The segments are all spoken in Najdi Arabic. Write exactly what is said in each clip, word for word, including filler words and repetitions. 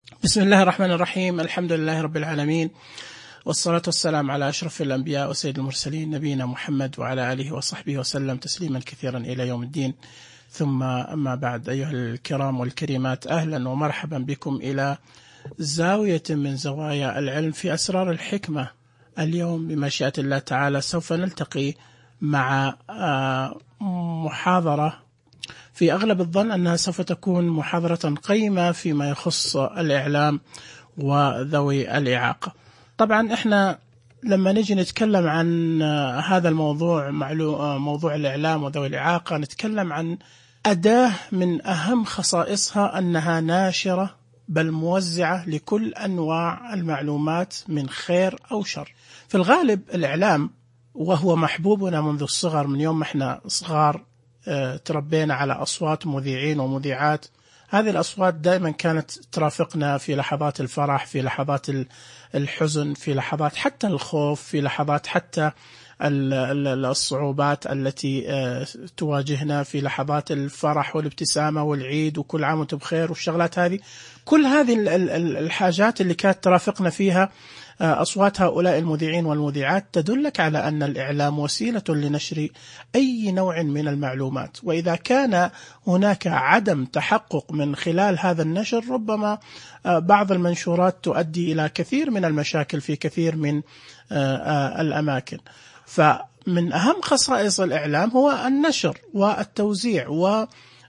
بسم الله الرحمن الرحيم. الحمد لله رب العالمين، والصلاة والسلام على أشرف الأنبياء وسيد المرسلين نبينا محمد وعلى آله وصحبه وسلم تسليما كثيرا إلى يوم الدين. ثم أما بعد، أيها الكرام والكريمات، أهلا ومرحبا بكم إلى زاوية من زوايا العلم في أسرار الحكمة. اليوم بمشيئة الله تعالى سوف نلتقي مع محاضرة في أغلب الظن أنها سوف تكون محاضرة قيمة فيما يخص الإعلام وذوي الإعاقة. طبعا إحنا لما نجي نتكلم عن هذا الموضوع، موضوع الإعلام وذوي الإعاقة، نتكلم عن أداة من أهم خصائصها أنها ناشرة بل موزعة لكل أنواع المعلومات من خير أو شر. في الغالب الإعلام وهو محبوبنا منذ الصغر، من يوم احنا صغار تربينا على أصوات مذيعين ومذيعات. هذه الأصوات دائما كانت ترافقنا في لحظات الفرح، في لحظات الحزن، في لحظات حتى الخوف، في لحظات حتى الصعوبات التي تواجهنا، في لحظات الفرح والابتسامة والعيد وكل عام وانتم بخير والشغلات هذه. كل هذه الحاجات اللي كانت ترافقنا فيها أصوات هؤلاء المذيعين والمذيعات تدلك على أن الإعلام وسيلة لنشر أي نوع من المعلومات، وإذا كان هناك عدم تحقق من خلال هذا النشر، ربما بعض المنشورات تؤدي إلى كثير من المشاكل في كثير من الأماكن. فمن أهم خصائص الإعلام هو النشر والتوزيع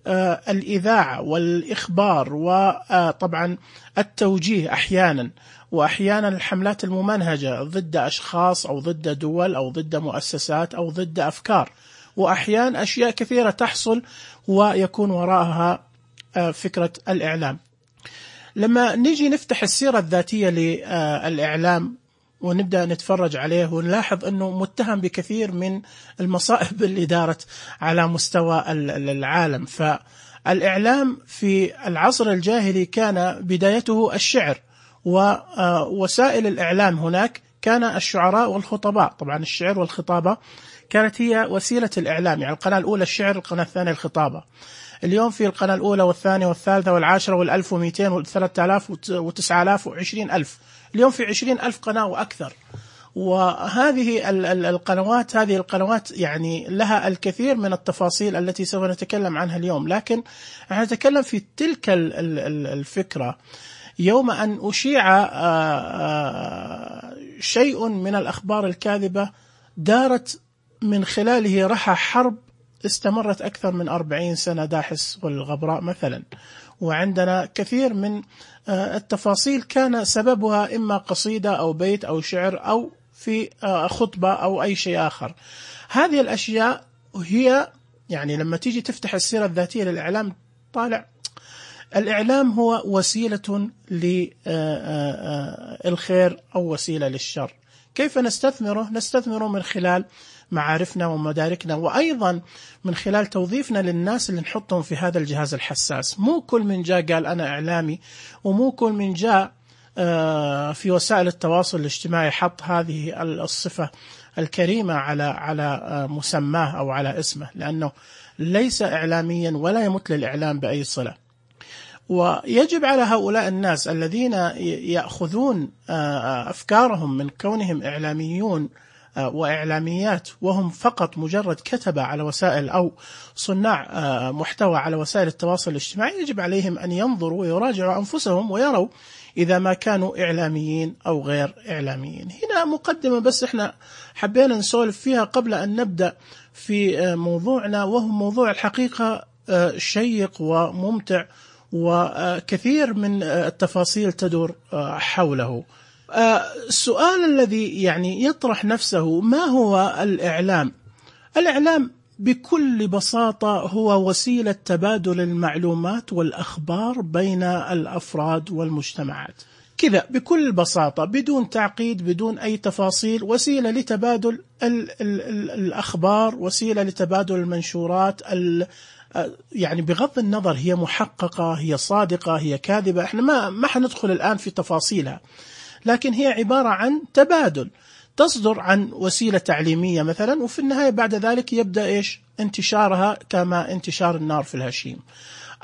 والإذاعة والإخبار، وطبعا التوجيه أحيانا، وأحيانا الحملات الممنهجة ضد أشخاص أو ضد دول أو ضد مؤسسات أو ضد أفكار، وأحيانا أشياء كثيرة تحصل ويكون وراءها فكرة الإعلام. لما نيجي نفتح السيرة الذاتية للإعلام ونبدأ نتفرج عليه ونلاحظ أنه متهم بكثير من المصائب اللي دارت على مستوى العالم. فالإعلام في العصر الجاهلي كان بدايته الشعر، ووسائل الإعلام هناك كان الشعراء والخطباء. طبعا الشعر والخطابة كانت هي وسيلة الإعلام، يعني القناة الأولى الشعر، القناة الثانية الخطابة. اليوم في القناة الأولى والثانية والثالثة والعاشرة والألف ومئتين والثلاثة آلاف وتسعة آلاف وعشرين ألف، اليوم في عشرين ألف قناة وأكثر. وهذه القنوات هذه القنوات يعني لها الكثير من التفاصيل التي سوف نتكلم عنها اليوم، لكن نتكلم في تلك الفكرة. يوم أن أشيع شيء من الأخبار الكاذبة، دارت من خلاله رحى حرب استمرت أكثر من أربعين سنة، داحس والغبراء مثلا. وعندنا كثير من التفاصيل كان سببها إما قصيدة أو بيت أو شعر أو في خطبة أو أي شيء آخر. هذه الأشياء هي يعني لما تيجي تفتح السيرة الذاتية للإعلام طالع الإعلام هو وسيلة للخير أو وسيلة للشر. كيف نستثمره؟ نستثمره من خلال معارفنا ومداركنا، وأيضا من خلال توظيفنا للناس اللي نحطهم في هذا الجهاز الحساس. مو كل من جاء قال أنا إعلامي، ومو كل من جاء في وسائل التواصل الاجتماعي حط هذه الصفة الكريمة على على مسماه أو على اسمه، لأنه ليس إعلاميا ولا يمت للإعلام بأي صلة. ويجب على هؤلاء الناس الذين يأخذون أفكارهم من كونهم إعلاميون وإعلاميات وهم فقط مجرد كتبة على وسائل أو صناع محتوى على وسائل التواصل الاجتماعي، يجب عليهم أن ينظروا ويراجعوا أنفسهم ويروا إذا ما كانوا إعلاميين أو غير إعلاميين. هنا مقدمة بس إحنا حبينا نسولف فيها قبل أن نبدأ في موضوعنا، وهو موضوع الحقيقة شيق وممتع وكثير من التفاصيل تدور حوله. السؤال الذي يعني يطرح نفسه، ما هو الإعلام؟ الإعلام بكل بساطة هو وسيلة تبادل المعلومات والأخبار بين الأفراد والمجتمعات، كذا بكل بساطة بدون تعقيد بدون أي تفاصيل. وسيلة لتبادل ال ال ال الأخبار، وسيلة لتبادل المنشورات، يعني بغض النظر هي محققة هي صادقة هي كاذبة، احنا ما ما حندخل الآن في تفاصيلها، لكن هي عبارة عن تبادل تصدر عن وسيلة تعليمية مثلا، وفي النهاية بعد ذلك يبدأ إيش انتشارها كما انتشار النار في الهشيم.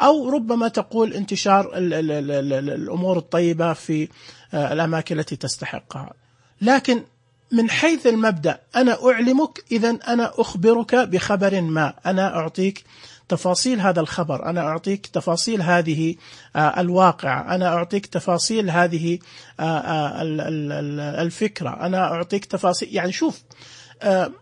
أو ربما تقول انتشار ال ال ال ال ال الأمور الطيبة في الأماكن التي تستحقها. لكن من حيث المبدأ أنا أعلمك، إذن أنا أخبرك بخبر ما، أنا أعطيك تفاصيل هذا الخبر، أنا أعطيك تفاصيل هذه الواقع، أنا أعطيك تفاصيل هذه الفكرة، أنا أعطيك تفاصيل. يعني شوف،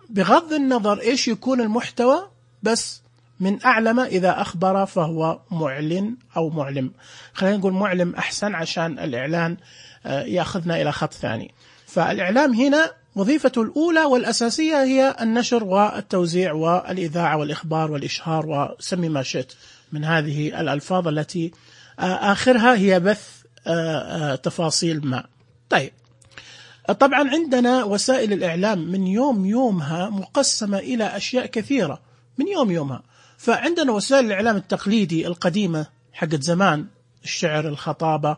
بغض النظر إيش يكون المحتوى، بس من أعلم إذا أخبر فهو معلن أو معلم. خلينا نقول معلم أحسن عشان الإعلان يأخذنا إلى خط ثاني. فالإعلام هنا وظيفته الأولى والأساسية هي النشر والتوزيع والإذاعة والإخبار والإشهار وسمي ما شئت من هذه الألفاظ التي آخرها هي بث تفاصيل ما. طيب، طبعا عندنا وسائل الإعلام من يوم يومها مقسمة إلى أشياء كثيرة من يوم يومها. فعندنا وسائل الإعلام التقليدي القديمة حقت زمان، الشعر، الخطابة،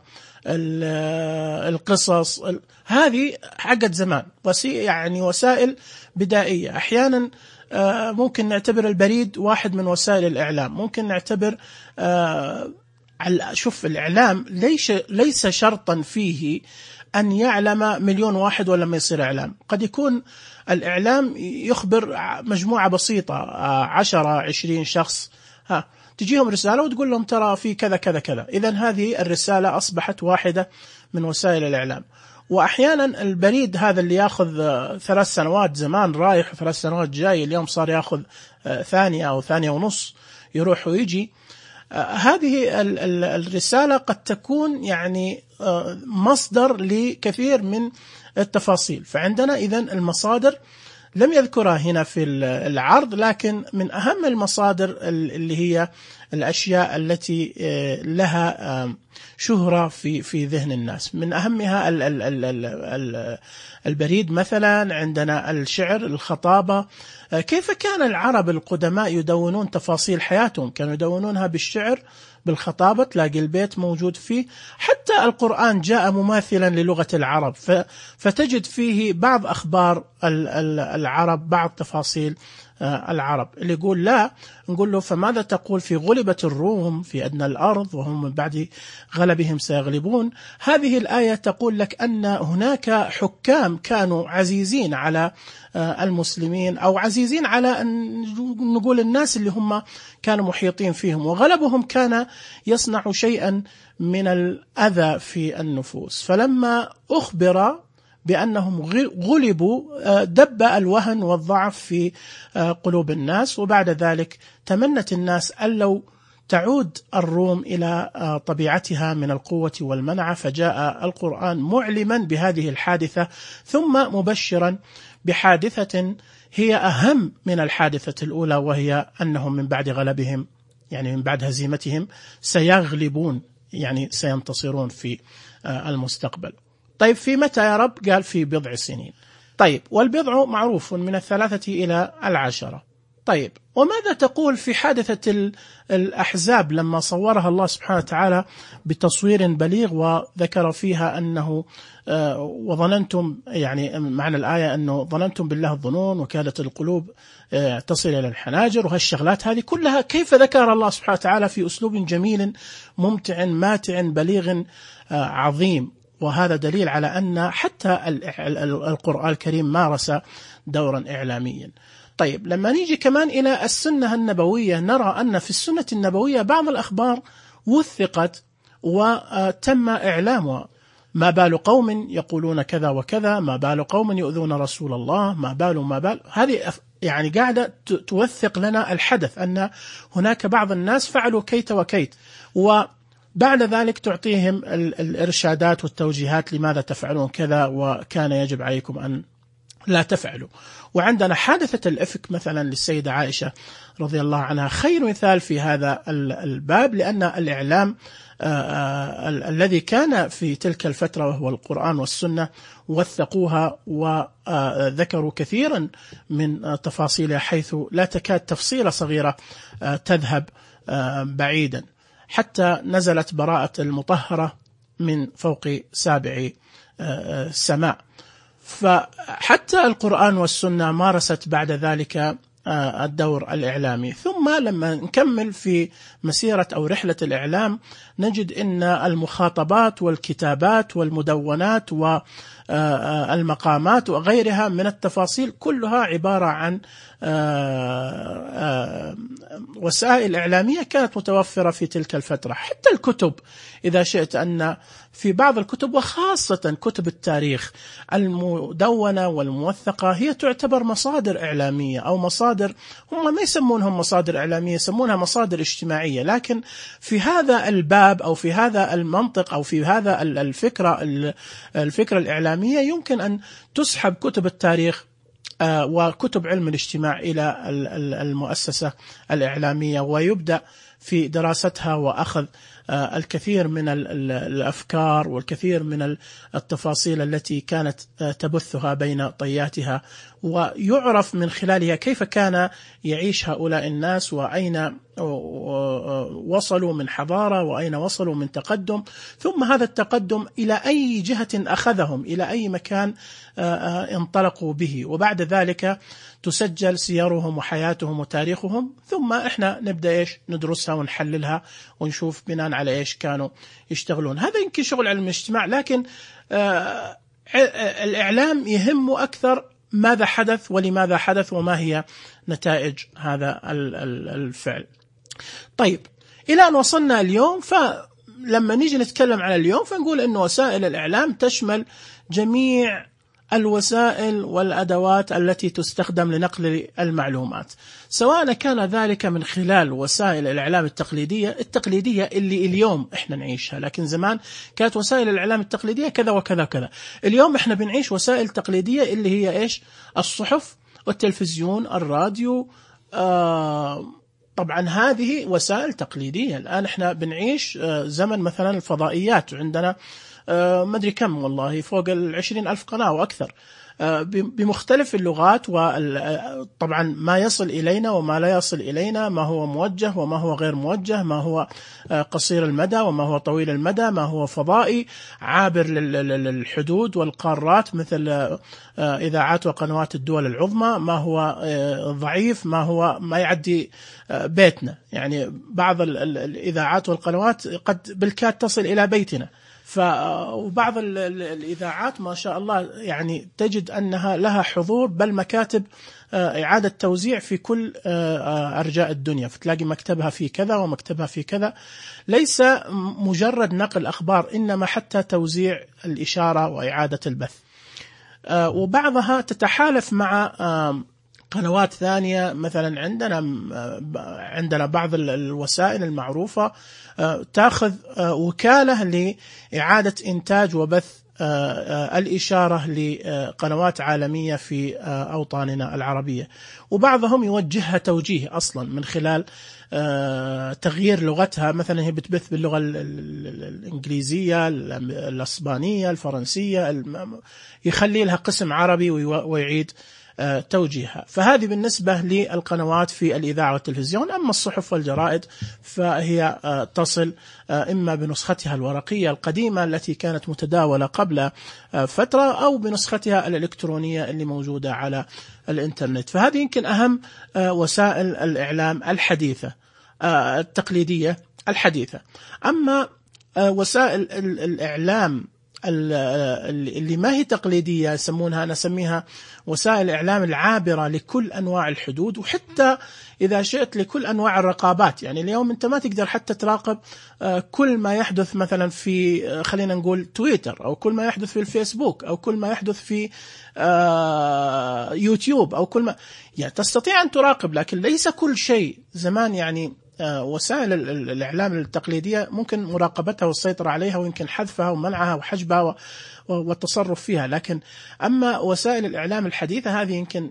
القصص، هذه حقت زمان، يعني وسائل بدائية. أحيانا ممكن نعتبر البريد واحد من وسائل الإعلام، ممكن نعتبر شوف الإعلام ليس ليس شرطا فيه أن يعلم مليون واحد ولا ما يصير إعلام. قد يكون الإعلام يخبر مجموعة بسيطة، عشرة عشرين شخص، ها تجيهم رسالة وتقول لهم ترى في كذا كذا كذا. إذن هذه الرسالة أصبحت واحدة من وسائل الإعلام. وأحيانا البريد هذا اللي يأخذ ثلاث سنوات زمان رايح وثلاث سنوات جاي، اليوم صار يأخذ ثانية أو ثانية ونص يروح ويجي. هذه الرسالة قد تكون يعني مصدر لكثير من التفاصيل. فعندنا إذن المصادر لم يذكرها هنا في العرض، لكن من أهم المصادر اللي هي الأشياء التي لها شهرة في في ذهن الناس. من أهمها البريد مثلا، عندنا الشعر، الخطابة. كيف كان العرب القدماء يدونون تفاصيل حياتهم؟ كانوا يدونونها بالشعر، بالخطابة، تلاقي البيت موجود فيه. حتى القرآن جاء مماثلا للغة العرب، فتجد فيه بعض أخبار العرب، بعض تفاصيل العرب. اللي يقول لا، نقول له فماذا تقول في غلبت الروم في أدنى الأرض وهم من بعد غلبهم سيغلبون؟ هذه الآية تقول لك أن هناك حكام كانوا عزيزين على المسلمين، أو عزيزين على أن نقول الناس اللي هم كانوا محيطين فيهم، وغلبهم كان يصنع شيئا من الأذى في النفوس. فلما أخبر بأنهم غلبوا دب الوهن والضعف في قلوب الناس، وبعد ذلك تمنت الناس أن لو تعود الروم إلى طبيعتها من القوة والمنعة. فجاء القرآن معلما بهذه الحادثة، ثم مبشرا بحادثة هي أهم من الحادثة الأولى، وهي أنهم من بعد غلبهم، يعني من بعد هزيمتهم، سيغلبون، يعني سينتصرون في المستقبل. طيب في متى يا رب؟ قال في بضع سنين. طيب والبضع معروف من الثلاثة إلى العشرة. طيب وماذا تقول في حادثة الأحزاب لما صورها الله سبحانه وتعالى بتصوير بليغ، وذكر فيها أنه وظننتم، يعني معنى الآية أنه ظننتم بالله الظنون وكادت القلوب تصل إلى الحناجر، وهالشغلات هذه كلها كيف ذكر الله سبحانه وتعالى في أسلوب جميل ممتع ماتع بليغ عظيم. وهذا دليل على أن حتى القرآن الكريم مارس دورا إعلاميا. طيب لما نيجي كمان إلى السنة النبوية، نرى أن في السنة النبوية بعض الأخبار وثقت وتم إعلامها. ما بال قوم يقولون كذا وكذا، ما بال قوم يؤذون رسول الله، ما بال ما بال هذه يعني قاعدة توثق لنا الحدث، أن هناك بعض الناس فعلوا كيت وكيت، وبعد ذلك تعطيهم الإرشادات والتوجيهات لماذا تفعلون كذا، وكان يجب عليكم أن لا تفعلوا. وعندنا حادثة الإفك مثلا للسيدة عائشة رضي الله عنها خير مثال في هذا الباب، لأن الإعلام الذي كان في تلك الفترة وهو القرآن والسنة وثقوها وذكروا كثيرا من تفاصيلها، حيث لا تكاد تفصيلة صغيرة تذهب بعيدا، حتى نزلت براءة المطهرة من فوق سابع سماء. فحتى القرآن والسنة مارست بعد ذلك الدور الإعلامي. ثم ثم لما نكمل في مسيرة أو رحلة الإعلام نجد أن المخاطبات والكتابات والمدونات والمقامات وغيرها من التفاصيل كلها عبارة عن وسائل إعلامية كانت متوفرة في تلك الفترة. حتى الكتب إذا شئت أن في بعض الكتب وخاصة كتب التاريخ المدونة والموثقة هي تعتبر مصادر إعلامية أو مصادر، هم ما يسمونهم مصادر إعلامية، يسمونها مصادر اجتماعية، لكن في هذا الباب أو في هذا المنطق أو في هذا الفكرة الفكرة الإعلامية يمكن أن تسحب كتب التاريخ وكتب علم الاجتماع إلى المؤسسة الإعلامية ويبدأ في دراستها وأخذ الكثير من الأفكار والكثير من التفاصيل التي كانت تبثها بين طياتها، ويعرف من خلالها كيف كان يعيش هؤلاء الناس وأين وصلوا من حضارة وأين وصلوا من تقدم، ثم هذا التقدم إلى أي جهة أخذهم، إلى أي مكان انطلقوا به، وبعد ذلك تسجل سيرهم وحياتهم وتاريخهم، ثم إحنا نبدأ إيش ندرسها ونحللها ونشوف بناء على إيش كانوا يشتغلون. هذا يمكن شغل علم الاجتماع، لكن آه الإعلام يهمه أكثر ماذا حدث ولماذا حدث وما هي نتائج هذا الفعل. طيب إلى أن وصلنا اليوم، فلما نيجي نتكلم عن اليوم فنقول أن وسائل الإعلام تشمل جميع الوسائل والأدوات التي تستخدم لنقل المعلومات، سواء كان ذلك من خلال وسائل الإعلام التقليدية التقليدية اللي اليوم إحنا نعيشها، لكن زمان كانت وسائل الإعلام التقليدية كذا وكذا كذا. اليوم إحنا بنعيش وسائل تقليدية اللي هي إيش؟ الصحف والتلفزيون، الراديو. آه طبعا هذه وسائل تقليدية. الآن إحنا بنعيش آه زمن مثلا الفضائيات، عندنا آه ما أدري كم والله فوق العشرين ألف قناة وأكثر آه بمختلف اللغات، وطبعا ما يصل إلينا وما لا يصل إلينا، ما هو موجه وما هو غير موجه، ما هو آه قصير المدى وما هو طويل المدى، ما هو فضائي عابر للحدود والقارات مثل آه إذاعات وقنوات الدول العظمى، ما هو آه ضعيف، ما هو ما يعدي آه بيتنا، يعني بعض الإذاعات والقنوات قد بالكاد تصل إلى بيتنا. وبعض الإذاعات ما شاء الله يعني تجد أنها لها حضور بل مكاتب إعادة توزيع في كل أرجاء الدنيا، فتلاقي مكتبها في كذا ومكتبها في كذا، ليس مجرد نقل أخبار إنما حتى توزيع الإشارة وإعادة البث. وبعضها تتحالف مع قنوات ثانية، مثلا عندنا عندنا بعض الوسائل المعروفة تأخذ وكالة لإعادة إنتاج وبث الإشارة لقنوات عالمية في أوطاننا العربية، وبعضهم يوجهها توجيه أصلا من خلال تغيير لغتها، مثلا هي بتبث باللغة الإنجليزية، الإسبانية، الفرنسية، يخلي لها قسم عربي ويعيد توجيهها. فهذه بالنسبة للقنوات في الإذاعة والتلفزيون. أما الصحف والجرائد فهي تصل إما بنسختها الورقية القديمة التي كانت متداولة قبل فترة أو بنسختها الإلكترونية اللي موجودة على الإنترنت. فهذه يمكن أهم وسائل الإعلام الحديثة التقليدية الحديثة. أما وسائل الإعلام اللي ما هي تقليدية يسمونها، أنا أسميها وسائل الإعلام العابرة لكل أنواع الحدود، وحتى إذا شئت لكل أنواع الرقابات. يعني اليوم أنت ما تقدر حتى تراقب كل ما يحدث مثلا في خلينا نقول تويتر، أو كل ما يحدث في الفيسبوك، أو كل ما يحدث في يوتيوب، أو كل ما يعني تستطيع أن تراقب، لكن ليس كل شيء. زمان يعني وسائل الإعلام التقليدية ممكن مراقبتها والسيطرة عليها، ويمكن حذفها ومنعها وحجبها والتصرف فيها، لكن أما وسائل الإعلام الحديثة هذه يمكن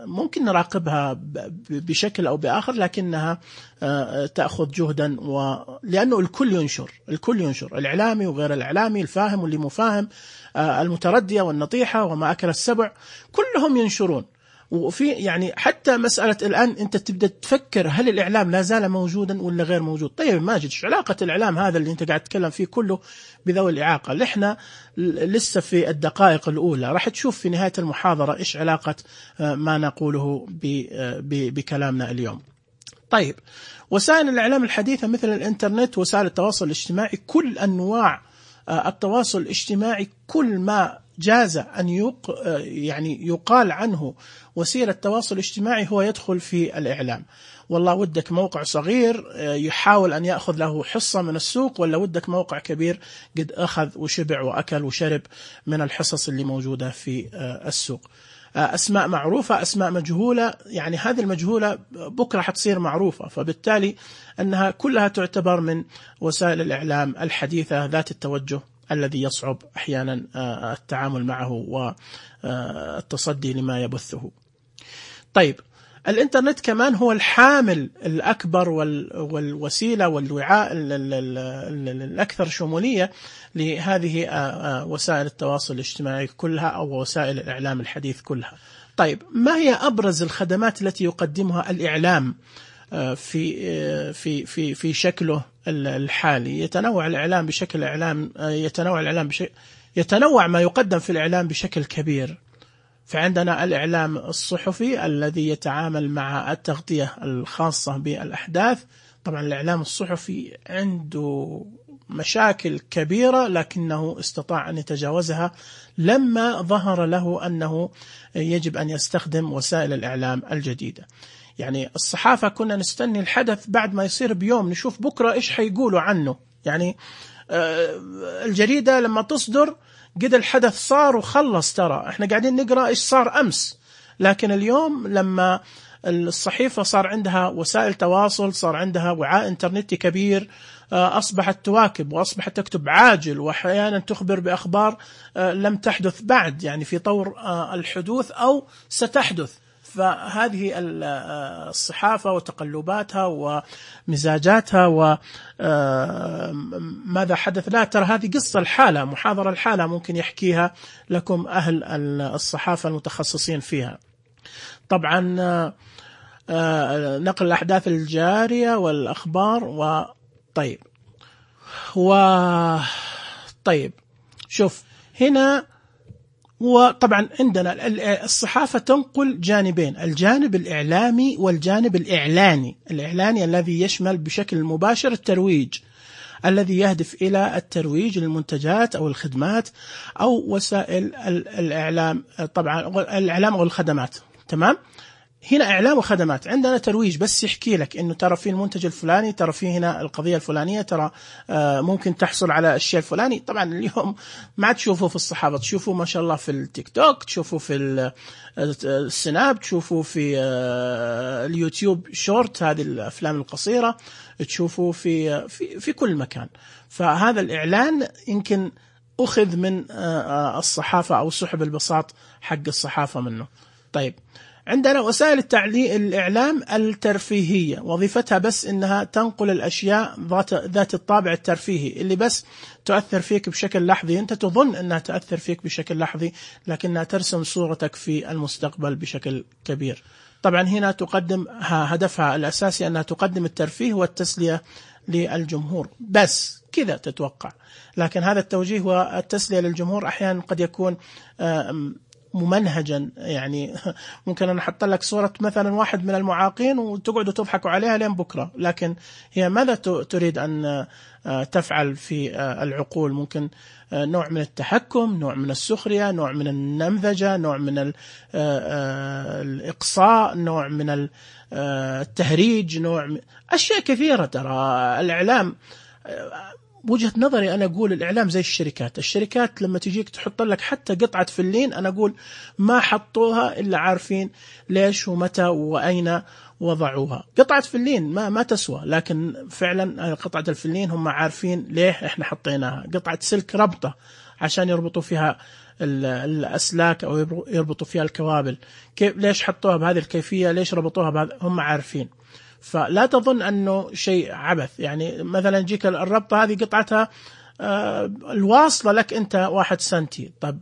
ممكن نراقبها بشكل أو بآخر، لكنها تأخذ جهدا، ولأنه الكل ينشر الكل ينشر الإعلامي وغير الإعلامي، الفاهم واللي مفاهم، المتردية والنطيحة وما أكل السبع، كلهم ينشرون. وفي يعني حتى مسألة الآن أنت تبدأ تفكر هل الإعلام لا زال موجودا ولا غير موجود؟ طيب ماجد، شو علاقة الإعلام هذا اللي أنت قاعد تتكلم فيه كله بذوي الإعاقة؟ اللي إحنا لسه في الدقائق الأولى راح تشوف في نهاية المحاضرة إيش علاقة ما نقوله بكلامنا اليوم. طيب، وسائل الإعلام الحديثة مثل الإنترنت وسائل التواصل الاجتماعي، كل أنواع التواصل الاجتماعي، كل ما جاز أن يق يعني يقال عنه وسيلة تواصل اجتماعي هو يدخل في الإعلام. والله ودك موقع صغير يحاول أن يأخذ له حصة من السوق، ولا ودك موقع كبير قد أخذ وشبع وأكل وشرب من الحصص اللي موجودة في السوق. أسماء معروفة، أسماء مجهولة، يعني هذه المجهولة بكرة حتصير معروفة، فبالتالي أنها كلها تعتبر من وسائل الإعلام الحديثة ذات التوجه الذي يصعب أحيانا التعامل معه والتصدي لما يبثه. طيب، الإنترنت كمان هو الحامل الأكبر والوسيلة والوعاء الأكثر شمولية لهذه وسائل التواصل الاجتماعي كلها أو وسائل الإعلام الحديث كلها. طيب، ما هي أبرز الخدمات التي يقدمها الإعلام في في في في شكله الحالي؟ يتنوع الإعلام بشكل إعلام يتنوع الإعلام بشكل يتنوع ما يقدم في الإعلام بشكل كبير. فعندنا الإعلام الصحفي الذي يتعامل مع التغطية الخاصة بالأحداث. طبعا الإعلام الصحفي عنده مشاكل كبيرة لكنه استطاع أن يتجاوزها لما ظهر له أنه يجب أن يستخدم وسائل الإعلام الجديدة. يعني الصحافة كنا نستني الحدث بعد ما يصير بيوم نشوف بكرة إيش حيقولوا عنه. يعني الجريدة لما تصدر قد الحدث صار وخلص، ترى احنا قاعدين نقرأ ايش صار امس. لكن اليوم لما الصحيفة صار عندها وسائل تواصل، صار عندها وعاء انترنتي كبير، اصبحت تواكب واصبحت تكتب عاجل، واحيانا تخبر باخبار لم تحدث بعد، يعني في طور الحدوث او ستحدث. فهذه الصحافة وتقلباتها ومزاجاتها وماذا حدث، لا ترى هذه قصة الحالة، محاضرة الحالة ممكن يحكيها لكم أهل الصحافة المتخصصين فيها. طبعا نقل الأحداث الجارية والأخبار. وطيب وطيب شوف هنا، وطبعا عندنا الصحافة تنقل جانبين، الجانب الإعلامي والجانب الإعلاني. الإعلاني الذي يشمل بشكل مباشر الترويج، الذي يهدف إلى الترويج للمنتجات أو الخدمات أو وسائل الإعلام، طبعا الإعلام أو الخدمات. تمام، هنا إعلام وخدمات. عندنا ترويج بس يحكي لك إنه ترى في المنتج الفلاني، ترى في هنا القضية الفلانية، ترى ممكن تحصل على الشيء الفلاني. طبعا اليوم ما تشوفوا في الصحافة، تشوفوا ما شاء الله في التيك توك، تشوفوا في السناب، تشوفوا في اليوتيوب شورت، هذه الأفلام القصيرة، تشوفوا في في في كل مكان. فهذا الإعلان يمكن أخذ من الصحافة أو سحب البساط حق الصحافة منه. طيب، عندنا وسائل التعليق الإعلام الترفيهية، وظيفتها بس إنها تنقل الأشياء ذات ذات الطابع الترفيهي اللي بس تؤثر فيك بشكل لحظي، أنت تظن أنها تؤثر فيك بشكل لحظي لكنها ترسم صورتك في المستقبل بشكل كبير. طبعا هنا تقدم هدفها الأساسي أنها تقدم الترفيه والتسلية للجمهور، بس كذا تتوقع. لكن هذا التوجيه والتسلية للجمهور أحيانا قد يكون ممنهجا. يعني ممكن أن أحط لك صورة مثلا واحد من المعاقين وتقعدوا تضحكوا عليها لين بكرة، لكن هي ماذا تريد أن تفعل في العقول؟ ممكن نوع من التحكم، نوع من السخرية، نوع من النمذجة، نوع من الإقصاء، نوع من التهريج، نوع من أشياء كثيرة. ترى الإعلام وجهة نظري أنا أقول الإعلام زي الشركات. الشركات لما تجيك تحط لك حتى قطعة فلين، أنا أقول ما حطوها إلا عارفين ليش ومتى وأين وضعوها. قطعة فلين ما ما تسوى، لكن فعلا قطعة الفلين هم عارفين ليه إحنا حطيناها. قطعة سلك ربطة عشان يربطوا فيها الأسلاك أو يربطوا فيها الكوابل، كيف ليش حطوها بهذه الكيفية، ليش ربطوها بهذا، هم عارفين. فلا تظن أنه شيء عبث. يعني مثلا جيك الربطة هذه قطعتها الواصلة لك أنت واحد سنتي، طب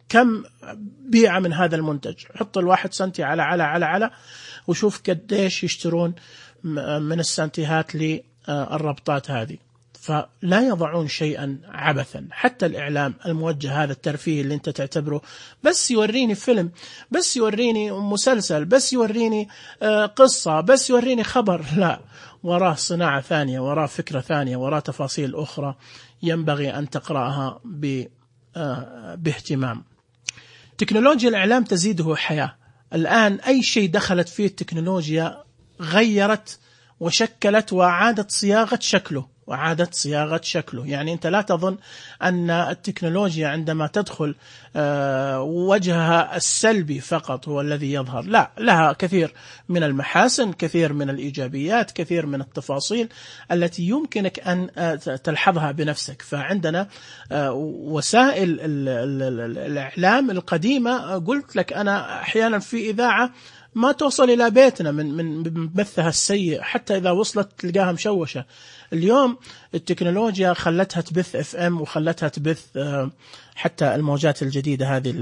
كم بيعة من هذا المنتج؟ حط الواحد سنتي على على على على وشوف قديش يشترون من السنتيهات للربطات هذه. فلا يضعون شيئا عبثا. حتى الإعلام الموجه هذا الترفيه اللي أنت تعتبره بس يوريني فيلم، بس يوريني مسلسل، بس يوريني قصة، بس يوريني خبر، لا، وراه صناعة ثانية، وراه فكرة ثانية، وراه تفاصيل أخرى ينبغي أن تقرأها باهتمام. تكنولوجيا الإعلام تزيده حياة. الآن أي شيء دخلت فيه التكنولوجيا غيرت وشكلت وعادت صياغة شكله وعادت صياغة شكله. يعني أنت لا تظن أن التكنولوجيا عندما تدخل وجهها السلبي فقط هو الذي يظهر، لا، لها كثير من المحاسن، كثير من الإيجابيات، كثير من التفاصيل التي يمكنك أن تلحظها بنفسك. فعندنا وسائل الإعلام القديمة، قلت لك أنا أحيانا في إذاعة ما توصل إلى بيتنا من من بثها السيء، حتى إذا وصلت تلقاها مشوشة. اليوم التكنولوجيا خلتها تبث اف ام، وخلتها تبث حتى الموجات الجديدة هذه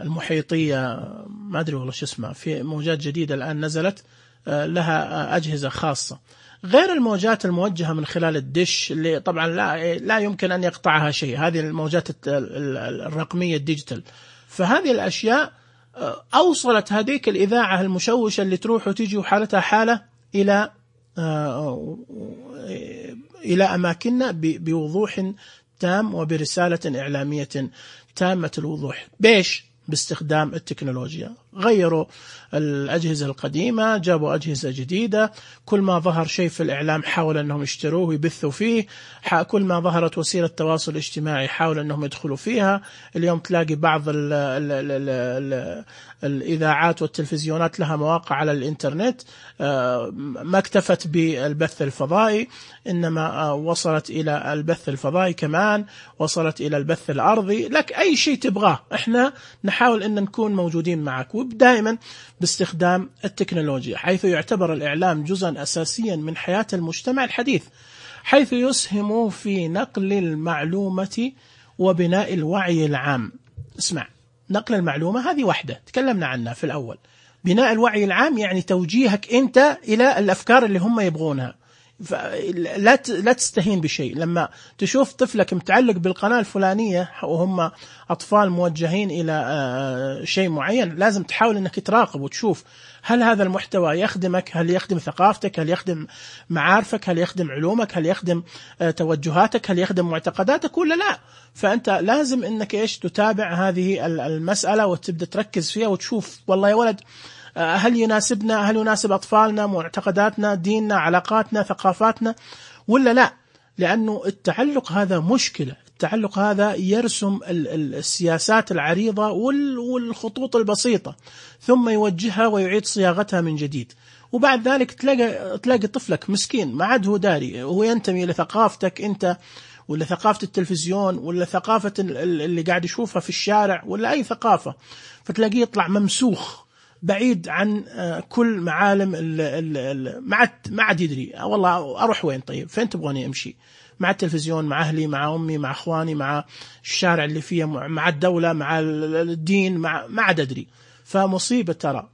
المحيطية، ما أدري والله شو اسمها، في موجات جديدة الآن نزلت لها أجهزة خاصة، غير الموجات الموجهة من خلال الدش اللي طبعا لا لا يمكن أن يقطعها شيء، هذه الموجات الرقمية الديجيتال. فهذه الأشياء أوصلت هذيك الإذاعة المشوشة اللي تروح وتيجي وحالتها حالة إلى إلى أماكننا بوضوح تام وبرسالة إعلامية تامة الوضوح. بيش؟ باستخدام التكنولوجيا. غيروا الأجهزة القديمة، جابوا أجهزة جديدة، كل ما ظهر شيء في الإعلام حاول أنهم يشتروه ويبثوا فيه، كل ما ظهرت وسيلة تواصل اجتماعي حاول أنهم يدخلوا فيها. اليوم تلاقي بعض ال ال ال ال الإذاعات والتلفزيونات لها مواقع على الإنترنت، ما اكتفت بالبث الفضائي، إنما وصلت إلى البث الفضائي كمان، وصلت إلى البث الأرضي. لك أي شيء تبغاه إحنا نحاول أن نكون موجودين معك، ودائما باستخدام التكنولوجيا، حيث يعتبر الإعلام جزءا أساسيا من حياة المجتمع الحديث، حيث يسهم في نقل المعلومة وبناء الوعي العام. اسمع، نقل المعلومة هذه وحدة تكلمنا عنها في الأول، بناء الوعي العام يعني توجيهك أنت إلى الأفكار اللي هم يبغونها. لا لا تستهين بشيء. لما تشوف طفلك متعلق بالقناة الفلانية وهم أطفال موجهين إلى شيء معين، لازم تحاول أنك تراقب وتشوف هل هذا المحتوى يخدمك، هل يخدم ثقافتك، هل يخدم معارفك، هل يخدم علومك، هل يخدم توجهاتك، هل يخدم معتقداتك ولا لا. فأنت لازم أنك إيش تتابع هذه المسألة وتبدأ تركز فيها وتشوف والله يا ولد هل يناسبنا، هل يناسب أطفالنا، معتقداتنا، ديننا، علاقاتنا، ثقافاتنا ولا لا. لأنه التعلق هذا مشكلة. التعلق هذا يرسم السياسات العريضة والخطوط البسيطة، ثم يوجهها ويعيد صياغتها من جديد. وبعد ذلك تلاقي تلاقي طفلك مسكين ما عاد هو داري، هو ينتمي لثقافتك أنت ولا ثقافة التلفزيون ولا ثقافة اللي قاعد يشوفها في الشارع ولا أي ثقافة، فتلاقيه يطلع ممسوخ بعيد عن كل معالم ما عاد ما عاد يدري والله أروح وين، طيب فين تبغوني أمشي، مع التلفزيون، مع أهلي، مع أمي، مع أخواني، مع الشارع اللي فيه، مع الدولة، مع الدين، مع ما عاد أدري. فمصيبة ترى.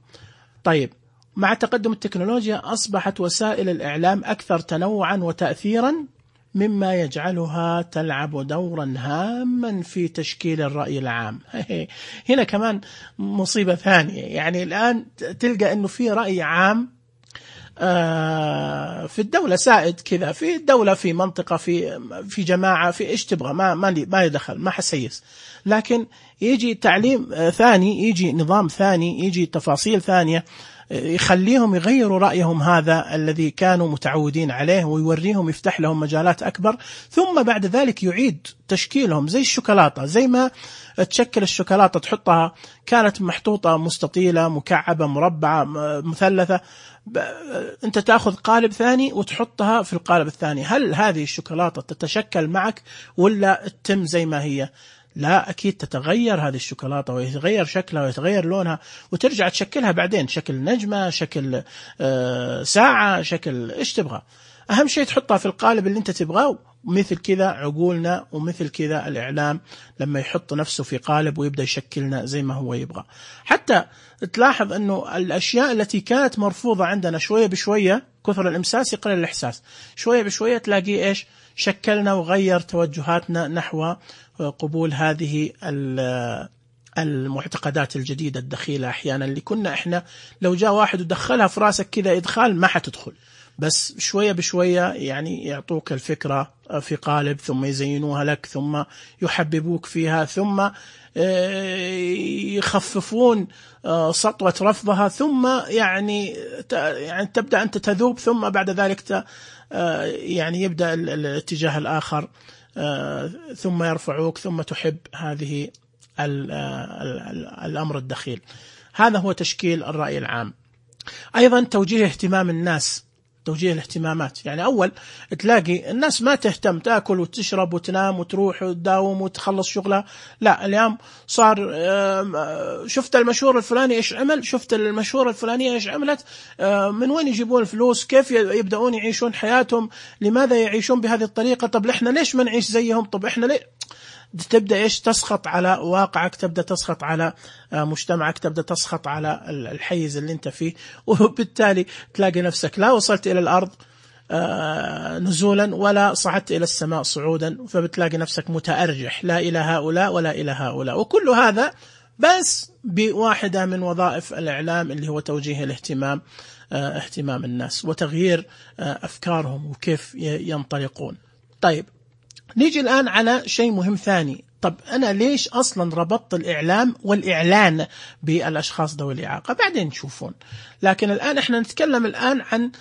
طيب، مع تقدم التكنولوجيا أصبحت وسائل الإعلام أكثر تنوعا وتأثيرا، مما يجعلها تلعب دورا هاما في تشكيل الرأي العام. هنا كمان مصيبة ثانية. يعني الآن تلقى أنه في رأي عام في الدولة سائد كذا، في الدولة، في منطقة، في في جماعة، في إيش تبغى، ما ما ما يدخل، ما حسيس. لكن يجي تعليم ثاني، يجي نظام ثاني، يجي تفاصيل ثانية يخليهم يغيروا رأيهم هذا الذي كانوا متعودين عليه، ويوريهم، يفتح لهم مجالات أكبر، ثم بعد ذلك يعيد تشكيلهم زي الشوكولاتة. زي ما تشكل الشوكولاتة، تحطها كانت محطوطة مستطيلة، مكعبة، مربعة، مثلثة، أنت تأخذ قالب ثاني وتحطها في القالب الثاني، هل هذه الشوكولاتة تتشكل معك ولا تتم زي ما هي؟ لا، أكيد تتغير هذه الشوكولاتة ويتغير شكلها ويتغير لونها، وترجع تشكلها بعدين شكل نجمة، شكل آه ساعة، شكل إيش تبغى. أهم شيء تحطها في القالب اللي أنت تبغاه. مثل كذا عقولنا ومثل كذا الإعلام لما يحط نفسه في قالب ويبدأ يشكلنا زي ما هو يبغى. حتى تلاحظ أنه الأشياء التي كانت مرفوضة عندنا شوية بشوية، كثر الإمساس يقلل الإحساس، شوية بشوية تلاقي إيش شكلنا وغير توجهاتنا نحو قبول هذه المعتقدات الجديدة الدخيلة أحيانا، اللي كنا إحنا لو جاء واحد ودخلها في راسك كذا إدخال ما حتدخل، بس شوية بشوية يعني يعطوك الفكرة في قالب، ثم يزينوها لك، ثم يحببوك فيها، ثم يخففون سطوة رفضها، ثم يعني يعني تبدأ أنت تذوب، ثم بعد ذلك يعني يبدأ الاتجاه الآخر، ثم يرفعوك، ثم تحب هذه الأمر الدخيل. هذا هو تشكيل الرأي العام. أيضا توجيه اهتمام الناس، توجيه الاهتمامات. يعني أول تلاقي الناس ما تهتم، تأكل وتشرب وتنام وتروح وتداوم وتخلص شغلها. لا، اليوم صار شفت المشهور الفلاني إيش عمل، شفت المشهور الفلانية إيش عملت، من وين يجيبون الفلوس، كيف يبدأون يعيشون حياتهم، لماذا يعيشون بهذه الطريقة، طب إحنا ليش ما نعيش زيهم، طب إحنا ليه. تبدأ إيش تسخط على واقعك، تبدأ تسخط على مجتمعك، تبدأ تسخط على الحيز اللي انت فيه، وبالتالي تلاقي نفسك لا وصلت إلى الأرض نزولا ولا صعدت إلى السماء صعودا، فبتلاقي نفسك متأرجح، لا إلى هؤلاء ولا إلى هؤلاء. وكل هذا بس بواحدة من وظائف الإعلام اللي هو توجيه الاهتمام، اهتمام الناس وتغيير أفكارهم وكيف ينطلقون. طيب نيجي الآن على شيء مهم ثاني. طب أنا ليش أصلا ربطت الإعلام والإعلان بالأشخاص ذوي الإعاقة؟ بعدين نشوفون. لكن الآن إحنا نتكلم الآن عن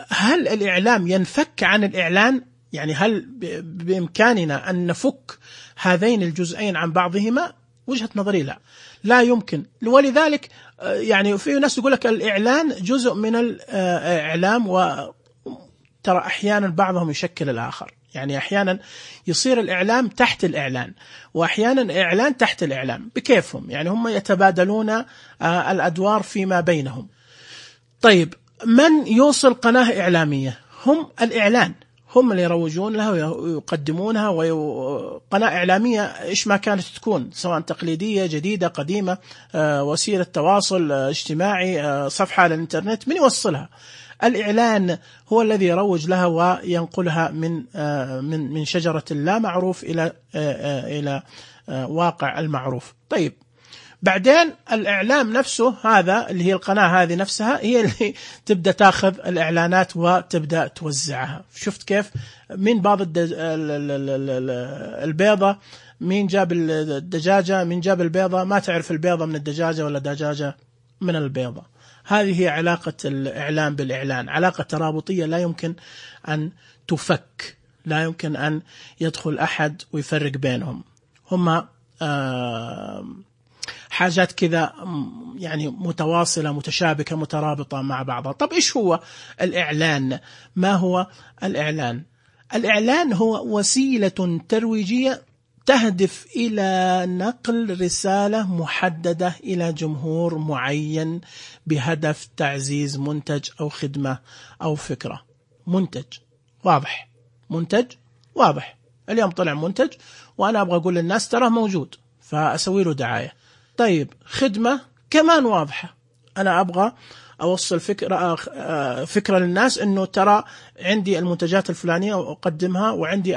هل الإعلام ينفك عن الإعلان؟ يعني هل بإمكاننا أن نفك هذين الجزئين عن بعضهما؟ وجهة نظري لا، لا يمكن. ولذلك يعني في ناس يقول لك الإعلان جزء من الإعلام، وترى أحيانا بعضهم يشكل الآخر. يعني أحيانا يصير الإعلام تحت الإعلان، وأحيانا إعلان تحت الإعلام بكيفهم، يعني هم يتبادلون الأدوار فيما بينهم. طيب من يوصل قناة إعلامية؟ هم الإعلان، هم اللي يروجون لها ويقدمونها. وقناة إعلامية إيش ما كانت تكون، سواء تقليدية جديدة قديمة، وسيلة تواصل اجتماعي، صفحة على الإنترنت، من يوصلها؟ الإعلان هو الذي يروج لها وينقلها من من من شجرة اللا معروف إلى إلى واقع المعروف. طيب بعدين الإعلام نفسه هذا اللي هي القناة هذه نفسها هي اللي تبدأ تأخذ الإعلانات وتبدأ توزعها. شفت كيف؟ من بعض البيضة، مين جاب الدجاجة، مين جاب البيضة، ما تعرف البيضة من الدجاجة ولا دجاجة من البيضة. هذه هي علاقة الإعلام بالإعلان، علاقة ترابطية لا يمكن أن تفك، لا يمكن أن يدخل أحد ويفرق بينهم. هما حاجات كذا يعني متواصلة متشابكة مترابطة مع بعضها. طب إيش هو الإعلان؟ ما هو الإعلان؟ الإعلان هو وسيلة ترويجية تهدف إلى نقل رسالة محددة إلى جمهور معين بهدف تعزيز منتج أو خدمة أو فكرة. منتج واضح، منتج واضح. اليوم طلع منتج وأنا أبغى أقول للناس ترى موجود، فأسوي له دعاية. طيب خدمة كمان واضحة، أنا أبغى أوصل فكرة فكرة للناس إنه ترى عندي المنتجات الفلانية وأقدمها، وعندي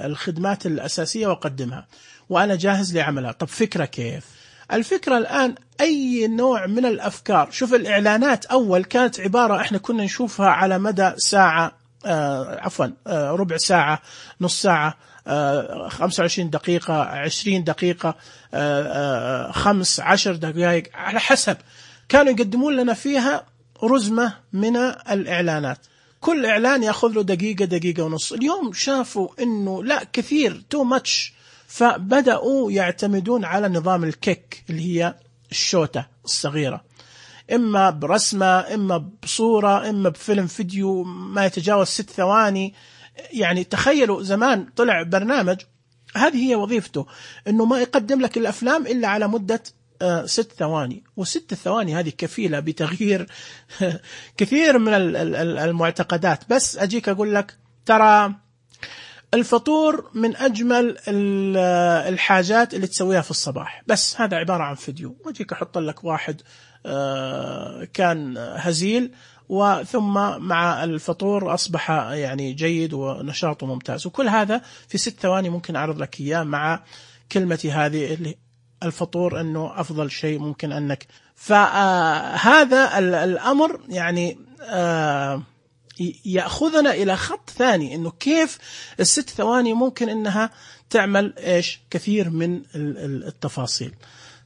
الخدمات الأساسية وأقدمها، وأنا جاهز لعملها. طب فكرة كيف؟ الفكرة الآن أي نوع من الأفكار. شوف الإعلانات أول كانت عبارة إحنا كنا نشوفها على مدى ساعة، آه عفوا آه ربع ساعة، نص ساعة، آه خمسة وعشرين دقيقة، عشرين دقيقة، آه آه خمس عشر دقائق، على حسب. كانوا يقدمون لنا فيها رزمة من الإعلانات، كل إعلان يأخذ له دقيقة دقيقة ونص. اليوم شافوا إنه لا، كثير تو ماتش، فبدأوا يعتمدون على نظام الكيك اللي هي الشوتة الصغيرة، إما برسمة، إما بصورة، إما بفيلم فيديو ما يتجاوز ست ثواني. يعني تخيلوا زمان طلع برنامج هذه هي وظيفته، إنه ما يقدم لك الأفلام إلا على مدة آه ست ثواني، وست الثواني هذه كفيلة بتغيير كثير من المعتقدات. بس أجيك أقول لك ترى الفطور من أجمل الحاجات اللي تسويها في الصباح، بس هذا عبارة عن فيديو، وأجيك أحط لك واحد كان هزيل وثم مع الفطور أصبح يعني جيد ونشاطه ممتاز، وكل هذا في ست ثواني ممكن أعرض لك إياه مع كلمتي هذه اللي الفطور أنه أفضل شيء ممكن أنك. فهذا الأمر يعني يأخذنا إلى خط ثاني، إنه كيف الست ثواني ممكن إنها تعمل إيش كثير من التفاصيل.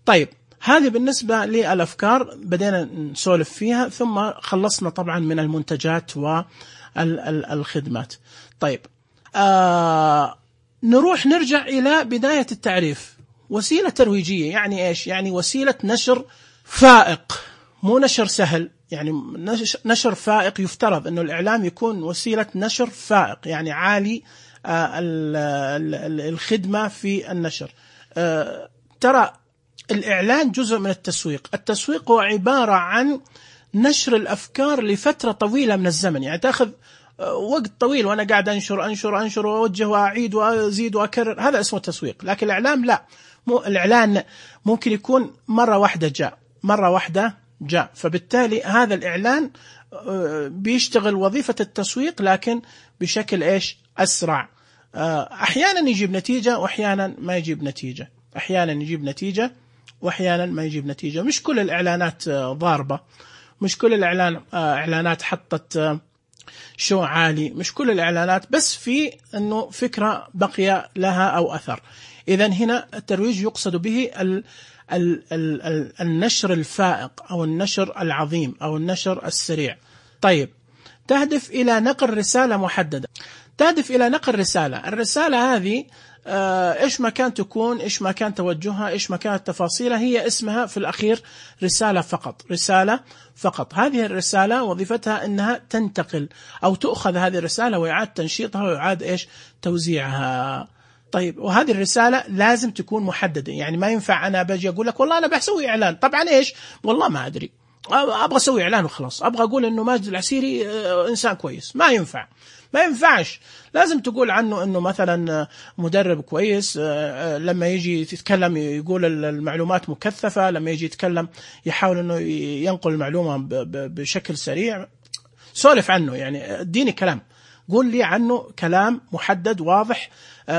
طيب هذه بالنسبة للأفكار بدينا نسولف فيها، ثم خلصنا طبعا من المنتجات والخدمات. طيب آه نروح نرجع إلى بداية التعريف. وسيلة ترويجية يعني إيش؟ يعني وسيلة نشر فائق، مو نشر سهل، يعني نشر فائق. يفترض أنه الإعلام يكون وسيلة نشر فائق، يعني عالي الخدمة في النشر. ترى الإعلان جزء من التسويق. التسويق هو عبارة عن نشر الأفكار لفترة طويلة من الزمن، يعني تأخذ وقت طويل وأنا قاعد أنشر أنشر أنشر وأوجه وأعيد وأزيد وأكرر، هذا اسمه تسويق. لكن الإعلام لا، مو الإعلان ممكن يكون مرة واحدة جاء مرة واحدة جاء فبالتالي هذا الإعلان بيشتغل وظيفة التسويق لكن بشكل إيش أسرع. أحيانا يجيب نتيجة وأحيانا ما يجيب نتيجة، أحيانا يجيب نتيجة وأحيانا ما يجيب نتيجة. مش كل الإعلانات ضاربة، مش كل الإعلان إعلانات حطت شو عالي، مش كل الإعلانات، بس في أنه فكرة بقي لها أو أثر. إذن هنا الترويج يقصد به ال ال ال النشر الفائق أو النشر العظيم أو النشر السريع. طيب تهدف إلى نقل رسالة محددة، تهدف إلى نقل رسالة. الرسالة هذه آه إيش ما كان تكون، إيش ما كان توجهها، إيش ما كانت تفاصيلها، هي اسمها في الأخير رسالة فقط، رسالة فقط. هذه الرسالة وظيفتها أنها تنتقل أو تأخذ هذه الرسالة ويعاد تنشيطها ويعاد إيش توزيعها. طيب وهذه الرسالة لازم تكون محددة، يعني ما ينفع أنا بجي أقول لك والله أنا بسوي إعلان، طبعا إيش والله ما أدري، أبغى أسوي إعلان وخلاص، أبغى أقول إنه ماجد العسيري إنسان كويس. ما ينفع، ما ينفعش. لازم تقول عنه إنه مثلا مدرب كويس، لما يجي يتكلم يقول المعلومات مكثفة، لما يجي يتكلم يحاول إنه ينقل المعلومة بشكل سريع. سولف عنه، يعني اديني كلام، قول لي عنه كلام محدد واضح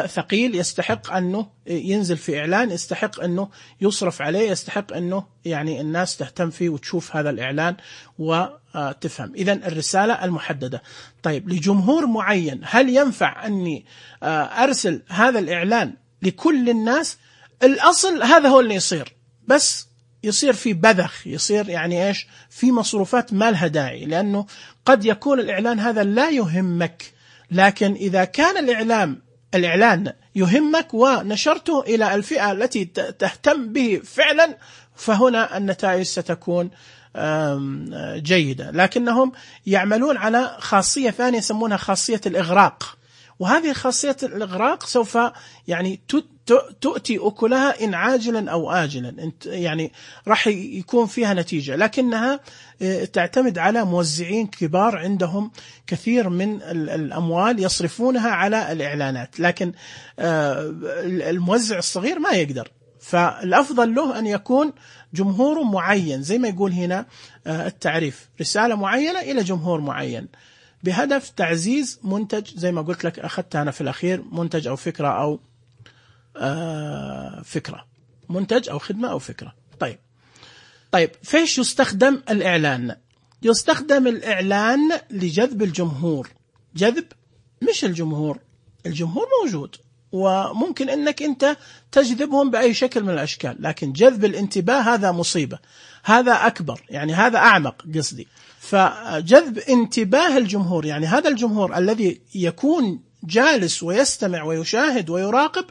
ثقيل، يستحق أنه ينزل في إعلان، يستحق أنه يصرف عليه، يستحق أنه يعني الناس تهتم فيه وتشوف هذا الإعلان وتفهم. إذن الرسالة المحددة. طيب لجمهور معين، هل ينفع أني أرسل هذا الإعلان لكل الناس؟ الأصل هذا هو اللي يصير، بس يصير في بذخ، يصير يعني إيش في مصروفات ما لها داعي، لأنه قد يكون الإعلان هذا لا يهمك، لكن إذا كان الإعلام الإعلان يهمك ونشرته إلى الفئة التي تهتم به فعلا، فهنا النتائج ستكون جيدة. لكنهم يعملون على خاصية ثانية يسمونها خاصية الإغراق، وهذه خاصية الإغراق سوف يعني تؤتي أكلها إن عاجلا أو آجلا، يعني راح يكون فيها نتيجة، لكنها تعتمد على موزعين كبار عندهم كثير من الأموال يصرفونها على الإعلانات، لكن الموزع الصغير ما يقدر. فالأفضل له أن يكون جمهور معين، زي ما يقول هنا التعريف، رسالة معينة إلى جمهور معين بهدف تعزيز منتج، زي ما قلت لك أخذتها أنا في الأخير، منتج أو فكرة أو آه فكرة، منتج أو خدمة أو فكرة. طيب طيب فيش يستخدم الإعلان؟ يستخدم الإعلان لجذب الجمهور. جذب مش الجمهور، الجمهور موجود وممكن أنك أنت تجذبهم بأي شكل من الأشكال، لكن جذب الانتباه هذا مصيبة، هذا أكبر، يعني هذا أعمق قصدي. فجذب انتباه الجمهور، يعني هذا الجمهور الذي يكون جالس ويستمع ويشاهد ويراقب،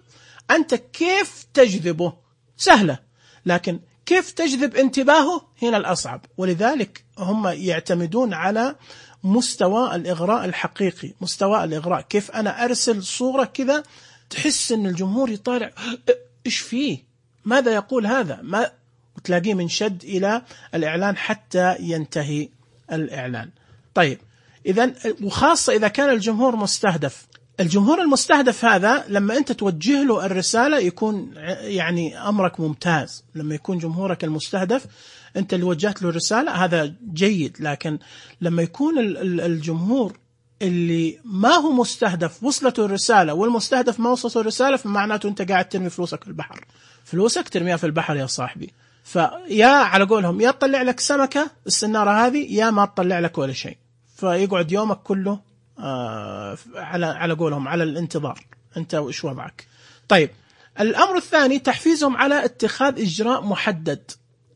أنت كيف تجذبه؟ سهلة، لكن كيف تجذب انتباهه هنا الأصعب. ولذلك هم يعتمدون على مستوى الإغراء الحقيقي، مستوى الإغراء، كيف أنا أرسل صورة كذا تحس أن الجمهور يطالع إيش فيه، ماذا يقول هذا، ما تلاقيه منشد إلى الإعلان حتى ينتهي الإعلان. طيب إذا، وخاصة إذا كان الجمهور مستهدف، الجمهور المستهدف هذا لما أنت توجه له الرسالة يكون يعني أمرك ممتاز. لما يكون جمهورك المستهدف أنت اللي وجهت له الرسالة هذا جيد، لكن لما يكون الجمهور اللي ما هو مستهدف وصلته الرسالة والمستهدف ما وصلته الرسالة، فمعناته أنت قاعد ترمي فلوسك في البحر. فلوسك ترميها في البحر يا صاحبي. فيا على قولهم يا تطلع لك سمكة السنارة هذه يا ما تطلع لك ولا شيء، فيقعد يومك كله آه على على قولهم على الانتظار. أنت وإيش وضعك؟ طيب الأمر الثاني تحفيزهم على اتخاذ إجراء محدد.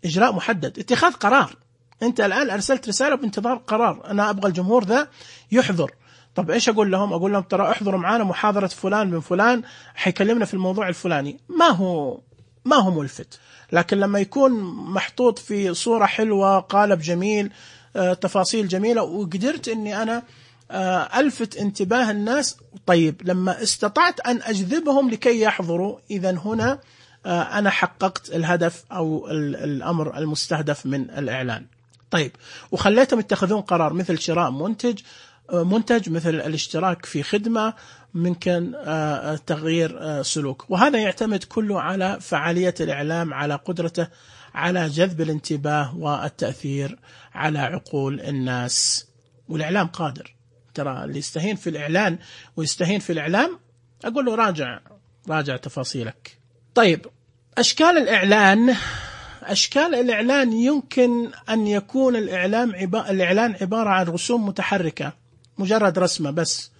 إجراء محدد، اتخاذ قرار. أنت الآن أرسلت رسالة بانتظار قرار، أنا أبغى الجمهور ذا يحضر. طب إيش أقول لهم؟ أقول لهم ترى احضروا معانا محاضرة فلان من فلان حيكلمنا في الموضوع الفلاني. ما هو ما هو ملفت. لكن لما يكون محطوط في صورة حلوة، قالب جميل، آه، تفاصيل جميلة، وقدرت أني أنا آه، ألفت انتباه الناس، طيب لما استطعت أن أجذبهم لكي يحضروا، إذن هنا آه، أنا حققت الهدف أو الأمر المستهدف من الإعلان. طيب وخليتهم يتخذون قرار مثل شراء منتج منتج مثل الاشتراك في خدمة، ممكن تغيير سلوك. وهذا يعتمد كله على فعالية الإعلام، على قدرته على جذب الانتباه والتأثير على عقول الناس. والإعلام قادر، ترى اللي يستهين في الإعلان ويستهين في الإعلام أقول له راجع راجع تفاصيلك. طيب أشكال الإعلان. أشكال الإعلان يمكن أن يكون الإعلام عبارة الإعلان عبارة عن رسوم متحركة، مجرد رسمة بس،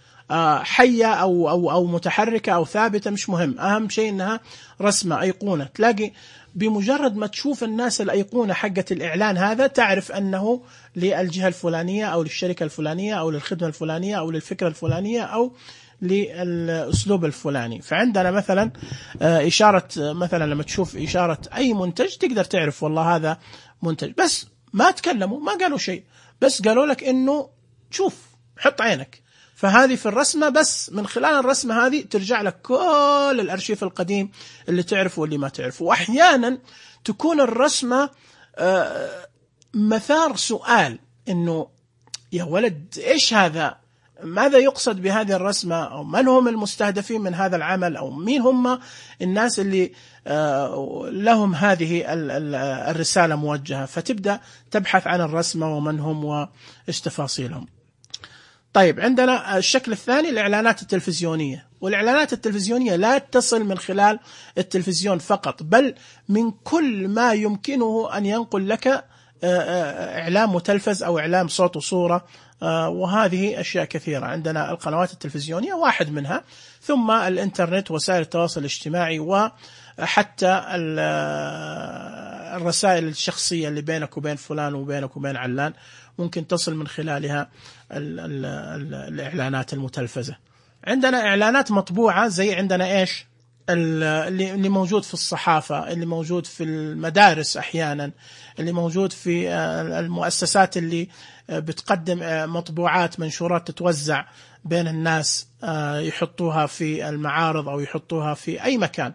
حية أو أو أو متحركة أو ثابتة، مش مهم، أهم شيء إنها رسمة، أيقونة. تلاقي بمجرد ما تشوف الناس الأيقونة حقة الإعلان هذا تعرف أنه للجهة الفلانية أو للشركة الفلانية أو للخدمة الفلانية أو للفكرة الفلانية أو للأسلوب الفلاني. فعندنا مثلا إشارة، مثلا لما تشوف إشارة أي منتج تقدر تعرف والله هذا منتج، بس ما تكلموا ما قالوا شيء، بس قالوا لك إنه شوف حط عينك. فهذه في الرسمة، بس من خلال الرسمة هذه ترجع لك كل الأرشيف القديم اللي تعرفه واللي ما تعرفه. وأحيانا تكون الرسمة مثار سؤال إنه يا ولد إيش هذا؟ ماذا يقصد بهذه الرسمة؟ أو من هم المستهدفين من هذا العمل؟ أو مين هم الناس اللي لهم هذه الرسالة موجهة؟ فتبدأ تبحث عن الرسمة ومن هم وإيش تفاصيلهم. طيب عندنا الشكل الثاني الإعلانات التلفزيونية. والإعلانات التلفزيونية لا تصل من خلال التلفزيون فقط، بل من كل ما يمكنه أن ينقل لك إعلام متلفز أو إعلام صوت وصورة، وهذه أشياء كثيرة. عندنا القنوات التلفزيونية واحد منها، ثم الإنترنت، وسائل التواصل الاجتماعي، وحتى الرسائل الشخصية اللي بينك وبين فلان وبينك وبين علان ممكن تصل من خلالها ال ال ال الإعلانات المتلفزة. عندنا إعلانات مطبوعة، زي عندنا إيش اللي موجود في الصحافة، اللي موجود في المدارس أحيانا، اللي موجود في المؤسسات اللي بتقدم مطبوعات منشورات تتوزع بين الناس، يحطوها في المعارض أو يحطوها في أي مكان،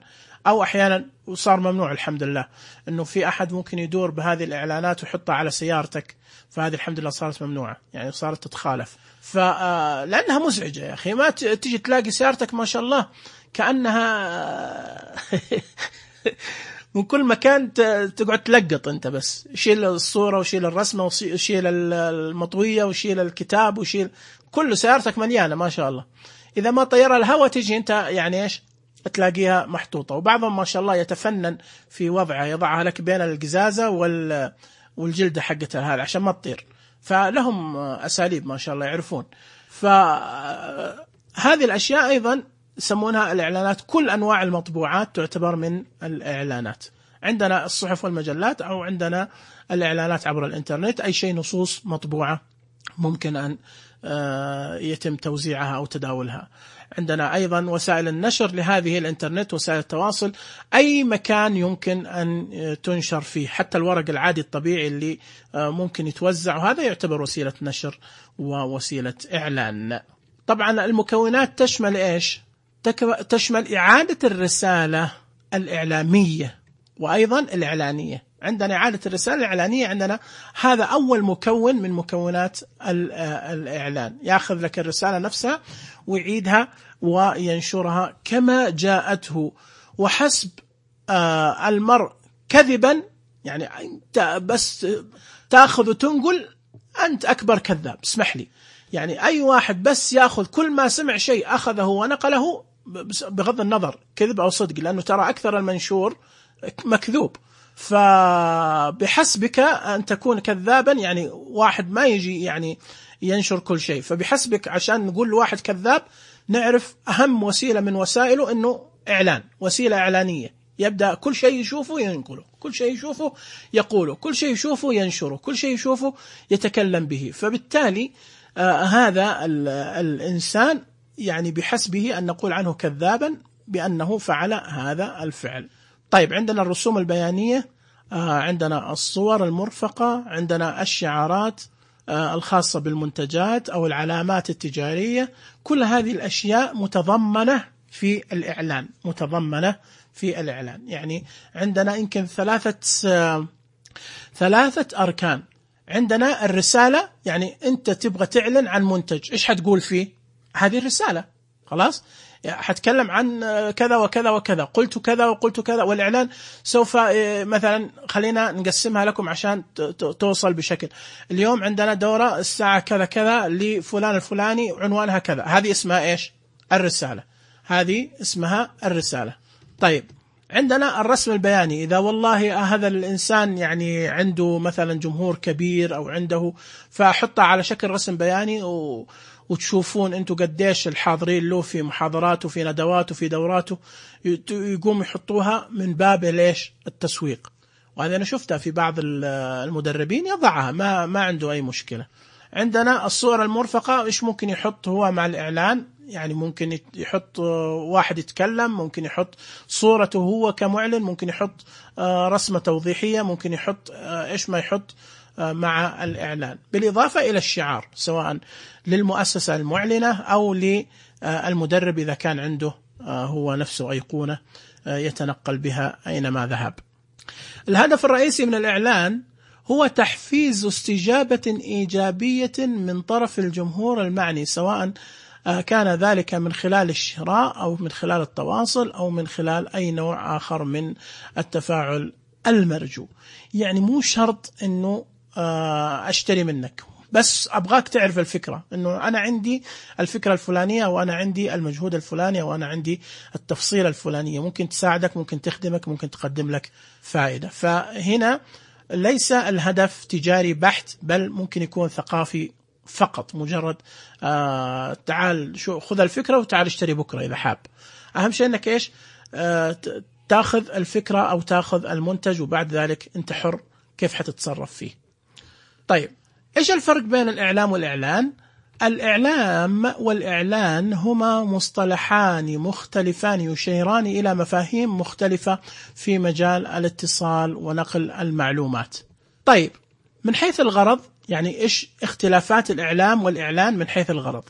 أو أحيانا وصار ممنوع الحمد لله إنه في أحد ممكن يدور بهذه الإعلانات ويحطها على سيارتك، فهذه الحمد لله صارت ممنوعة، يعني صارت تتخالف، فلأنها مزعجة يا أخي. ما تيجي تلاقي سيارتك ما شاء الله كأنها من كل مكان تقعد تلقط أنت، بس شيل الصورة وشيل الرسمة وشيل المطوية وشيل الكتاب وشيل كل سيارتك مليانة ما شاء الله. إذا ما طيرها الهواء تيجي أنت يعني إيش تلاقيها محطوطة. وبعضهم ما شاء الله يتفنن في وضعها، يضعها لك بين القزازة وال والجلدة حقتها هذا عشان ما تطير، فلهم أساليب ما شاء الله يعرفون. فهذه الأشياء أيضا يسمونها الإعلانات. كل أنواع المطبوعات تعتبر من الإعلانات. عندنا الصحف والمجلات، أو عندنا الإعلانات عبر الإنترنت، أي شيء نصوص مطبوعة ممكن أن يتم توزيعها أو تداولها. عندنا أيضا وسائل النشر لهذه الإنترنت، وسائل التواصل، أي مكان يمكن أن تنشر فيه، حتى الورق العادي الطبيعي اللي ممكن يتوزع، وهذا يعتبر وسيلة نشر ووسيلة إعلان. طبعا المكونات تشمل إيش؟ تشمل إعادة الرسالة الإعلامية وأيضا الإعلانية. عندنا إعادة الرسالة الإعلانية، عندنا هذا أول مكون من مكونات الإعلان، يأخذ لك الرسالة نفسها ويعيدها وينشرها كما جاءته. وحسب المرء كذبا، يعني أنت بس تأخذ وتنقل أنت أكبر كذاب، اسمح لي. يعني أي واحد بس يأخذ كل ما سمع شيء أخذه ونقله بغض النظر كذب أو صدق، لأنه ترى أكثر المنشور مكذوب، فبحسبك أن تكون كذابا. يعني واحد ما يجي يعني ينشر كل شيء، فبحسبك عشان نقول واحد كذاب نعرف أهم وسيلة من وسائله أنه إعلان، وسيلة إعلانية، يبدأ كل شيء يشوفه ينقله، كل شيء يشوفه يقوله، كل شيء يشوفه ينشره، كل شيء يشوفه يتكلم به. فبالتالي آه هذا الإنسان يعني بحسبه أن نقول عنه كذابا بأنه فعل هذا الفعل. طيب، عندنا الرسوم البيانية، آه عندنا الصور المرفقة، عندنا الشعارات آه الخاصة بالمنتجات أو العلامات التجارية. كل هذه الأشياء متضمنة في الإعلان، متضمنة في الإعلان. يعني عندنا يمكن ثلاثة آه ثلاثة أركان. عندنا الرسالة، يعني أنت تبغى تعلن عن منتج، إيش حتقول فيه؟ هذه الرسالة، خلاص حتكلم عن كذا وكذا وكذا، قلت كذا وقلت كذا. والإعلان سوف مثلا خلينا نقسمها لكم عشان توصل بشكل. اليوم عندنا دورة الساعة كذا كذا لفلان الفلاني عنوانها كذا، هذه اسمها إيش؟ الرسالة، هذه اسمها الرسالة. طيب، عندنا الرسم البياني، إذا والله هذا الإنسان يعني عنده مثلا جمهور كبير أو عنده، فأحطها على شكل رسم بياني و وتشوفون أنتوا قديش الحاضرين له في محاضراته في ندواته في دوراته، يقوم يحطوها من باب ليش؟ التسويق. وهذا أنا شفتها في بعض المدربين يضعها، ما ما عنده أي مشكلة. عندنا الصور المرفقة، إيش ممكن يحط هو مع الإعلان؟ يعني ممكن يحط واحد يتكلم، ممكن يحط صورته هو كمعلن، ممكن يحط رسمة توضيحية، ممكن يحط إيش ما يحط مع الإعلان، بالإضافة إلى الشعار سواء للمؤسسة المعلنة أو للمدرب إذا كان عنده هو نفسه أيقونة يتنقل بها أينما ذهب. الهدف الرئيسي من الإعلان هو تحفيز استجابة إيجابية من طرف الجمهور المعني، سواء كان ذلك من خلال الشراء أو من خلال التواصل أو من خلال أي نوع آخر من التفاعل المرجو. يعني مو شرط أنه أشتري منك، بس أبغاك تعرف الفكرة، أنه أنا عندي الفكرة الفلانية وأنا عندي المجهود الفلاني وأنا عندي التفصيلة الفلانية، ممكن تساعدك، ممكن تخدمك، ممكن تقدم لك فائدة. فهنا ليس الهدف تجاري بحت، بل ممكن يكون ثقافي فقط، مجرد آه تعال شو خذ الفكرة وتعال اشتري بكرة إذا حاب. أهم شيء أنك إيش آه تأخذ الفكرة أو تأخذ المنتج، وبعد ذلك أنت حر كيف حتتصرف فيه. طيب، إيش الفرق بين الإعلام والإعلان؟ الإعلام والإعلان هما مصطلحان مختلفان يشيران إلى مفاهيم مختلفة في مجال الاتصال ونقل المعلومات. طيب، من حيث الغرض، يعني إيش اختلافات الإعلام والإعلان من حيث الغرض؟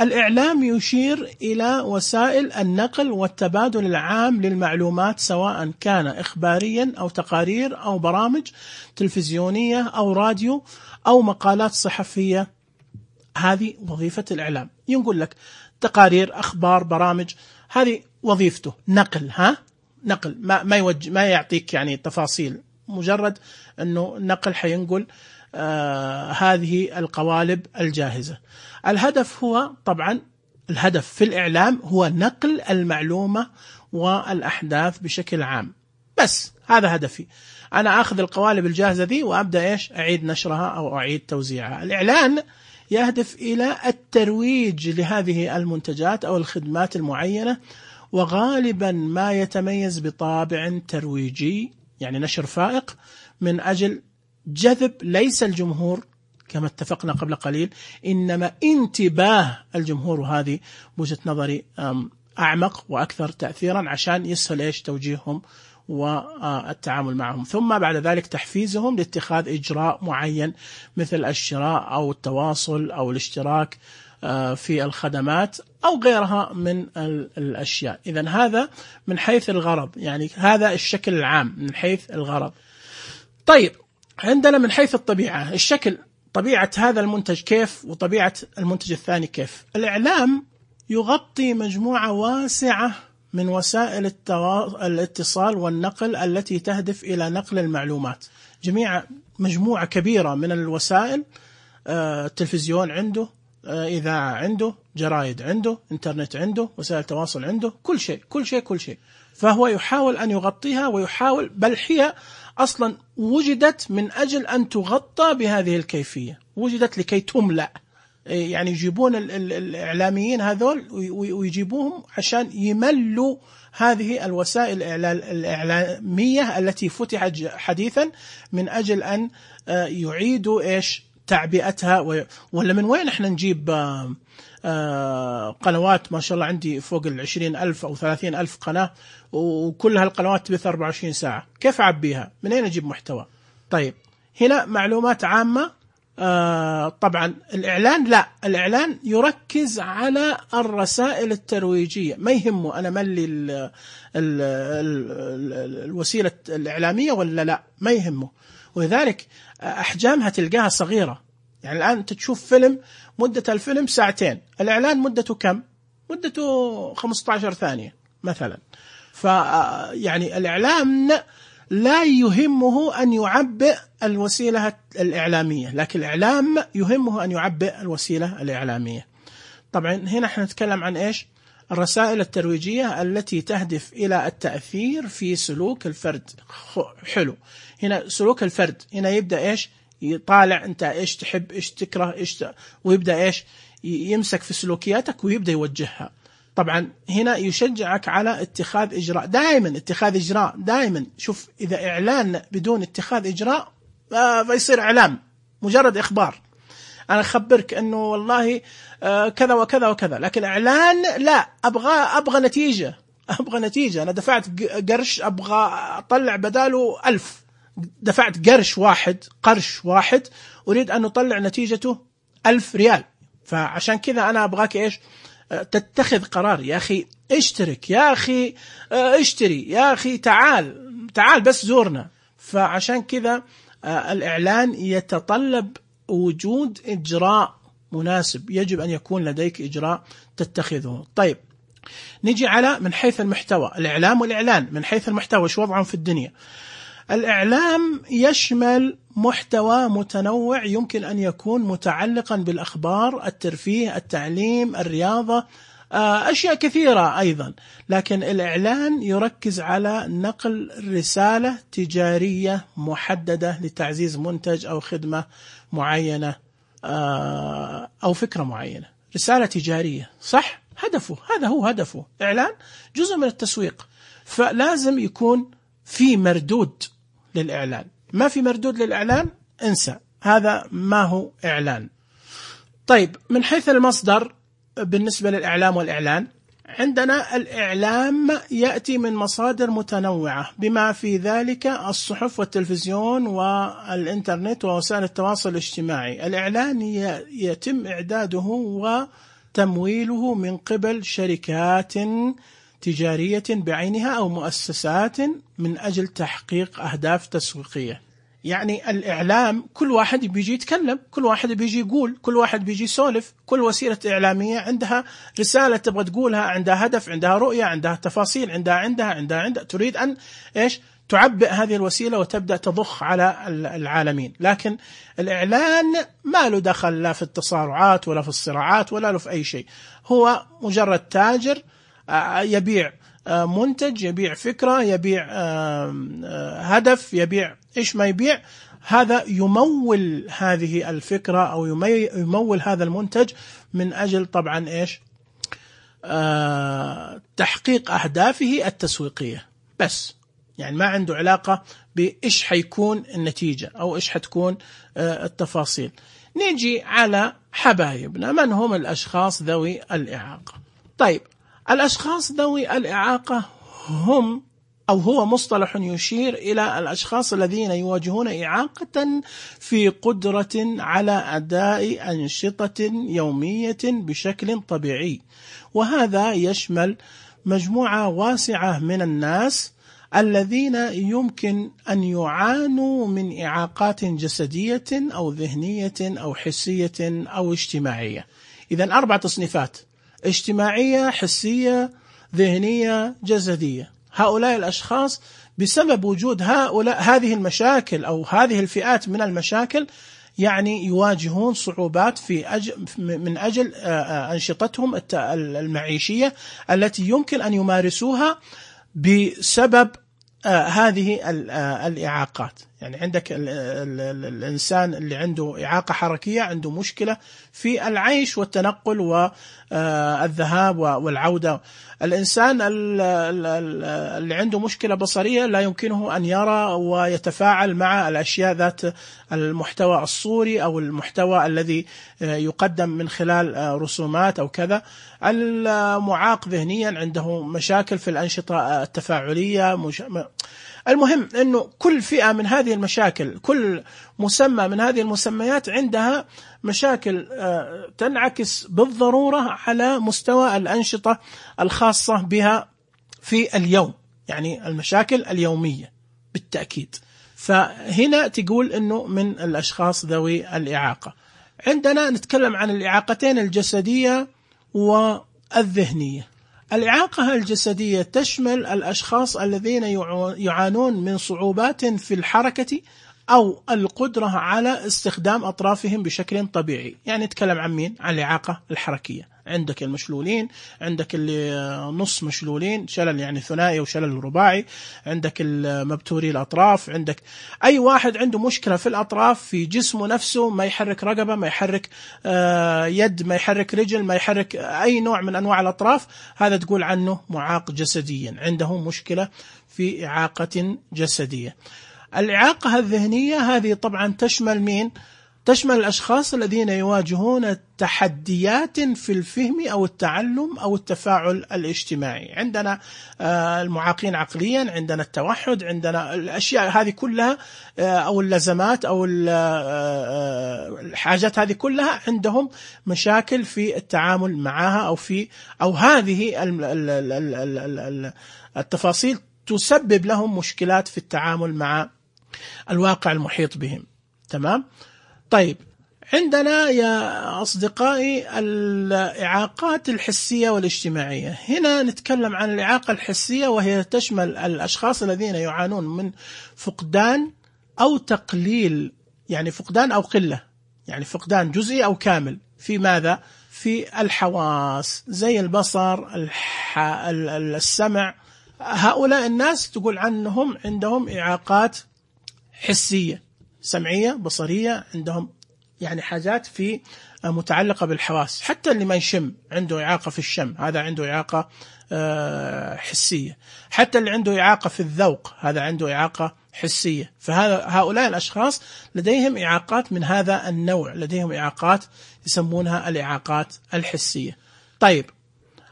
الإعلام يشير إلى وسائل النقل والتبادل العام للمعلومات، سواء كان إخباريا أو تقارير أو برامج تلفزيونية أو راديو أو مقالات صحفية. هذه وظيفة الإعلام. ينقول لك تقارير، أخبار، برامج، هذه وظيفته نقل، ها نقل، ما ما يوجه ما يعطيك يعني تفاصيل، مجرد أنه نقل حينقل آه هذه القوالب الجاهزة. الهدف هو طبعا الهدف في الإعلام هو نقل المعلومة والأحداث بشكل عام، بس هذا هدفي، أنا أخذ القوالب الجاهزة ذي وأبدأ إيش أعيد نشرها أو أعيد توزيعها. الإعلان يهدف إلى الترويج لهذه المنتجات أو الخدمات المعينة، وغالبا ما يتميز بطابع ترويجي، يعني نشر فائق من أجل جذب ليس الجمهور كما اتفقنا قبل قليل، إنما انتباه الجمهور. وهذه بوجهة نظري أعمق وأكثر تأثيرا، عشان يسهل إيش توجيههم والتعامل معهم، ثم بعد ذلك تحفيزهم لاتخاذ إجراء معين مثل الشراء أو التواصل أو الاشتراك في الخدمات أو غيرها من الأشياء. إذن هذا من حيث الغرض، يعني هذا الشكل العام من حيث الغرض. طيب، عندنا من حيث الطبيعة الشكل، طبيعة هذا المنتج كيف وطبيعة المنتج الثاني كيف. الإعلام يغطي مجموعة واسعة من وسائل الاتصال والنقل التي تهدف إلى نقل المعلومات. جميع مجموعة كبيرة من الوسائل، التلفزيون عنده، إذاعة عنده، جرائد عنده، إنترنت عنده، وسائل تواصل عنده، كل شيء كل شيء كل شيء. فهو يحاول أن يغطيها، ويحاول، بل هي أصلا وجدت من أجل أن تغطى بهذه الكيفية، وجدت لكي تملأ. يعني يجيبون الإعلاميين هذول ويجيبوهم عشان يملوا هذه الوسائل الإعلامية التي فتحت حديثا من أجل أن يعيدوا إيش تعبئتها. ولا من وين احنا نجيب قنوات؟ ما شاء الله عندي فوق العشرين ألف أو ثلاثين ألف قناة، وكل هالقنوات تبث أربعة وعشرين ساعة، كيف أعبيها؟ من أين أجيب محتوى؟ طيب، هنا معلومات عامة. آه طبعا الإعلان لا، الإعلان يركز على الرسائل الترويجية، ما يهمه أنا ملي ال ال ال الوسيلة الإعلامية ولا لا، ما يهمه. ولذلك أحجامها تلقاها صغيرة. يعني الآن أنت تشوف فيلم، مدة الفيلم ساعتين، الإعلان مدته كم؟ مدته خمسة عشر ثانية مثلا. فيعني الإعلام لا يهمه أن يعبئ الوسيلة الإعلامية، لكن الإعلام يهمه أن يعبئ الوسيلة الإعلامية. طبعا هنا احنا نتكلم عن إيش؟ الرسائل الترويجية التي تهدف إلى التأثير في سلوك الفرد. حلو، هنا سلوك الفرد، هنا يبدأ إيش؟ يطالع أنت إيش تحب، إيش تكره، إيش ت... ويبدأ إيش؟ يمسك في سلوكياتك ويبدأ يوجهها. طبعا هنا يشجعك على اتخاذ إجراء، دائما اتخاذ إجراء، دائما. شوف، إذا إعلان بدون اتخاذ إجراء فيصير إعلام مجرد إخبار، أنا أخبرك أنه والله كذا وكذا وكذا، لكن إعلان لا، أبغى أبغى نتيجة، أبغى نتيجة. أنا دفعت قرش، أبغى أطلع بداله ألف، دفعت قرش واحد، قرش واحد، أريد أن أطلع نتيجته ألف ريال. فعشان كذا أنا أبغاك إيش؟ تتخذ قرار. يا أخي اشترك، يا أخي اشتري، يا أخي تعال تعال بس زورنا. فعشان كذا الإعلان يتطلب وجود إجراء مناسب، يجب أن يكون لديك إجراء تتخذه. طيب، نجي على من حيث المحتوى، الإعلام والإعلان من حيث المحتوى شو وضعهم في الدنيا؟ الإعلام يشمل محتوى متنوع، يمكن أن يكون متعلقا بالأخبار، الترفيه، التعليم، الرياضة، أشياء كثيرة أيضا. لكن الإعلان يركز على نقل رسالة تجارية محددة لتعزيز منتج أو خدمة معينة أو فكرة معينة. رسالة تجارية، صح؟ هدفه، هذا هو هدفه. إعلان جزء من التسويق، فلازم يكون في مردود للإعلان. ما في مردود للإعلان، انسى، هذا ما هو إعلان. طيب، من حيث المصدر بالنسبة للإعلام والإعلان، عندنا الإعلام يأتي من مصادر متنوعة، بما في ذلك الصحف والتلفزيون والإنترنت ووسائل التواصل الاجتماعي. الإعلان يتم إعداده وتمويله من قبل شركات تجارية بعينها أو مؤسسات من أجل تحقيق أهداف تسويقية. يعني الإعلام كل واحد بيجي يتكلم، كل واحد بيجي يقول، كل واحد بيجي يسولف. كل وسيلة إعلامية عندها رسالة تبغى تقولها، عندها هدف، عندها رؤية، عندها تفاصيل، عندها عندها عندها, عندها. تريد أن إيش؟ تعبئ هذه الوسيلة وتبدأ تضخ على العالمين. لكن الإعلان ما له دخل لا في التصارعات ولا في الصراعات ولا له في أي شيء. هو مجرد تاجر يبيع منتج، يبيع فكرة، يبيع هدف، يبيع إيش ما يبيع، هذا يمول هذه الفكرة أو يمول هذا المنتج من أجل طبعا إيش؟ تحقيق أهدافه التسويقية بس. يعني ما عنده علاقة بإيش حيكون النتيجة أو إيش حتكون التفاصيل. نيجي على حبايبنا، من هم الأشخاص ذوي الإعاقة؟ طيب، الأشخاص ذوي الإعاقة هم أو هو مصطلح يشير إلى الأشخاص الذين يواجهون إعاقة في قدرة على أداء أنشطة يومية بشكل طبيعي، وهذا يشمل مجموعة واسعة من الناس الذين يمكن أن يعانوا من إعاقات جسدية أو ذهنية أو حسية أو اجتماعية. إذن أربع تصنيفات: اجتماعية، حسية، ذهنية، جسدية. هؤلاء الأشخاص بسبب وجود هؤلاء هذه المشاكل أو هذه الفئات من المشاكل يعني يواجهون صعوبات في أجل من أجل أنشطتهم المعيشية التي يمكن أن يمارسوها بسبب هذه الإعاقات. يعني عندك ال ال ال الإنسان اللي عنده إعاقة حركية عنده مشكلة في العيش والتنقل والذهاب والعودة. الإنسان اللي عنده مشكلة بصرية لا يمكنه أن يرى ويتفاعل مع الأشياء ذات المحتوى الصوري أو المحتوى الذي يقدم من خلال رسومات أو كذا. المعاق ذهنيا عنده مشاكل في الأنشطة التفاعلية. مش... المهم أنه كل فئة من هذه المشاكل، كل مسمى من هذه المسميات عندها مشاكل تنعكس بالضرورة على مستوى الأنشطة الخاصة بها في اليوم، يعني المشاكل اليومية بالتأكيد. فهنا تقول أنه من الأشخاص ذوي الإعاقة. عندنا نتكلم عن الإعاقتين الجسدية والذهنية. الإعاقة الجسدية تشمل الأشخاص الذين يعانون من صعوبات في الحركة أو القدرة على استخدام أطرافهم بشكل طبيعي. يعني نتكلم عن مين؟ عن الإعاقة الحركية. عندك المشلولين، عندك اللي نص مشلولين، شلل يعني ثنائي وشلل رباعي، عندك المبتوري الأطراف، عندك أي واحد عنده مشكلة في الأطراف في جسمه نفسه، ما يحرك رقبة، ما يحرك يد، ما يحرك رجل، ما يحرك أي نوع من أنواع الأطراف، هذا تقول عنه معاق جسديا، عنده مشكلة في إعاقة جسدية. الإعاقة الذهنية هذه طبعا تشمل مين؟ تشمل الأشخاص الذين يواجهون تحديات في الفهم أو التعلم أو التفاعل الاجتماعي. عندنا المعاقين عقليا، عندنا التوحد، عندنا الأشياء هذه كلها أو اللزمات أو الحاجات هذه كلها عندهم مشاكل في التعامل معها أو في أو هذه التفاصيل تسبب لهم مشكلات في التعامل مع الواقع المحيط بهم. تمام؟ طيب، عندنا يا أصدقائي الإعاقات الحسية والاجتماعية. هنا نتكلم عن الإعاقة الحسية، وهي تشمل الأشخاص الذين يعانون من فقدان أو تقليل، يعني فقدان أو قلة، يعني فقدان جزئي أو كامل في ماذا؟ في الحواس زي البصر، الح... السمع. هؤلاء الناس تقول عنهم عندهم إعاقات حسية، سمعية، بصرية، عندهم يعني حاجات في متعلقة بالحواس. حتى اللي ما يشم عنده إعاقة في الشم، هذا عنده إعاقة حسية. حتى اللي عنده إعاقة في الذوق، هذا عنده إعاقة حسية. فهؤلاء الأشخاص لديهم إعاقات من هذا النوع، لديهم إعاقات يسمونها الإعاقات الحسية. طيب،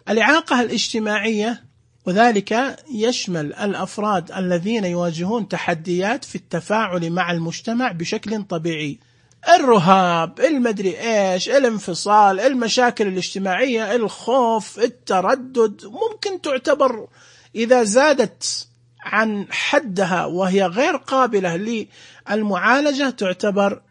الإعاقة الاجتماعية، وذلك يشمل الأفراد الذين يواجهون تحديات في التفاعل مع المجتمع بشكل طبيعي. الرهاب، المدري إيش، الانفصال، المشاكل الاجتماعية، الخوف، التردد، ممكن تعتبر إذا زادت عن حدها وهي غير قابلة للمعالجة تعتبر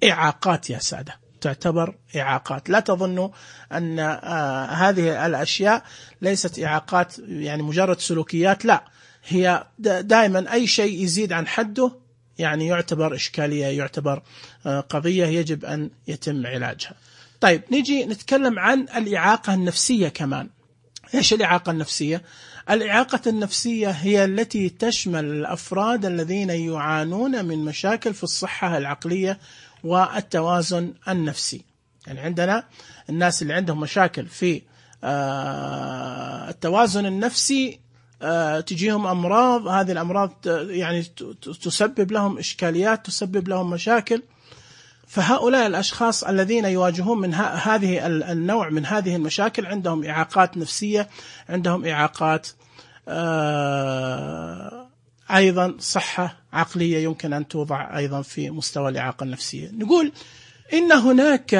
إعاقات يا سادة، تعتبر إعاقات. لا تظنوا أن آه هذه الأشياء ليست إعاقات يعني مجرد سلوكيات، لا، هي دائما أي شيء يزيد عن حده يعني يعتبر إشكالية، يعتبر آه قضية يجب أن يتم علاجها. طيب، نيجي نتكلم عن الإعاقة النفسية كمان. إيش الإعاقة النفسية؟ الإعاقة النفسية هي التي تشمل الأفراد الذين يعانون من مشاكل في الصحة العقلية والتوازن النفسي. يعني عندنا الناس اللي عندهم مشاكل في التوازن النفسي تجيهم أمراض، هذه الأمراض يعني تسبب لهم إشكاليات، تسبب لهم مشاكل. فهؤلاء الأشخاص الذين يواجهون من هذه النوع من هذه المشاكل عندهم إعاقات نفسية، عندهم إعاقات أيضا صحة عقلية يمكن أن توضع أيضا في مستوى الإعاقة النفسية. نقول إن هناك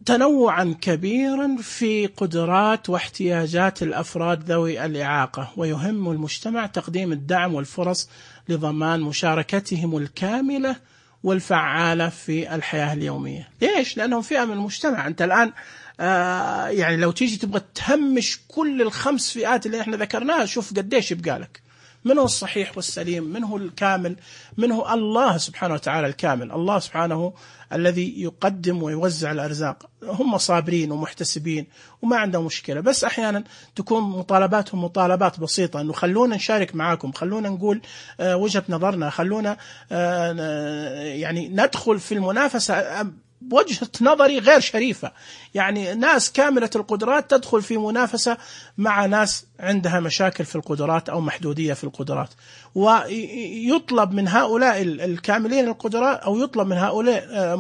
تنوعا كبيرا في قدرات واحتياجات الأفراد ذوي الإعاقة، ويهم المجتمع تقديم الدعم والفرص لضمان مشاركتهم الكاملة والفعالة في الحياة اليومية. ليش؟ لأنهم فئة من المجتمع. أنت الآن آه يعني لو تيجي تبغى تهمش كل الخمس فئات اللي احنا ذكرناها، شوف قديش يبقى لك. من هو الصحيح والسليم؟ من هو الكامل؟ من هو الله سبحانه وتعالى الكامل؟ الله سبحانه الذي يقدم ويوزع الأرزاق. هم صابرين ومحتسبين وما عندهم مشكلة، بس أحيانا تكون مطالباتهم مطالبات بسيطة، أنه خلونا نشارك معاكم، خلونا نقول آه وجهة نظرنا، خلونا آه يعني ندخل في المنافسة بوجهة نظري غير شريفة. يعني ناس كاملة القدرات تدخل في منافسة مع ناس عندها مشاكل في القدرات أو محدودية في القدرات، ويطلب من هؤلاء الكاملين القدرات أو يطلب من هؤلاء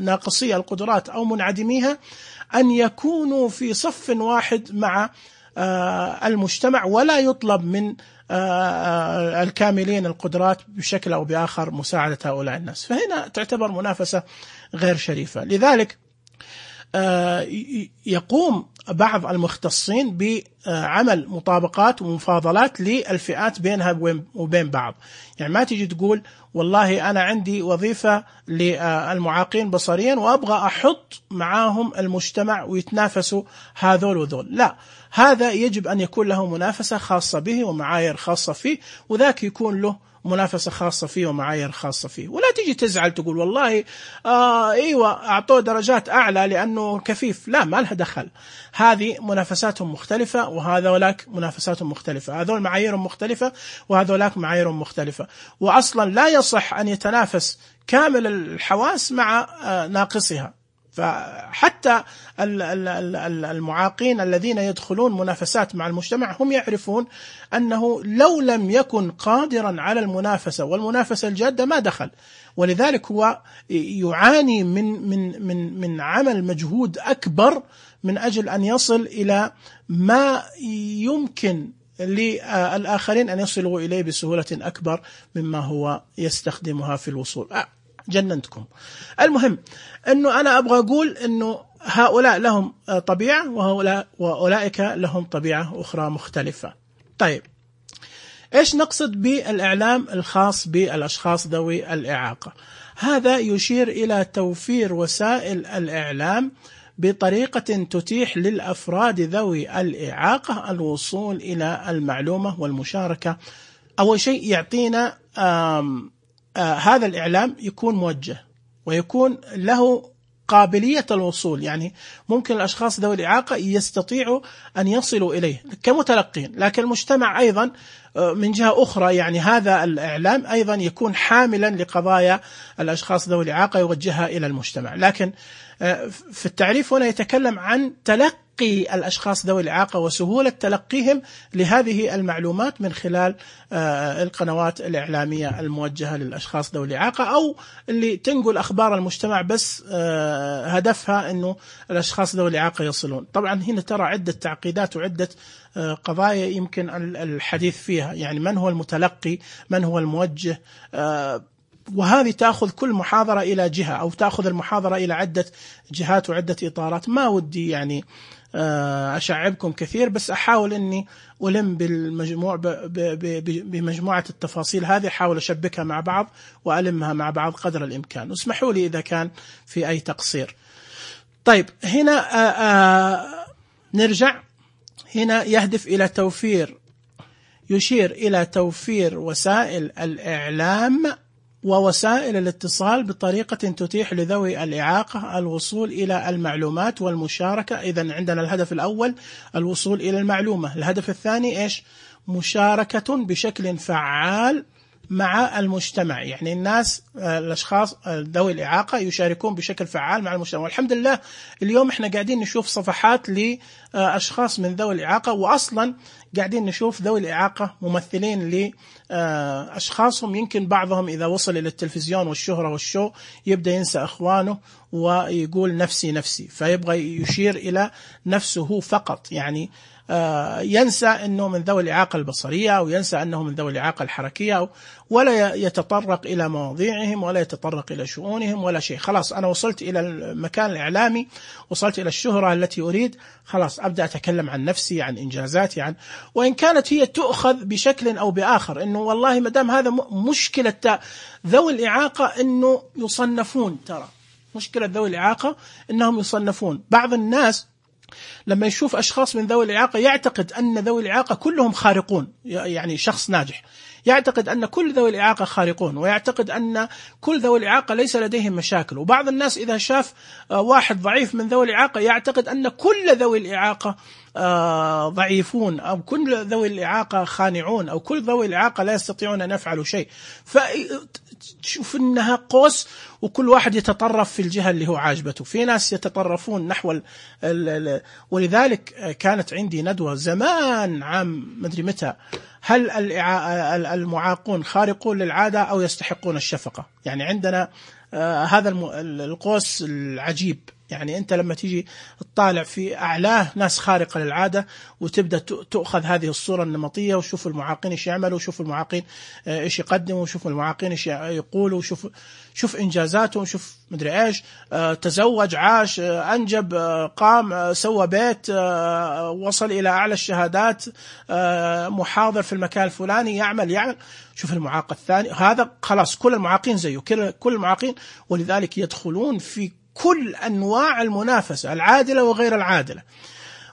ناقصي القدرات أو منعدميها أن يكونوا في صف واحد مع المجتمع، ولا يطلب من الكاملين القدرات بشكل أو بآخر مساعدة هؤلاء الناس. فهنا تعتبر منافسة غير شريفة. لذلك يقوم بعض المختصين بعمل مطابقات ومفاضلات للفئات بينها وبين بعض. يعني ما تيجي تقول والله أنا عندي وظيفة للمعاقين بصريا وأبغى أحط معاهم المجتمع ويتنافسوا هذول وذول، لا، هذا يجب أن يكون له منافسة خاصة به ومعايير خاصة فيه، وذاك يكون له منافسة خاصة فيه ومعايير خاصة فيه. ولا تيجي تزعل تقول والله آه ايوه اعطوه درجات اعلى لانه كفيف، لا، ما لها دخل. هذه منافساتهم مختلفة وهذولاك منافساتهم مختلفة، هذول معاييرهم مختلفة وهذولاك معاييرهم مختلفة، واصلا لا يصح ان يتنافس كامل الحواس مع آه ناقصها. فحتى المعاقين الذين يدخلون منافسات مع المجتمع هم يعرفون أنه لو لم يكن قادرا على المنافسة والمنافسة الجادة ما دخل، ولذلك هو يعاني من من من من عمل مجهود أكبر من أجل أن يصل إلى ما يمكن للآخرين أن يصلوا إليه بسهولة أكبر مما هو يستخدمها في الوصول. آه جننتكم. المهم أنه أنا أبغى أقول أنه هؤلاء لهم طبيعة وهؤلاء وأولئك لهم طبيعة أخرى مختلفة. طيب، إيش نقصد بالإعلام الخاص بالأشخاص ذوي الإعاقة؟ هذا يشير إلى توفير وسائل الإعلام بطريقة تتيح للأفراد ذوي الإعاقة الوصول إلى المعلومة والمشاركة. أول شيء يعطينا آم آه هذا الإعلام يكون موجه ويكون له قابلية الوصول، يعني ممكن الأشخاص ذوي الإعاقة يستطيعوا أن يصلوا إليه كمتلقين، لكن المجتمع أيضا من جهة أخرى يعني هذا الإعلام أيضا يكون حاملا لقضايا الأشخاص ذوي الإعاقة يوجهها إلى المجتمع. لكن في التعريف هنا يتكلم عن تلقي الأشخاص ذوي الإعاقة وسهولة تلقيهم لهذه المعلومات من خلال القنوات الإعلامية الموجهة للأشخاص ذوي الإعاقة، أو اللي تنقل أخبار المجتمع بس هدفها أنه الأشخاص ذوي الإعاقة يصلون. طبعا هنا ترى عدة تعقيدات وعدة قضايا يمكن الحديث فيها، يعني من هو المتلقي، من هو الموجه، وهذه تأخذ كل محاضرة إلى جهة أو تأخذ المحاضرة إلى عدة جهات وعدة إطارات. ما ودي يعني أشعبكم كثير، بس أحاول أني ألم بالمجموع بمجموعة التفاصيل هذه، أحاول أشبكها مع بعض وألمها مع بعض قدر الإمكان، واسمحوا لي إذا كان في أي تقصير. طيب، هنا آآ آآ نرجع. هنا يهدف إلى توفير يشير إلى توفير وسائل الإعلام ووسائل الاتصال بطريقة تتيح لذوي الإعاقة الوصول إلى المعلومات والمشاركة. إذن عندنا الهدف الأول الوصول إلى المعلومة، الهدف الثاني إيش؟ مشاركة بشكل فعال مع المجتمع، يعني الناس الأشخاص ذوي الإعاقة يشاركون بشكل فعال مع المجتمع. والحمد لله اليوم احنا قاعدين نشوف صفحات لأشخاص من ذوي الإعاقة، وأصلا قاعدين نشوف ذوي الإعاقة ممثلين لأشخاصهم يمكن بعضهم إذا وصل إلى التلفزيون والشهرة والشو يبدأ ينسى أخوانه ويقول نفسي نفسي، فيبغى يشير إلى نفسه فقط. يعني ينسى أنه من ذوي الإعاقة البصرية، أو ينسى أنه من ذوي الإعاقة الحركية، ولا يتطرق إلى مواضيعهم ولا يتطرق إلى شؤونهم ولا شيء. خلاص أنا وصلت إلى المكان الإعلامي، وصلت إلى الشهرة التي أريد، خلاص أبدأ أتكلم عن نفسي، عن إنجازاتي، عن وإن كانت هي تؤخذ بشكل أو بآخر، إنه والله مدام هذا مشكلة ذوي الإعاقة إنه يصنفون، ترى مشكلة ذوي الإعاقة إنهم يصنفون. بعض الناس لما يشوف أشخاص من ذوي الإعاقة يعتقد أن ذوي الإعاقة كلهم خارقون، يعني شخص ناجح يعتقد أن كل ذوي الإعاقة خارقون، ويعتقد أن كل ذوي الإعاقة ليس لديهم مشاكل. وبعض الناس إذا شاف واحد ضعيف من ذوي الإعاقة يعتقد أن كل ذوي الإعاقة ضعيفون، أو كل ذوي الإعاقة خانعون، أو كل ذوي الإعاقة لا يستطيعون أن يفعلوا شيء. فتشوف أنها قوس، وكل واحد يتطرف في الجهة اللي هو عاجبته. في ناس يتطرفون نحو ال ال ولذلك كانت عندي ندوة زمان عام مدري متى، هل المعاقون خارقون للعادة أو يستحقون الشفقة؟ يعني عندنا آه هذا القوس العجيب. يعني أنت لما تيجي تطالع في أعلاه ناس خارقة للعادة، وتبدأ تأخذ هذه الصورة النمطية، وشوف المعاقين إيش يعملوا، وشوف المعاقين إيش يقدموا، وشوف المعاقين إيش يقولوا، وشوف شوف إنجازاتهم، شوف مدري إيش، تزوج، عاش، أنجب، قام، سوى بيت، وصل إلى أعلى الشهادات، محاضر في المكان الفلاني، يعمل يعمل شوف المعاق الثاني، هذا خلاص كل المعاقين زيه، كل المعاقين. ولذلك يدخلون في كل أنواع المنافسة العادلة وغير العادلة،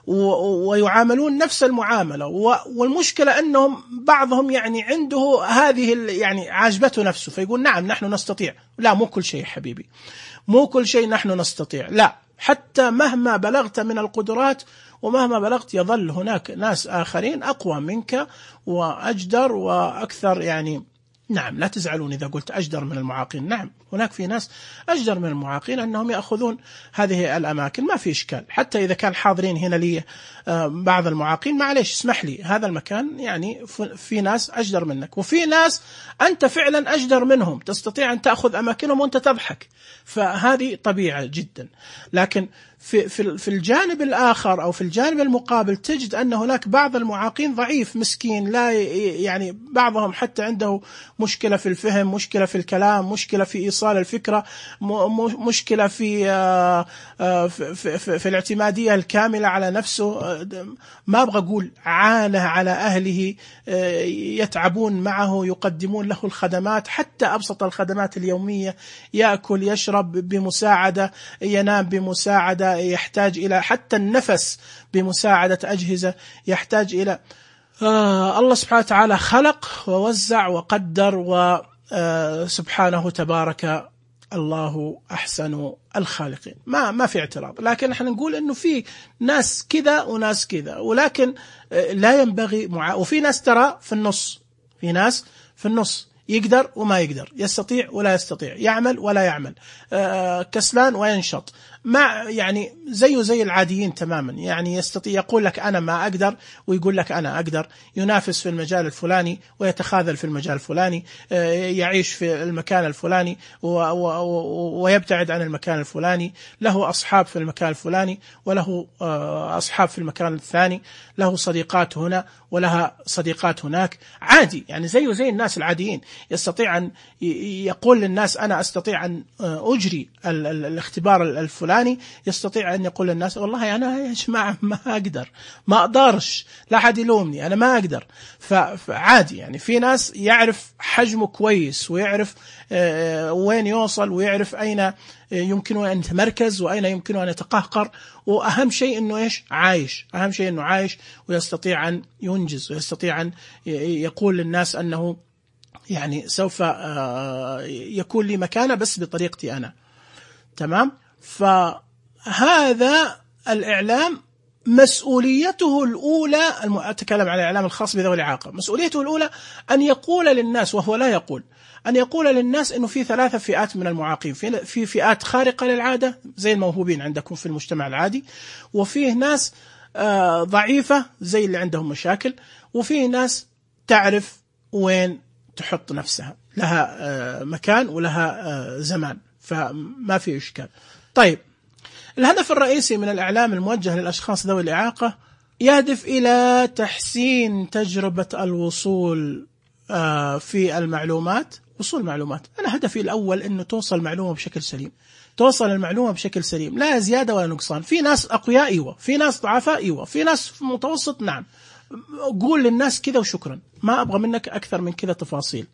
ويعاملون نفس المعاملة. والمشكلة أنهم بعضهم يعني عنده هذه يعني عاجبته نفسه، فيقول نعم نحن نستطيع. لا، مو كل شيء حبيبي، مو كل شيء نحن نستطيع. لا، حتى مهما بلغت من القدرات ومهما بلغت يظل هناك ناس آخرين أقوى منك وأجدر وأكثر. يعني نعم، لا تزعلون إذا قلت أجدر من المعاقين، نعم هناك في ناس أجدر من المعاقين أنهم يأخذون هذه الأماكن، ما في إشكال. حتى إذا كان حاضرين هنا لي بعض المعاقين، معليش اسمح لي، هذا المكان يعني في ناس أجدر منك، وفي ناس أنت فعلا أجدر منهم، تستطيع أن تأخذ أماكنهم وأنت تضحك، فهذه طبيعة جدا. لكن في في في الجانب الآخر أو في الجانب المقابل تجد أن هناك بعض المعاقين ضعيف مسكين، لا يعني بعضهم حتى عنده مشكلة في الفهم، مشكلة في الكلام، مشكلة في إيصال الفكرة، مشكلة في في, في, في الاعتمادية الكاملة على نفسه. ما أبغى أقول عانى على أهله، يتعبون معه، يقدمون له الخدمات، حتى أبسط الخدمات اليومية، يأكل يشرب بمساعدة، ينام بمساعدة، يحتاج إلى حتى النفس بمساعدة أجهزة، يحتاج إلى آه الله سبحانه وتعالى خلق ووزع وقدر، وسبحانه تبارك الله أحسن الخالقين، ما ما في اعتراض. لكن نحن نقول إنه في ناس كذا وناس كذا، ولكن لا ينبغي مع... وفي ناس ترى في النص، في ناس في النص يقدر وما يقدر، يستطيع ولا يستطيع، يعمل ولا يعمل، آه كسلان وينشط، ما يعني زيه زي العاديين تماما. يعني يستطيع يقول لك أنا ما أقدر، ويقول لك أنا أقدر، ينافس في المجال الفلاني ويتخاذل في المجال الفلاني، آه يعيش في المكان الفلاني ويبتعد عن المكان الفلاني، له أصحاب في المكان الفلاني وله آه أصحاب في المكان الثاني، له صديقات هنا ولها صديقات هناك، عادي يعني زيه زي الناس العاديين. يستطيع أن يقول للناس أنا أستطيع أن أجري الاختبار الفلاني، يستطيع أن يقول للناس والله أنا يا جماعة ما أقدر، ما أقدرش، لا حد يلومني، أنا ما أقدر. فعادي يعني في ناس يعرف حجمه كويس، ويعرف وين يوصل، ويعرف أين يمكنه أن يتمركز وأين يمكنه أن يتقهقر، وأهم شيء أنه إيش عايش، أهم شيء أنه عايش ويستطيع أن ينجز، ويستطيع أن يقول للناس أنه يعني سوف يكون لي مكانة بس بطريقتي أنا. تمام؟ فهذا الإعلام مسؤوليته الأولى، أتكلم عن الإعلام الخاص بذوي الإعاقة، مسؤوليته الأولى أن يقول للناس، وهو لا يقول، أن يقول للناس إنه في ثلاثة فئات من المعاقين، في في فئات خارقة للعادة زي الموهوبين عندكم في المجتمع العادي، وفيه ناس ضعيفة زي اللي عندهم مشاكل، وفيه ناس تعرف وين تحط نفسها، لها مكان ولها زمان، فما في إشكال. طيب، الهدف الرئيسي من الإعلام الموجه للأشخاص ذوي الإعاقة يهدف إلى تحسين تجربة الوصول في المعلومات. وصول معلومات، أنا هدفي الأول أنه توصل المعلومة بشكل سليم، توصل المعلومة بشكل سليم، لا زيادة ولا نقصان. في ناس أقوياء أيوة، في ناس ضعفاء أيوة، في ناس متوسط نعم. قول للناس كذا وشكرا، ما أبغى منك أكثر من كذا تفاصيل،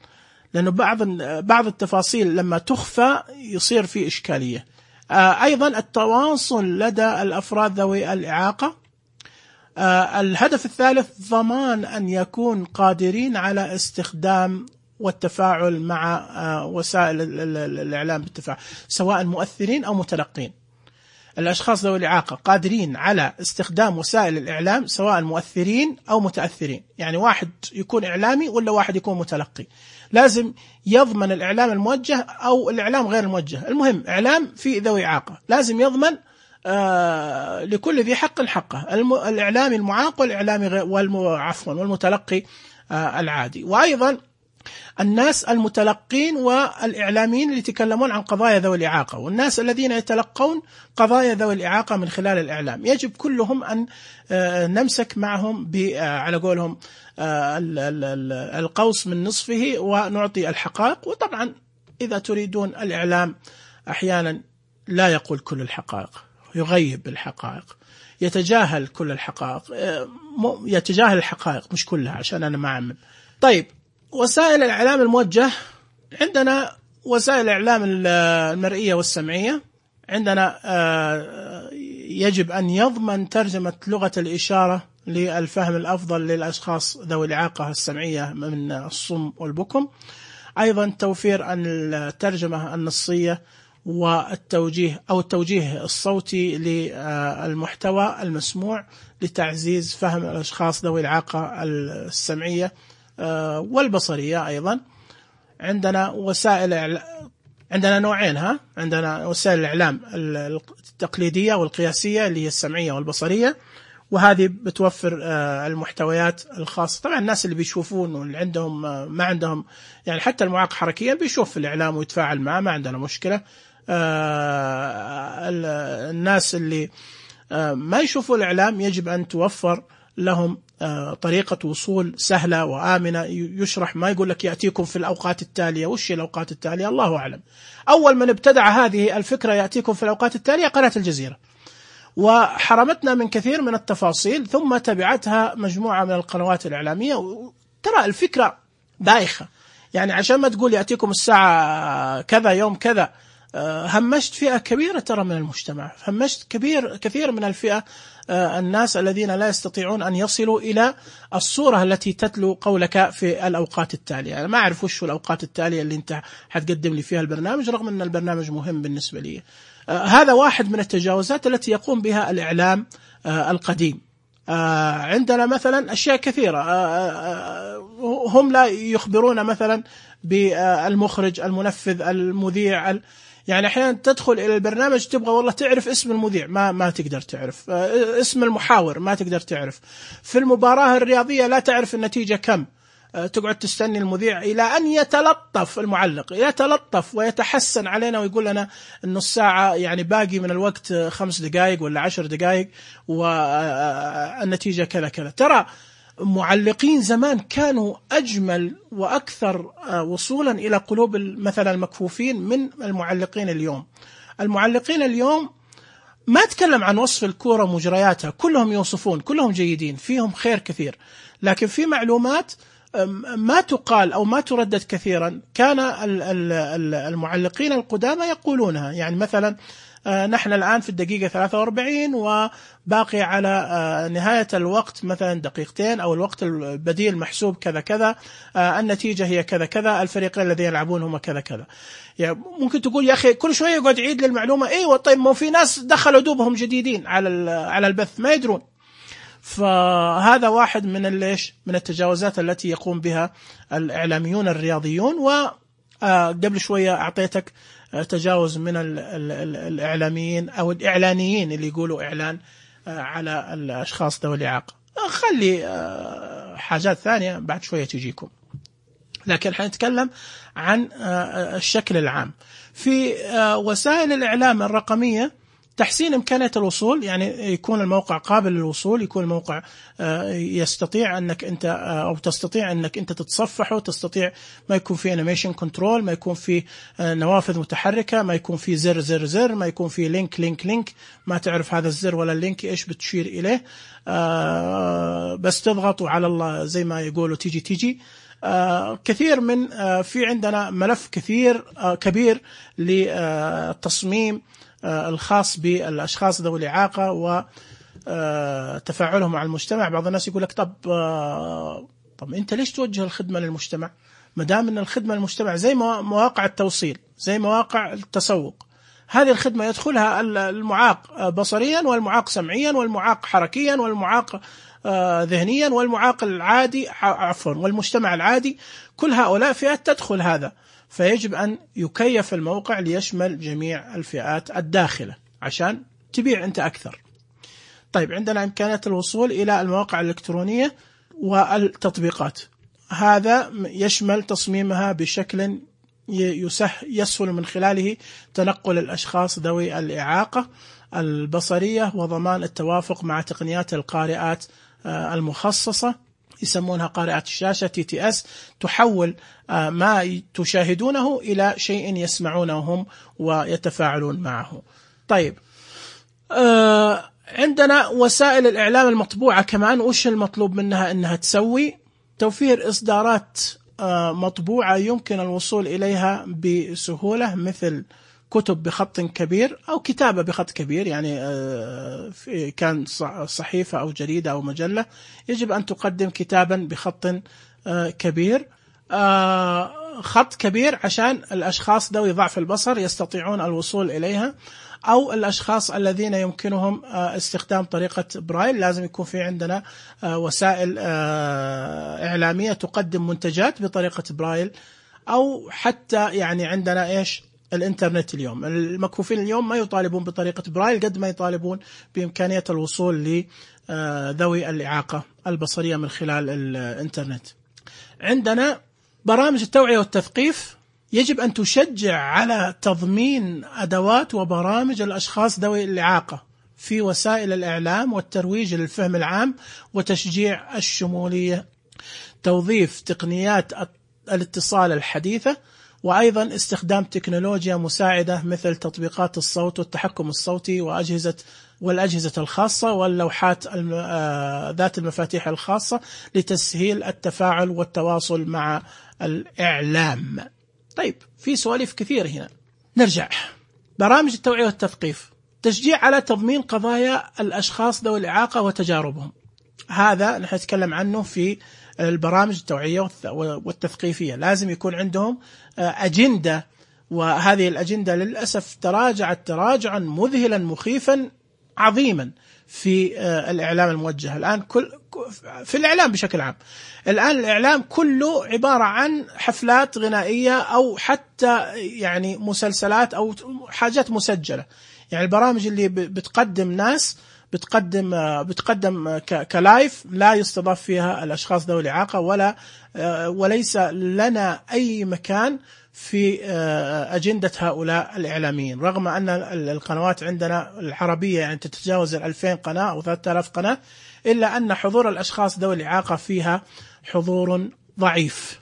لأنه بعض بعض التفاصيل لما تخفى يصير في إشكالية. أيضا التواصل لدى الأفراد ذوي الإعاقة. الهدف الثالث ضمان أن يكون قادرين على استخدام والتفاعل مع وسائل الإعلام بالتفاعل، سواء مؤثرين أو متلقين. الأشخاص ذوي الإعاقة قادرين على استخدام وسائل الإعلام سواء مؤثرين أو متأثرين، يعني واحد يكون إعلامي ولا واحد يكون متلقي، لازم يضمن الإعلام الموجه أو الإعلام غير الموجه، المهم إعلام في ذوي إعاقة لازم يضمن آه لكل ذي حق حقه، الإعلامي المعاق والإعلامي عفوا والمتلقي آه العادي. وأيضا الناس المتلقين والإعلاميين اللي يتكلمون عن قضايا ذوي الإعاقة، والناس الذين يتلقون قضايا ذوي الإعاقة من خلال الإعلام، يجب كلهم أن نمسك معهم على قولهم القوس من نصفه ونعطي الحقائق. وطبعا إذا تريدون، الإعلام أحيانا لا يقول كل الحقائق، يغيب الحقائق، يتجاهل كل الحقائق، يتجاهل الحقائق مش كلها عشان أنا ما أعمم. طيب، وسائل الإعلام الموجه، عندنا وسائل الإعلام المرئية والسمعية. عندنا يجب أن يضمن ترجمة لغة الإشارة للفهم الأفضل للأشخاص ذوي الإعاقة السمعية من الصم والبكم. أيضا توفير الترجمة النصية والتوجيه أو التوجيه الصوتي للمحتوى المسموع لتعزيز فهم الأشخاص ذوي الإعاقة السمعية والبصرية. أيضا عندنا وسائل، عندنا نوعين، ها عندنا وسائل الإعلام التقليدية والقياسية اللي هي السمعية والبصرية، وهذه بتوفر المحتويات الخاصة. طبعا الناس اللي بيشوفون واللي عندهم ما عندهم، يعني حتى المعاق حركيا بيشوف في الإعلام ويتفاعل معه، ما عندنا مشكلة. الناس اللي ما يشوفوا الإعلام يجب أن توفر لهم طريقة وصول سهلة وآمنة، يشرح، ما يقول لك يأتيكم في الأوقات التالية. وش الأوقات التالية؟ الله أعلم. أول من ابتدع هذه الفكرة يأتيكم في الأوقات التالية قناة الجزيرة، وحرمتنا من كثير من التفاصيل، ثم تبعتها مجموعة من القنوات الإعلامية. ترى الفكرة بايخة، يعني عشان ما تقول يأتيكم الساعة كذا يوم كذا، همشت فئة كبيرة ترى من المجتمع، همشت كبير كثير من الفئة، الناس الذين لا يستطيعون أن يصلوا إلى الصورة التي تتلو قولك في الأوقات التالية. أنا ما أعرف وش الأوقات التالية اللي أنت حتقدم لي فيها البرنامج، رغم أن البرنامج مهم بالنسبة لي. هذا واحد من التجاوزات التي يقوم بها الإعلام القديم. عندنا مثلا أشياء كثيرة، هم لا يخبرون مثلا بالمخرج، المنفذ، المذيع، يعني أحيانا تدخل إلى البرنامج تبغى والله تعرف اسم المذيع، ما ما تقدر تعرف اسم المحاور، ما تقدر تعرف في المباراة الرياضية، لا تعرف النتيجة كم، تقعد تستني المذيع إلى أن يتلطف المعلق، يتلطف ويتحسن علينا ويقول لنا إنه الساعة يعني باقي من الوقت خمس دقائق ولا عشر دقائق والنتيجة كذا كذا. ترى معلقين زمان كانوا أجمل وأكثر وصولا إلى قلوب مثلا المكفوفين من المعلقين اليوم. المعلقين اليوم ما أتكلم عن وصف الكرة ومجرياتها، كلهم يوصفون، كلهم جيدين، فيهم خير كثير، لكن في معلومات ما تقال أو ما تردد كثيرا كان المعلقين القدامى يقولونها. يعني مثلا نحن الآن في الدقيقة ثلاثة وأربعين وباقي على نهاية الوقت مثلا دقيقتين، أو الوقت البديل محسوب كذا كذا، النتيجة هي كذا كذا، الفريقين الذين يلعبون هم كذا كذا. يعني ممكن تقول يا أخي كل شوية يقعد يعيد للمعلومة، أيوة طيب ما في ناس دخلوا دوبهم جديدين على على البث ما يدرون. فهذا واحد من الليش من التجاوزات التي يقوم بها الإعلاميون الرياضيون. وقبل شوية أعطيتك تجاوز من الإعلاميين أو الإعلانيين اللي يقولوا إعلان على الأشخاص ذوي الإعاقة. خلي حاجات ثانية بعد شوية تجيكم، لكن حنتكلم عن الشكل العام في وسائل الإعلام الرقمية. تحسين إمكانية الوصول، يعني يكون الموقع قابل للوصول، يكون الموقع يستطيع أنك أنت أو تستطيع أنك أنت تتصفحه، تستطيع ما يكون فيه انيميشن كنترول، ما يكون فيه نوافذ متحركة، ما يكون فيه زر زر زر، ما يكون فيه لينك لينك لينك، ما تعرف هذا الزر ولا اللينك إيش بتشير إليه، بس تضغط وعلى الله زي ما يقولوا تيجي تيجي. آه كثير من آه في عندنا ملف كثير آه كبير للتصميم آه الخاص بالأشخاص ذوي الإعاقة وتفاعلهم مع المجتمع. بعض الناس يقول لك طب آه طب أنت ليش توجه الخدمة للمجتمع؟ ما دام أن الخدمة للمجتمع زي مواقع التوصيل، زي مواقع التسوق، هذه الخدمة يدخلها المعاق بصريا والمعاق سمعيا والمعاق حركيا والمعاق ذهنيا والمعاق العادي عفوا والمجتمع العادي، كل هؤلاء فئات تدخل هذا، فيجب أن يكيف الموقع ليشمل جميع الفئات الداخلة عشان تبيع أنت أكثر. طيب عندنا إمكانية الوصول إلى المواقع الإلكترونية والتطبيقات، هذا يشمل تصميمها بشكل يسهل من خلاله تنقل الأشخاص ذوي الإعاقة البصرية وضمان التوافق مع تقنيات القارئات المخصصة، يسمونها قارئات الشاشة تي تي اس، تحول ما تشاهدونه إلى شيء يسمعونه هم ويتفاعلون معه. طيب عندنا وسائل الإعلام المطبوعة كمان، وش المطلوب منها أنها تسوي؟ توفير إصدارات مطبوعة يمكن الوصول إليها بسهولة، مثل كتب بخط كبير أو كتابة بخط كبير، يعني كان صحيفة أو جريدة أو مجلة يجب أن تقدم كتابا بخط كبير، خط كبير عشان الأشخاص ذوي ضعف البصر يستطيعون الوصول إليها، أو الأشخاص الذين يمكنهم استخدام طريقة برايل. لازم يكون في عندنا وسائل إعلامية تقدم منتجات بطريقة برايل، أو حتى يعني عندنا إيش الإنترنت اليوم، المكفوفين اليوم ما يطالبون بطريقة برايل قد ما يطالبون بإمكانية الوصول لذوي الإعاقة البصرية من خلال الإنترنت. عندنا برامج التوعية والتثقيف، يجب أن تشجع على تضمين أدوات وبرامج الأشخاص ذوي الإعاقة في وسائل الإعلام والترويج للفهم العام وتشجيع الشمولية، توظيف تقنيات الاتصال الحديثة، وأيضا استخدام تكنولوجيا مساعدة مثل تطبيقات الصوت والتحكم الصوتي وأجهزة والأجهزة الخاصة واللوحات ذات المفاتيح الخاصة لتسهيل التفاعل والتواصل مع الإعلام. طيب في سوالف كثير هنا، نرجع. برامج التوعية والتثقيف، تشجيع على تضمين قضايا الأشخاص ذوي الإعاقة وتجاربهم، هذا نحن نتكلم عنه في البرامج التوعية والتثقيفية. لازم يكون عندهم أجندة، وهذه الأجندة للأسف تراجعت تراجعا مذهلا مخيفا عظيما في الإعلام الموجه الآن، كل في الإعلام بشكل عام. الآن الإعلام كله عبارة عن حفلات غنائية أو حتى يعني مسلسلات أو حاجات مسجلة، يعني البرامج اللي بتقدم ناس بتقدم بتقدم كلايف لا يستضاف فيها الأشخاص ذوي الإعاقة، ولا وليس لنا أي مكان في أجندة هؤلاء الإعلاميين، رغم أن القنوات عندنا العربية يعني تتجاوز الألفين قناة أو ثلاثة آلاف قناة، إلا أن حضور الأشخاص ذوي الإعاقة فيها حضور ضعيف.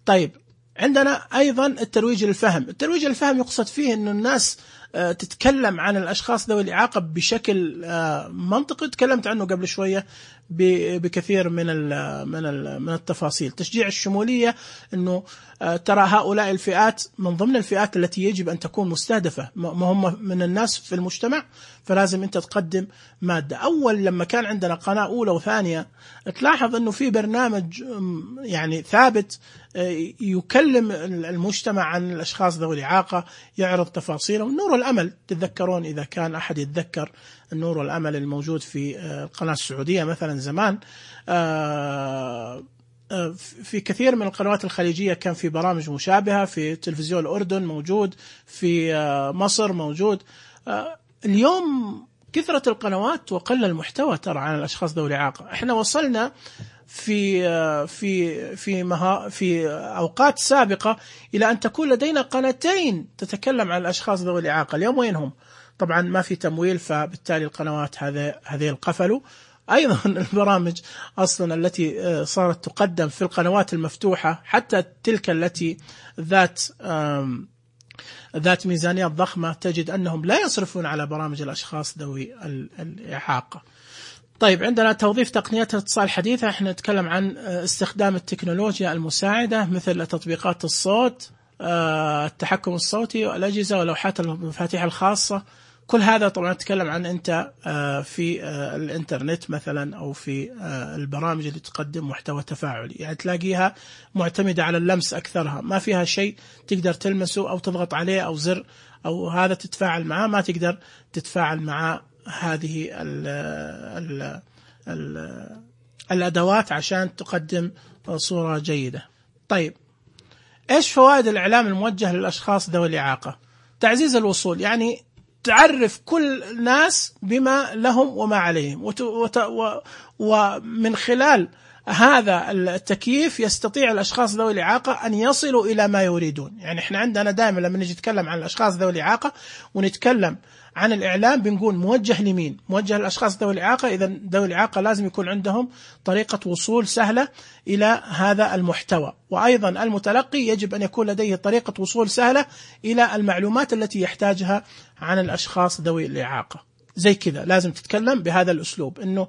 طيب عندنا أيضا الترويج للفهم. الترويج للفهم يقصد فيه أن الناس تتكلم عن الأشخاص ذوي الإعاقة بشكل منطقي، تكلمت عنه قبل شوية بكثير من من من التفاصيل. تشجيع الشمولية، أنه ترى هؤلاء الفئات من ضمن الفئات التي يجب أن تكون مستهدفة، ما هم من الناس في المجتمع، فلازم أنت تقدم مادة. أول لما كان عندنا قناة أولى وثانية تلاحظ أنه في برنامج يعني ثابت يكلم المجتمع عن الأشخاص ذوي الإعاقة، يعرض تفاصيلهم. نور الأمل، تتذكرون إذا كان أحد يتذكر النور والأمل الموجود في القناة السعودية مثلا زمان، في كثير من القنوات الخليجية كان في برامج مشابهة، في تلفزيون الأردن موجود، في مصر موجود. اليوم كثرة القنوات وقل المحتوى ترى عن الأشخاص ذوي الإعاقة. احنا وصلنا في في في مها في أوقات سابقة إلى أن تكون لدينا قناتين تتكلم عن الأشخاص ذوي الإعاقة. اليوم وينهم؟ طبعا ما في تمويل، فبالتالي القنوات هذه هذه القفلوا. أيضا البرامج أصلا التي صارت تقدم في القنوات المفتوحة، حتى تلك التي ذات ذات ميزانيات ضخمة، تجد أنهم لا يصرفون على برامج الأشخاص ذوي الإعاقة. طيب، عندنا توظيف تقنيات الاتصال الحديثة. احنا نتكلم عن استخدام التكنولوجيا المساعدة مثل تطبيقات الصوت، التحكم الصوتي والأجهزة ولوحات المفاتيح الخاصة. كل هذا طبعا نتكلم عن أنت في الإنترنت مثلا، أو في البرامج اللي تقدم محتوى تفاعلي، يعني تلاقيها معتمدة على اللمس أكثرها، ما فيها شيء تقدر تلمسه أو تضغط عليه أو زر أو هذا تتفاعل معه، ما تقدر تتفاعل مع هذه ال ال ال الأدوات عشان تقدم صورة جيدة. طيب، إيش فوائد الإعلام الموجه للأشخاص ذوي الإعاقة؟ تعزيز الوصول، يعني تعرف كل الناس بما لهم وما عليهم، وت... وت... و... ومن خلال هذا التكييف يستطيع الأشخاص ذوي الإعاقة أن يصلوا إلى ما يريدون. يعني إحنا عندنا دائما لما نجي نتكلم عن الأشخاص ذوي الإعاقة ونتكلم عن الإعلام بنقول موجه لمين؟ موجه للأشخاص ذوي الإعاقة. إذا ذوي الإعاقة لازم يكون عندهم طريقة وصول سهلة إلى هذا المحتوى، وأيضا المتلقي يجب أن يكون لديه طريقة وصول سهلة إلى المعلومات التي يحتاجها عن الأشخاص ذوي الإعاقة. زي كذا لازم تتكلم بهذا الأسلوب، إنه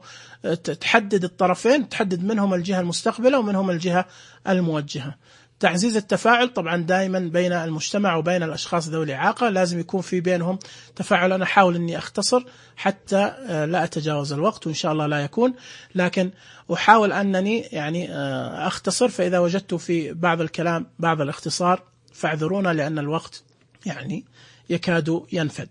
تحدد الطرفين، تحدد منهم الجهة المستقبلة ومنهم الجهة الموجهة. تعزيز التفاعل، طبعا دائما بين المجتمع وبين الأشخاص ذوي الإعاقة لازم يكون في بينهم تفاعل. أنا أحاول أني أختصر حتى لا أتجاوز الوقت، وإن شاء الله لا يكون، لكن أحاول أنني يعني أختصر، فإذا وجدت في بعض الكلام بعض الاختصار فاعذرونا، لأن الوقت يعني يكاد ينفد.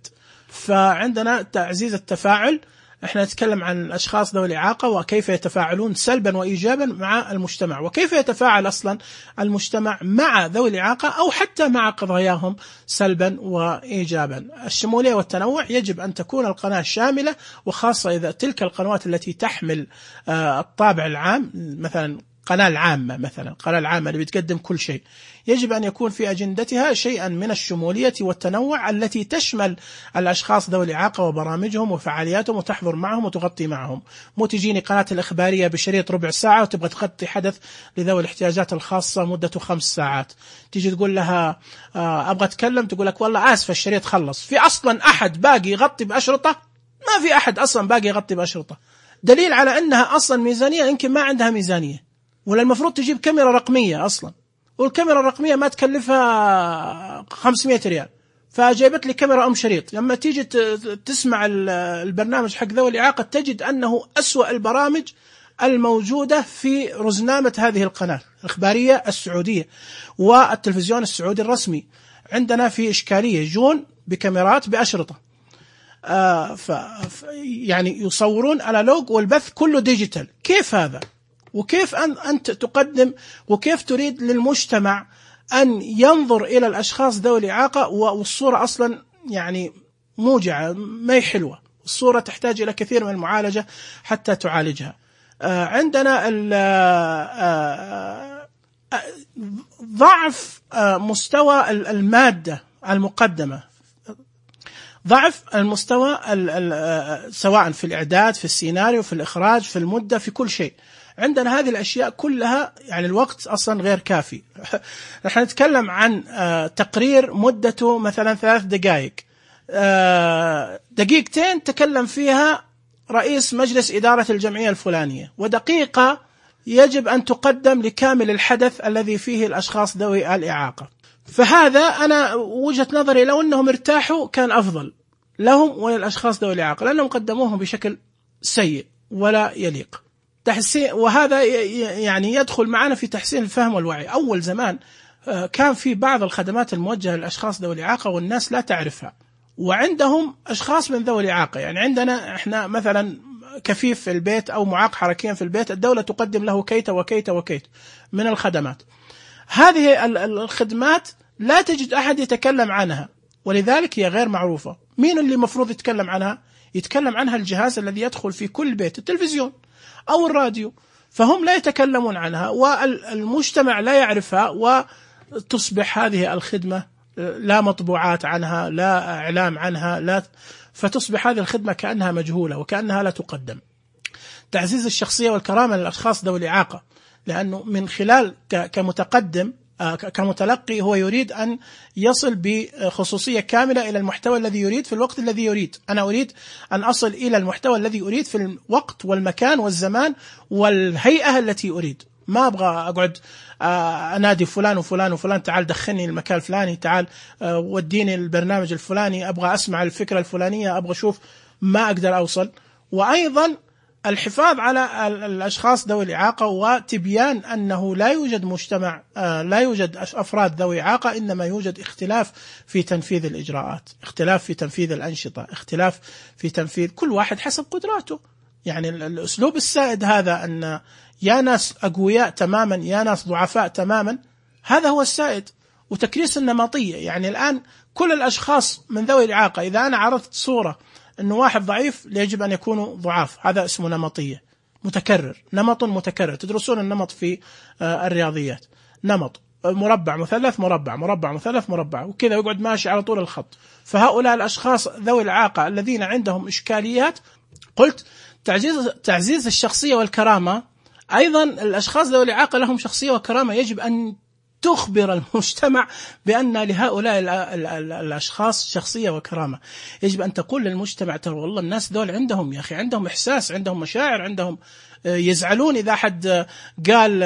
فعندنا تعزيز التفاعل، احنا نتكلم عن الأشخاص ذوي الإعاقة وكيف يتفاعلون سلبا وإيجابا مع المجتمع، وكيف يتفاعل أصلا المجتمع مع ذوي الإعاقة أو حتى مع قضاياهم سلبا وإيجابا. الشمولية والتنوع، يجب أن تكون القناة شاملة، وخاصة إذا تلك القنوات التي تحمل الطابع العام، مثلا قناة العامة، مثلا القناة العامة اللي بتقدم كل شيء، يجب أن يكون في أجندتها شيئا من الشمولية والتنوع التي تشمل الأشخاص ذوي الإعاقة وبرامجهم وفعالياتهم وتحضر معهم وتغطي معهم. مو تجيني قناة الإخبارية بشريط ربع ساعة وتبغى تغطي حدث لذوي الاحتياجات الخاصة مدته خمس ساعات، تيجي تقول لها أبغى أتكلم، تقول لك والله آسف الشريط خلص. في أصلا أحد باقي يغطي بأشرطة؟ ما في أحد أصلا باقي يغطي بأشرطة، دليل على أنها أصلا ميزانية يمكن ما عندها ميزانية، ولا المفروض تجيب كاميرا رقمية أصلا، والكاميرا الرقمية ما تكلفها خمسمائة ريال، فجايبت لي كاميرا أم شريط. لما تيجي تسمع البرنامج حق ذوي الإعاقة تجد أنه أسوأ البرامج الموجودة في رزنامة هذه القناة الإخبارية السعودية والتلفزيون السعودي الرسمي. عندنا في إشكالية، جون بكاميرات بأشرطة، آه ف يعني يصورون أنالوج والبث كله ديجيتال. كيف هذا؟ وكيف أنت تقدم، وكيف تريد للمجتمع أن ينظر إلى الأشخاص ذوي الإعاقة والصورة أصلا يعني موجعة، ما هي حلوة، الصورة تحتاج إلى كثير من المعالجة حتى تعالجها. آه عندنا آه ضعف آه مستوى المادة المقدمة، ضعف المستوى سواء في الإعداد، في السيناريو، في الإخراج، في المدة، في كل شيء. عندنا هذه الأشياء كلها، يعني الوقت أصلا غير كافي. نحن نتكلم عن تقرير مدته مثلا ثلاث دقائق، دقيقتين تكلم فيها رئيس مجلس إدارة الجمعية الفلانية، ودقيقة يجب أن تقدم لكامل الحدث الذي فيه الأشخاص ذوي الإعاقة. فهذا أنا وجهة نظري لو أنهم ارتاحوا كان أفضل لهم وللأشخاص ذوي الإعاقة، لأنهم قدموهم بشكل سيء ولا يليق. تحسين، وهذا يعني يدخل معنا في تحسين الفهم والوعي. أول زمان كان في بعض الخدمات الموجهة للأشخاص ذوي الإعاقة والناس لا تعرفها، وعندهم أشخاص من ذوي الإعاقة. يعني عندنا إحنا مثلا كفيف في البيت أو معاق حركيا في البيت، الدولة تقدم له كيت وكيت وكيت من الخدمات. هذه الخدمات لا تجد أحد يتكلم عنها، ولذلك هي غير معروفة. مين اللي مفروض يتكلم عنها؟ يتكلم عنها الجهاز الذي يدخل في كل بيت، التلفزيون أو الراديو، فهم لا يتكلمون عنها والمجتمع لا يعرفها، وتصبح هذه الخدمة لا مطبوعات عنها، لا إعلام عنها، لا فتصبح هذه الخدمة كأنها مجهولة وكأنها لا تقدم. تعزيز الشخصية والكرامة للأشخاص ذوي الإعاقة، لأنه من خلال كمتقدم كمتلقي هو يريد أن يصل بخصوصية كاملة إلى المحتوى الذي يريد في الوقت الذي يريد. أنا أريد أن أصل إلى المحتوى الذي أريد في الوقت والمكان والزمان والهيئة التي أريد. ما أبغى أقعد أنادي فلان وفلان وفلان تعال دخلني المكان الفلاني، تعال وديني البرنامج الفلاني، أبغى أسمع الفكرة الفلانية، أبغى أشوف، ما أقدر أوصل. وأيضا الحفاظ على الأشخاص ذوي الإعاقة وتبيان أنه لا يوجد مجتمع، لا يوجد أفراد ذوي إعاقة، إنما يوجد اختلاف في تنفيذ الإجراءات، اختلاف في تنفيذ الأنشطة، اختلاف في تنفيذ كل واحد حسب قدراته. يعني الأسلوب السائد هذا أن يا ناس أقوياء تماما يا ناس ضعفاء تماما، هذا هو السائد. وتكريس النمطية، يعني الآن كل الأشخاص من ذوي الإعاقة إذا أنا عرضت صورة أنه واحد ضعيف يجب أن يكونوا ضعاف، هذا اسمه نمطية، متكرر، نمط متكرر. تدرسون النمط في الرياضيات، نمط مربع مثلث مربع مربع مثلث مربع، وكذا يقعد ماشي على طول الخط. فهؤلاء الأشخاص ذوي الإعاقة الذين عندهم إشكاليات، قلت تعزيز تعزيز الشخصية والكرامة. أيضا الأشخاص ذوي الإعاقة لهم شخصية وكرامة، يجب أن تخبر المجتمع بأن لهؤلاء الأشخاص شخصية وكرامة. يجب أن تقول للمجتمع ترى والله الناس دول عندهم يا أخي عندهم إحساس، عندهم مشاعر، عندهم يزعلون إذا حد قال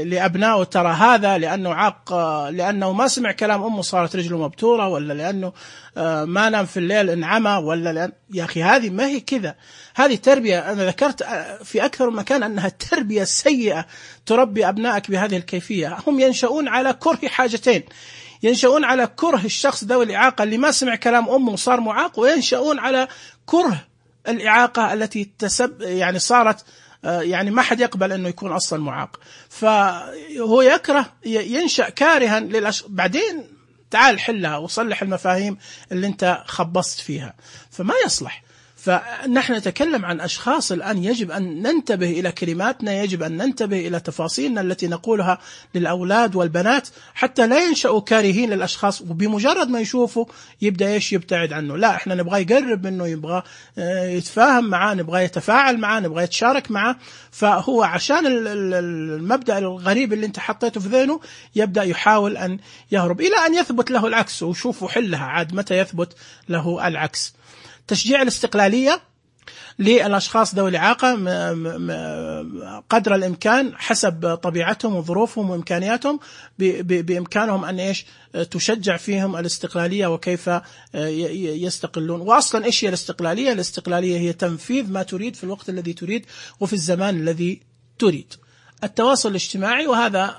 لأبنائه ترى هذا لأنه عاق، لأنه ما سمع كلام أمه صارت رجله مبتورة، ولا لأنه ما نام في الليل انعمى، ولا لأن يا أخي هذه ما هي كذا. هذه تربية، أنا ذكرت في أكثر من مكان أنها تربية سيئة تربي أبنائك بهذه الكيفية. هم ينشؤون على كره حاجتين، ينشؤون على كره الشخص ذوي الإعاقة اللي ما سمع كلام أمه وصار معاق، وينشؤون على كره الإعاقة التي تسب يعني صارت يعني ما حد يقبل أنه يكون أصلا معاق، فهو يكره ينشأ كارها للأش... بعدين تعال حلها وصلح المفاهيم اللي انت خبصت فيها، فما يصلح. فنحن نتكلم عن أشخاص الآن يجب أن ننتبه إلى كلماتنا، يجب أن ننتبه إلى تفاصيلنا التي نقولها للأولاد والبنات حتى لا ينشأوا كارهين للأشخاص، وبمجرد ما يشوفوا يبدأ إيش يبتعد عنه. لا، إحنا نبغى يقرب منه، يبغى يتفاهم معاه، نبغى يتفاعل معاه، نبغى يتشارك معاه. فهو عشان المبدأ الغريب اللي انت حطيته في ذهنه يبدأ يحاول أن يهرب إلى أن يثبت له العكس، وشوفوا حلها عاد متى يثبت له العكس. تشجيع الاستقلالية للأشخاص ذوي الإعاقة قدر الإمكان حسب طبيعتهم وظروفهم وإمكانياتهم، بإمكانهم أن إيش تشجع فيهم الاستقلالية وكيف يستقلون. وأصلا إيش هي الاستقلالية؟ الاستقلالية هي تنفيذ ما تريد في الوقت الذي تريد وفي الزمان الذي تريد. التواصل الاجتماعي، وهذا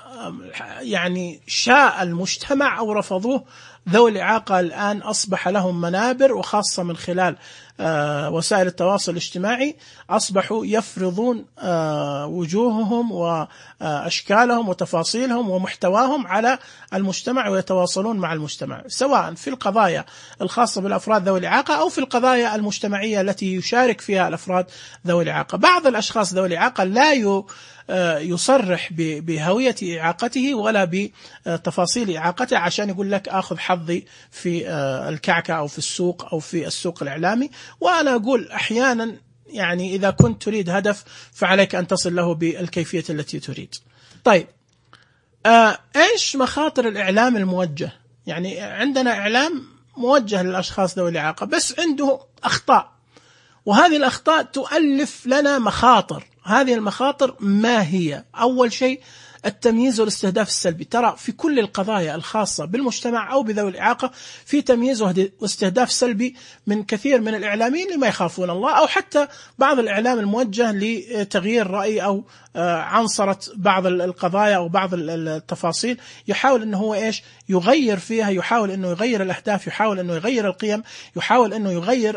يعني شاء المجتمع أو رفضوه، ذوي الإعاقة الآن أصبح لهم منابر، وخاصة من خلال آه وسائل التواصل الاجتماعي أصبحوا يفرضون آه وجوههم وأشكالهم وتفاصيلهم ومحتواهم على المجتمع، ويتواصلون مع المجتمع سواء في القضايا الخاصة بالأفراد ذوي الإعاقة أو في القضايا المجتمعية التي يشارك فيها الأفراد ذوي الإعاقة. بعض الأشخاص ذوي الإعاقة لا يو يصرح بهوية إعاقته ولا بتفاصيل إعاقته عشان يقول لك أخذ حظي في الكعكة أو في السوق أو في السوق الإعلامي. وأنا أقول أحيانا يعني إذا كنت تريد هدف فعليك أن تصل له بالكيفية التي تريد. طيب، إيش مخاطر الإعلام الموجه؟ يعني عندنا إعلام موجه للأشخاص ذوي الإعاقة بس عنده أخطاء، وهذه الأخطاء تؤلف لنا مخاطر. هذه المخاطر ما هي؟ أول شيء التمييز والاستهداف السلبي. ترى في كل القضايا الخاصة بالمجتمع أو بذوي الإعاقة في تمييز واستهداف سلبي من كثير من الإعلاميين اللي ما يخافون الله، أو حتى بعض الإعلام الموجه لتغيير رأي أو عنصرة بعض القضايا أو بعض التفاصيل، يحاول أنه هو إيش يغير فيها، يحاول أنه يغير الأهداف، يحاول أنه يغير القيم، يحاول أنه يغير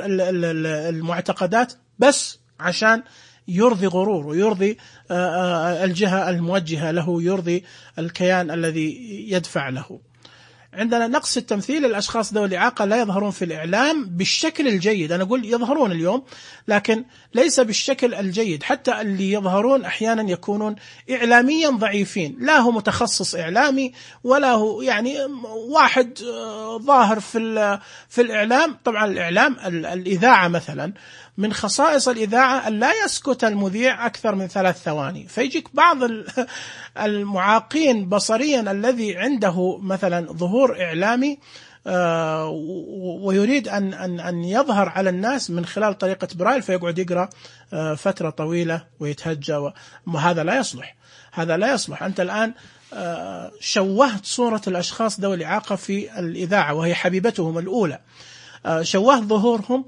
المعتقدات بس عشان يرضي غرور ويرضي الجهة الموجهة له، يرضي الكيان الذي يدفع له. عندنا نقص التمثيل، الأشخاص ذوي الإعاقة لا يظهرون في الإعلام بالشكل الجيد. أنا أقول يظهرون اليوم لكن ليس بالشكل الجيد، حتى اللي يظهرون أحيانا يكونون إعلاميا ضعيفين، لا هو متخصص إعلامي ولا هو يعني واحد ظاهر في في الإعلام. طبعا الإعلام الإذاعة مثلا من خصائص الإذاعة أن لا يسكت المذيع أكثر من ثلاث ثواني، فيجيك بعض المعاقين بصريا الذي عنده مثلا ظهور إعلامي ويريد أن أن أن يظهر على الناس من خلال طريقة برايل، فيقعد يقرأ فترة طويلة ويتهجى، وهذا لا يصلح، هذا لا يصلح. أنت الآن شوهت صورة الأشخاص ذوي الإعاقة في الإذاعة وهي حبيبتهم الأولى، شوهت ظهورهم،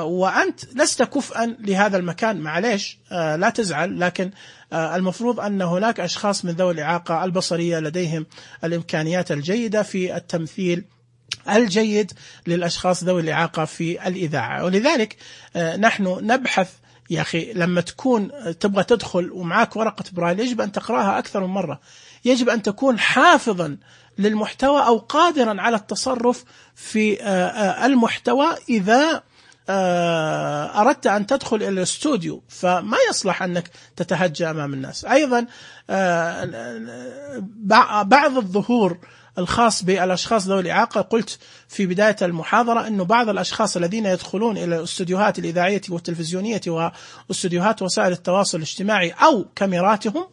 وأنت لست كفءا لهذا المكان. معليش لا تزعل، لكن المفروض أن هناك أشخاص من ذوي الإعاقة البصرية لديهم الإمكانيات الجيدة في التمثيل الجيد للأشخاص ذوي الإعاقة في الإذاعة. ولذلك نحن نبحث يا أخي لما تكون تبغى تدخل ومعاك ورقة برايل يجب أن تقرأها أكثر من مرة، يجب أن تكون حافظا للمحتوى أو قادرا على التصرف في المحتوى إذا أردت أن تدخل إلى الاستوديو، فما يصلح أنك تتهجى أمام الناس. أيضا بعض الظهور الخاص بالأشخاص ذوي الإعاقة، قلت في بداية المحاضرة أنه بعض الأشخاص الذين يدخلون إلى الاستوديوهات الإذاعية والتلفزيونية واستوديوهات وسائل التواصل الاجتماعي أو كاميراتهم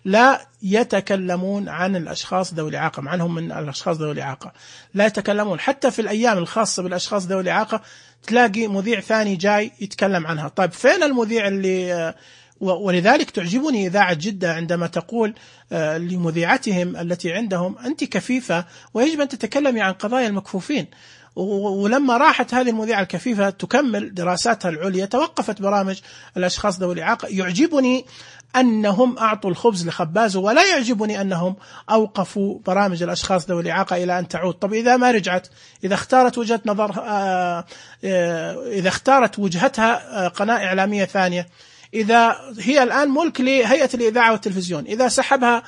لا يتكلمون عن الأشخاص ذوي الإعاقة، عنهم من الأشخاص ذوي الإعاقة لا يتكلمون. حتى في الأيام الخاصة بالأشخاص ذوي الإعاقة تلاقي مذيع ثاني جاي يتكلم عنها. طيب فين المذيع اللي ولذلك تعجبني إذاعة جدة عندما تقول لمذيعتهم التي عندهم أنت كفيفة ويجب أن تتكلمي عن قضايا المكفوفين. ولما راحت هذه المذيعة الكفيفة تكمل دراساتها العليا توقفت برامج الأشخاص ذوي الإعاقة. يعجبني أنهم أعطوا الخبز لخبازه، ولا يعجبني أنهم أوقفوا برامج الأشخاص ذوي الإعاقة إلى أن تعود. طب إذا ما رجعت، إذا اختارت وجهة نظر إذا اختارت وجهتها قناة إعلامية ثانية، إذا هي الآن ملك لهيئة الإذاعة والتلفزيون، إذا سحبها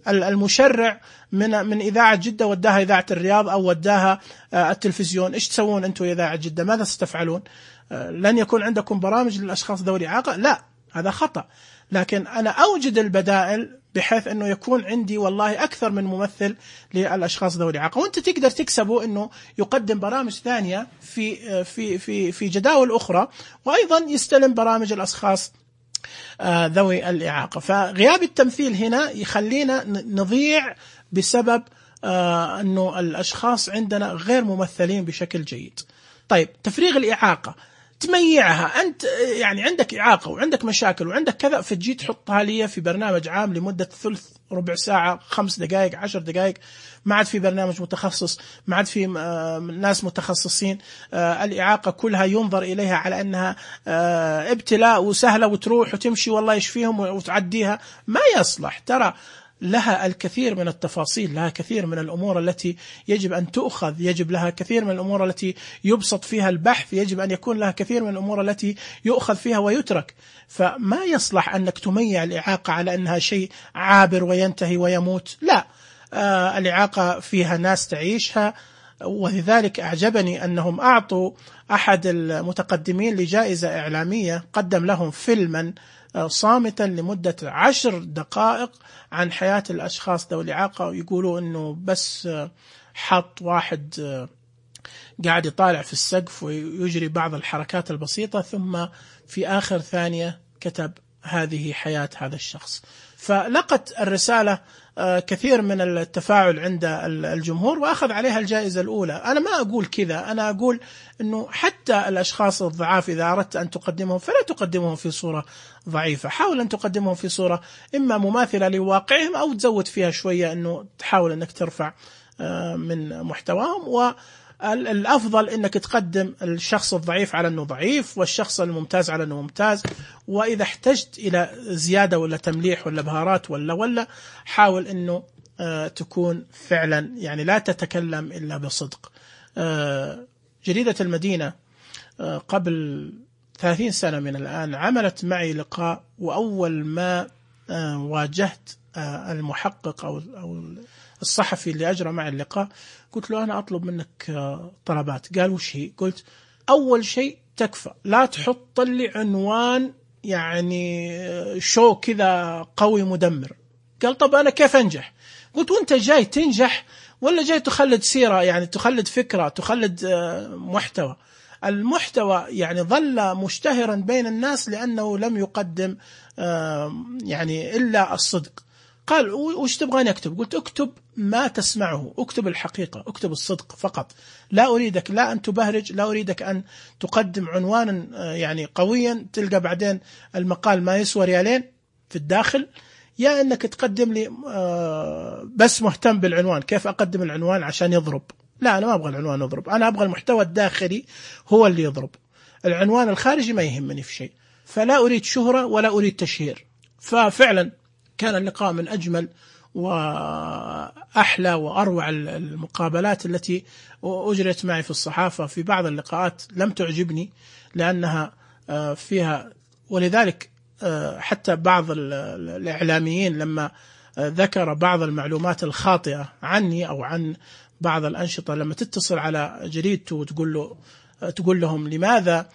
المشرع من من إذاعة جدة وداها إذاعة الرياض أو وداها التلفزيون، إيش تسوون أنتم إذاعة جدة؟ ماذا ستفعلون؟ لن يكون عندكم برامج للأشخاص ذوي الإعاقة؟ لا، هذا خطأ. لكن أنا أوجد البدائل بحيث أنه يكون عندي والله أكثر من ممثل للأشخاص ذوي الإعاقة، وأنت تقدر تكسبه أنه يقدم برامج ثانية في في في في جداول أخرى، وأيضا يستلم برامج الأشخاص ذوي الإعاقة. فغياب التمثيل هنا يخلينا نضيع بسبب أنه الأشخاص عندنا غير ممثلين بشكل جيد. طيب تفريغ الإعاقة تميعها، أنت يعني عندك إعاقة وعندك مشاكل وعندك كذا، فتجي تحطها لي في برنامج عام لمدة ثلث ربع ساعة خمس دقائق عشر دقائق، ما عاد في برنامج متخصص، ما عاد في ناس متخصصين. الإعاقة كلها ينظر إليها على أنها ابتلاء وسهلة وتروح وتمشي والله يشفيهم وتعديها، ما يصلح. ترى لها الكثير من التفاصيل، لها كثير من الأمور التي يجب أن تؤخذ، يجب لها كثير من الأمور التي يبسط فيها البحث، يجب أن يكون لها كثير من الأمور التي يؤخذ فيها ويترك. فما يصلح أنك تميع الإعاقة على أنها شيء عابر وينتهي ويموت، لا. آه الإعاقة فيها ناس تعيشها، ولذلك أعجبني أنهم أعطوا أحد المتقدمين لجائزة إعلامية قدم لهم فيلما صامتا لمدة عشر دقائق عن حياة الأشخاص ذوي الإعاقة، ويقولوا أنه بس حط واحد قاعد يطالع في السقف ويجري بعض الحركات البسيطة، ثم في آخر ثانية كتب هذه حياة هذا الشخص. فلقت الرسالة كثير من التفاعل عند الجمهور وأخذ عليها الجائزة الأولى. أنا ما أقول كذا، أنا أقول أنه حتى الأشخاص الضعاف إذا أردت أن تقدمهم فلا تقدمهم في صورة ضعيفة، حاول أن تقدمهم في صورة إما مماثلة لواقعهم أو تزود فيها شوية، أنه تحاول أنك ترفع من محتواهم. و الأفضل أنك تقدم الشخص الضعيف على أنه ضعيف والشخص الممتاز على أنه ممتاز، وإذا احتجت إلى زيادة ولا تمليح ولا بهارات ولا ولا حاول أنه آه تكون فعلا يعني لا تتكلم إلا بصدق. آه جريدة المدينة آه قبل ثلاثين سنة من الآن عملت معي لقاء، وأول ما آه واجهت المحقق أو أو الصحفي اللي أجرى معي اللقاء، قلت له أنا أطلب منك طلبات. قال وش هي؟ قلت أول شيء تكفى لا تحط لي عنوان يعني شو كذا قوي مدمر. قال طب أنا كيف أنجح؟ قلت وأنت جاي تنجح ولا جاي تخلد سيرة، يعني تخلد فكرة، تخلد محتوى؟ المحتوى يعني ظل مشتهرا بين الناس لأنه لم يقدم يعني إلا الصدق. قال وش تبغاني أكتب؟ قلت اكتب ما تسمعه، اكتب الحقيقة، اكتب الصدق فقط. لا أريدك لا أن تبهرج، لا أريدك أن تقدم عنوانا يعني قويا تلقى بعدين المقال ما يسوى ريالين في الداخل، يا أنك تقدم لي بس مهتم بالعنوان، كيف أقدم العنوان عشان يضرب. لا أنا ما أبغى العنوان يضرب، أنا أبغى المحتوى الداخلي هو اللي يضرب، العنوان الخارجي ما يهمني في شيء. فلا أريد شهرة ولا أريد تشهير. ففعلا كان اللقاء من أجمل وأحلى وأروع المقابلات التي أجرت معي في الصحافة. في بعض اللقاءات لم تعجبني لأنها فيها، ولذلك حتى بعض الإعلاميين لما ذكر بعض المعلومات الخاطئة عني أو عن بعض الأنشطة، لما تتصل على جريدته وتقول له تقول لهم لماذا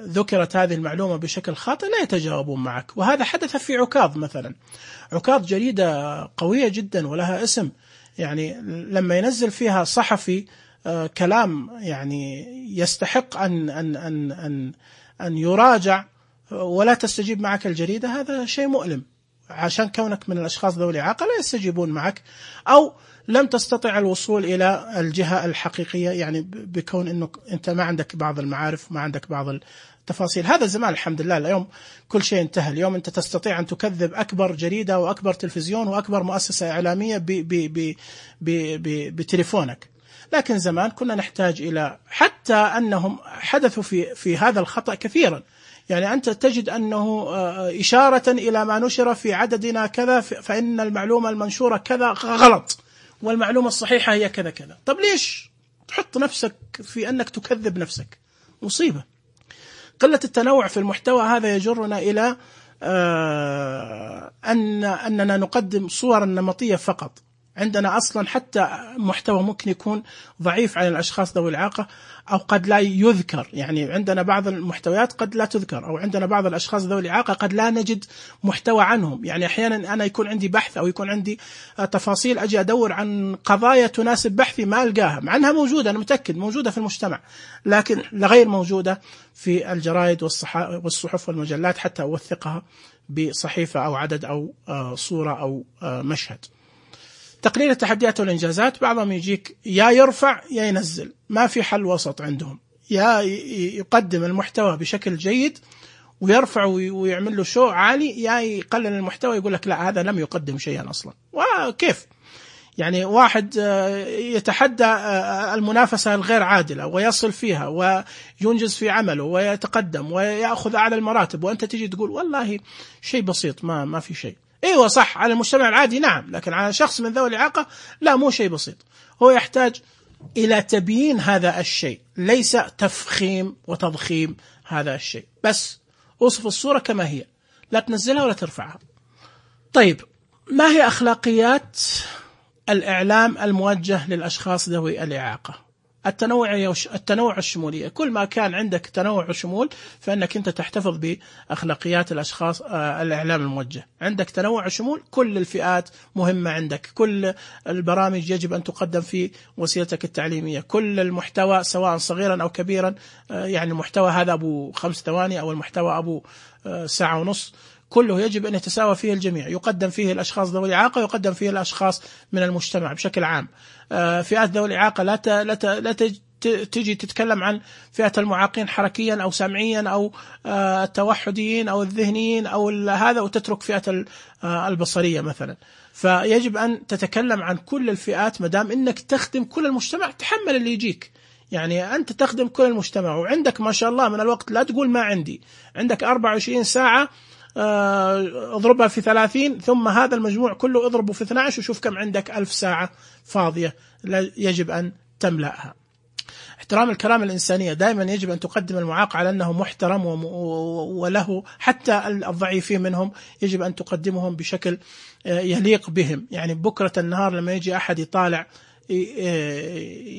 ذكرت هذه المعلومة بشكل خاطئ، لا يتجاوبون معك. وهذا حدث في عكاظ مثلا. عكاظ جريدة قوية جدا ولها اسم، يعني لما ينزل فيها صحفي كلام يعني يستحق أن أن أن أن أن يراجع ولا تستجيب معك الجريدة، هذا شيء مؤلم. عشان كونك من الأشخاص ذوي الإعاقة لا يستجيبون معك، أو لم تستطع الوصول إلى الجهة الحقيقية، يعني بكون أنه أنت ما عندك بعض المعارف، ما عندك بعض التفاصيل. هذا زمان الحمد لله، اليوم كل شيء انتهى. اليوم أنت تستطيع أن تكذب أكبر جريدة وأكبر تلفزيون وأكبر مؤسسة إعلامية بتليفونك. لكن زمان كنا نحتاج إلى، حتى أنهم حدثوا في في هذا الخطأ كثيرا. يعني أنت تجد أنه إشارة إلى ما نشر في عددنا كذا فإن المعلومة المنشورة كذا غلط، والمعلومة الصحيحة هي كذا كذا. طب ليش تحط نفسك في أنك تكذب نفسك؟ مصيبة. قلة التنوع في المحتوى هذا يجرنا إلى أن أننا نقدم صورا نمطية فقط. عندنا أصلا حتى محتوى ممكن يكون ضعيف عن الأشخاص ذوي الإعاقة أو قد لا يذكر، يعني عندنا بعض المحتويات قد لا تذكر، أو عندنا بعض الأشخاص ذوي الإعاقة قد لا نجد محتوى عنهم. يعني أحيانا أنا يكون عندي بحث أو يكون عندي تفاصيل، أجي أدور عن قضايا تناسب بحثي ما ألقاها، مع أنها موجودة، أنا متأكد موجودة في المجتمع، لكن غير موجودة في الجرائد والصحف والمجلات حتى أوثقها بصحيفة أو عدد أو صورة أو مشهد. تقليل التحديات والإنجازات، بعضهم يجيك يا يرفع يا ينزل، ما في حل وسط عندهم. يا يقدم المحتوى بشكل جيد ويرفع ويعمل له شو عالي، يا يقلل المحتوى يقول لك لا هذا لم يقدم شيئا أصلا. وكيف يعني واحد يتحدى المنافسة الغير عادلة ويصل فيها وينجز في عمله ويتقدم ويأخذ أعلى المراتب، وأنت تجي تقول والله شيء بسيط، ما ما في شيء. ايوه صح على المجتمع العادي نعم، لكن على شخص من ذوي الإعاقة لا، مو شيء بسيط. هو يحتاج إلى تبيين هذا الشيء، ليس تفخيم وتضخيم هذا الشيء. بس وصف الصورة كما هي، لا تنزلها ولا ترفعها. طيب، ما هي أخلاقيات الإعلام الموجه للأشخاص ذوي الإعاقة؟ التنوع التنوع الشمولية. كل ما كان عندك تنوع وشمول فإنك أنت تحتفظ بأخلاقيات الأشخاص الإعلام الموجه. عندك تنوع وشمول، كل الفئات مهمة عندك، كل البرامج يجب أن تقدم في وسيلتك التعليمية، كل المحتوى سواء صغيرا أو كبيرا، يعني المحتوى هذا أبو خمس ثواني أو المحتوى أبو ساعة ونص، كله يجب أن يتساوى فيه الجميع، يقدم فيه الأشخاص ذوي الإعاقة، يقدم فيه الأشخاص من المجتمع بشكل عام. فئات ذوي الإعاقة لا ت... لا ت... لا تجي تتكلم عن فئة المعاقين حركيا أو سمعيا أو التوحديين أو الذهنيين أو هذا، وتترك فئة البصرية مثلا. فيجب أن تتكلم عن كل الفئات، مدام إنك تخدم كل المجتمع تحمل اللي يجيك. يعني أنت تخدم كل المجتمع وعندك ما شاء الله من الوقت، لا تقول ما عندي، عندك أربعة وعشرين ساعة اضربها في ثلاثين، ثم هذا المجموع كله اضربه في اثني عشر وشوف كم عندك، ألف ساعة فاضية يجب أن تملأها. احترام الكرامة الإنسانية، دائما يجب أن تقدم المعاق على أنه محترم وله، حتى الضعيفين منهم يجب أن تقدمهم بشكل يليق بهم. يعني بكرة النهار لما يجي أحد يطالع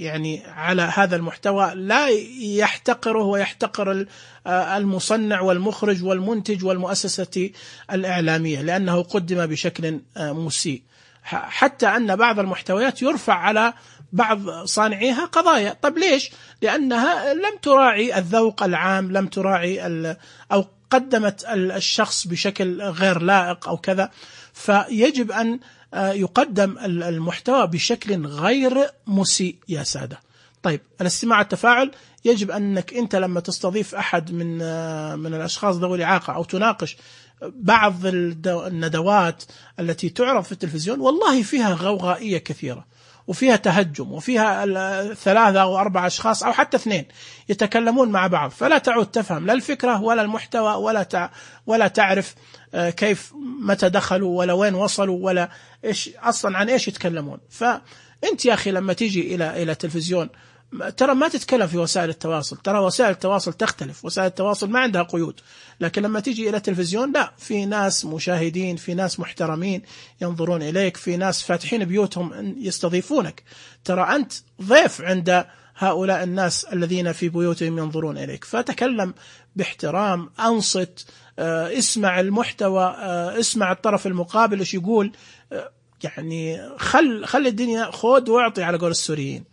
يعني على هذا المحتوى لا يحتقره ويحتقر المصنع والمخرج والمنتج والمؤسسة الإعلامية، لأنه قدم بشكل مسيء. حتى أن بعض المحتويات يرفع على بعض صانعيها قضايا. طب ليش؟ لأنها لم تراعي الذوق العام، لم تراعي أو قدمت الشخص بشكل غير لائق أو كذا. فيجب أن يقدم المحتوى بشكل غير مسيء يا سادة. طيب الاستماع التفاعل، يجب أنك أنت لما تستضيف أحد من من الأشخاص ذوي الإعاقة أو تناقش بعض الندوات التي تعرض في التلفزيون، والله فيها غوغائية كثيرة وفيها تهجم وفيها ثلاثة أو أربعة أشخاص أو حتى اثنين يتكلمون مع بعض، فلا تعود تفهم لا الفكرة ولا المحتوى ولا تع ولا تعرف كيف متى دخلوا ولا وين وصلوا ولا إيش أصلا عن إيش يتكلمون. فأنت يا أخي لما تيجي إلى إلى التلفزيون ترى ما تتكلم في وسائل التواصل، ترى وسائل التواصل تختلف، وسائل التواصل ما عندها قيود، لكن لما تيجي إلى التلفزيون لا، في ناس مشاهدين، في ناس محترمين ينظرون إليك، في ناس فاتحين بيوتهم يستضيفونك، ترى أنت ضيف عند هؤلاء الناس الذين في بيوتهم ينظرون إليك. فتكلم باحترام، أنصت، اسمع المحتوى، اسمع الطرف المقابل ايش يقول، يعني خل خل الدنيا خود واعطي على قول السوريين.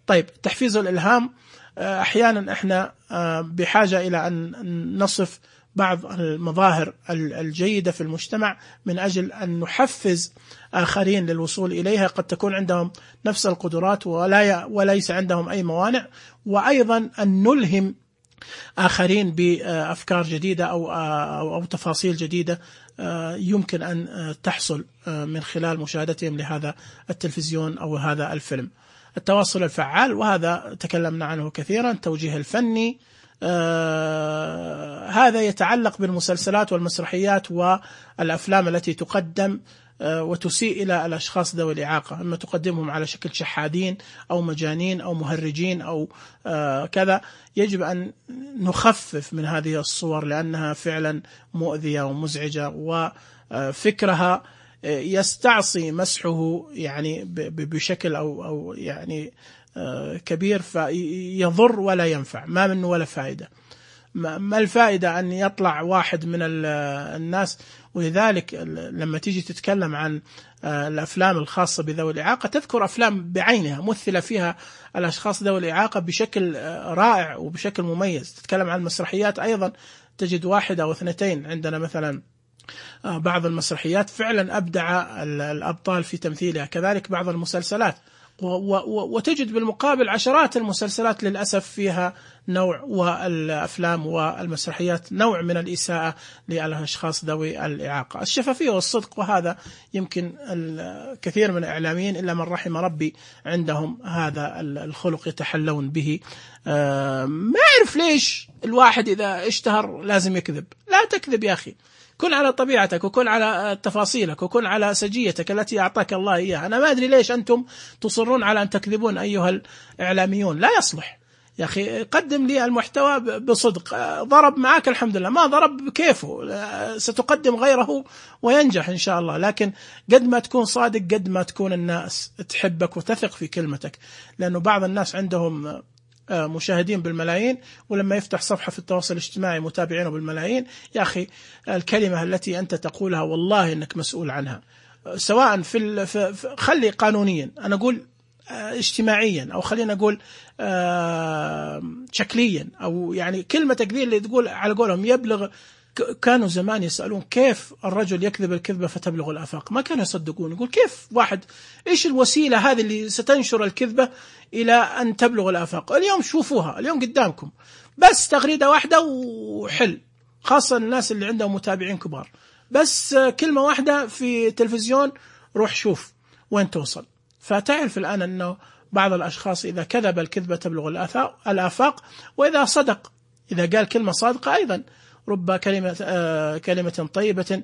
طيب تحفيز الإلهام، أحيانا إحنا بحاجة إلى أن نصف بعض المظاهر الجيدة في المجتمع من أجل أن نحفز آخرين للوصول إليها، قد تكون عندهم نفس القدرات ولا وليس عندهم أي موانع، وأيضا أن نلهم آخرين بأفكار جديدة أو أو, أو تفاصيل جديدة يمكن أن تحصل من خلال مشاهدتهم لهذا التلفزيون أو هذا الفيلم. التواصل الفعال، وهذا تكلمنا عنه كثيرا، التوجيه الفني، آه هذا يتعلق بالمسلسلات والمسرحيات والأفلام التي تقدم آه وتسيء إلى الأشخاص ذوي الإعاقة، إما تقدمهم على شكل شحادين أو مجانين أو مهرجين أو آه كذا. يجب أن نخفف من هذه الصور لأنها فعلا مؤذية ومزعجة، وفكرها يستعصي مسحه يعني بشكل أو أو يعني كبير، فيضر ولا ينفع، ما منه ولا فائدة. ما الفائدة أن يطلع واحد من الناس؟ ولذلك لما تيجي تتكلم عن الأفلام الخاصة بذوي الإعاقة تذكر أفلام بعينها مثل فيها الأشخاص ذوي الإعاقة بشكل رائع وبشكل مميز. تتكلم عن المسرحيات أيضا تجد واحد أو اثنتين، عندنا مثلا بعض المسرحيات فعلا أبدع الأبطال في تمثيلها، كذلك بعض المسلسلات، وتجد بالمقابل عشرات المسلسلات للأسف فيها نوع، والأفلام والمسرحيات نوع من الإساءة للأشخاص ذوي الإعاقة. الشفافية والصدق، وهذا يمكن الكثير من الإعلاميين إلا من رحم ربي عندهم هذا الخلق يتحلون به. ما أعرف ليش الواحد إذا اشتهر لازم يكذب. لا تكذب يا أخي، كن على طبيعتك وكن على تفاصيلك وكن على سجيتك التي أعطاك الله إياها. أنا ما أدري ليش أنتم تصرون على أن تكذبون أيها الإعلاميون، لا يصلح يا أخي. قدم لي المحتوى بصدق، ضرب معك الحمد لله، ما ضرب كيفه، ستقدم غيره وينجح إن شاء الله. لكن قد ما تكون صادق قد ما تكون الناس تحبك وتثق في كلمتك، لأنه بعض الناس عندهم مشاهدين بالملايين، ولما يفتح صفحة في التواصل الاجتماعي متابعينه بالملايين. يا أخي الكلمة التي أنت تقولها والله إنك مسؤول عنها، سواء في, في خلي قانونيا، أنا أقول اجتماعيا، أو خلينا نقول شكليا، أو يعني كلمتك ذي اللي تقول على قولهم يبلغ. كانوا زمان يسألون كيف الرجل يكذب الكذبة فتبلغ الآفاق، ما كانوا يصدقون. يقول كيف واحد، إيش الوسيلة هذه اللي ستنشر الكذبة إلى أن تبلغ الآفاق؟ اليوم شوفوها، اليوم قدامكم، بس تغريدة واحدة وحل، خاصة الناس اللي عندهم متابعين كبار، بس كلمة واحدة في تلفزيون روح شوف وين توصل. فتعرف الآن أنه بعض الأشخاص إذا كذب الكذبة تبلغ الآفاق، وإذا صدق، إذا قال كلمة صادقة أيضا، رب كلمة آه كلمة طيبة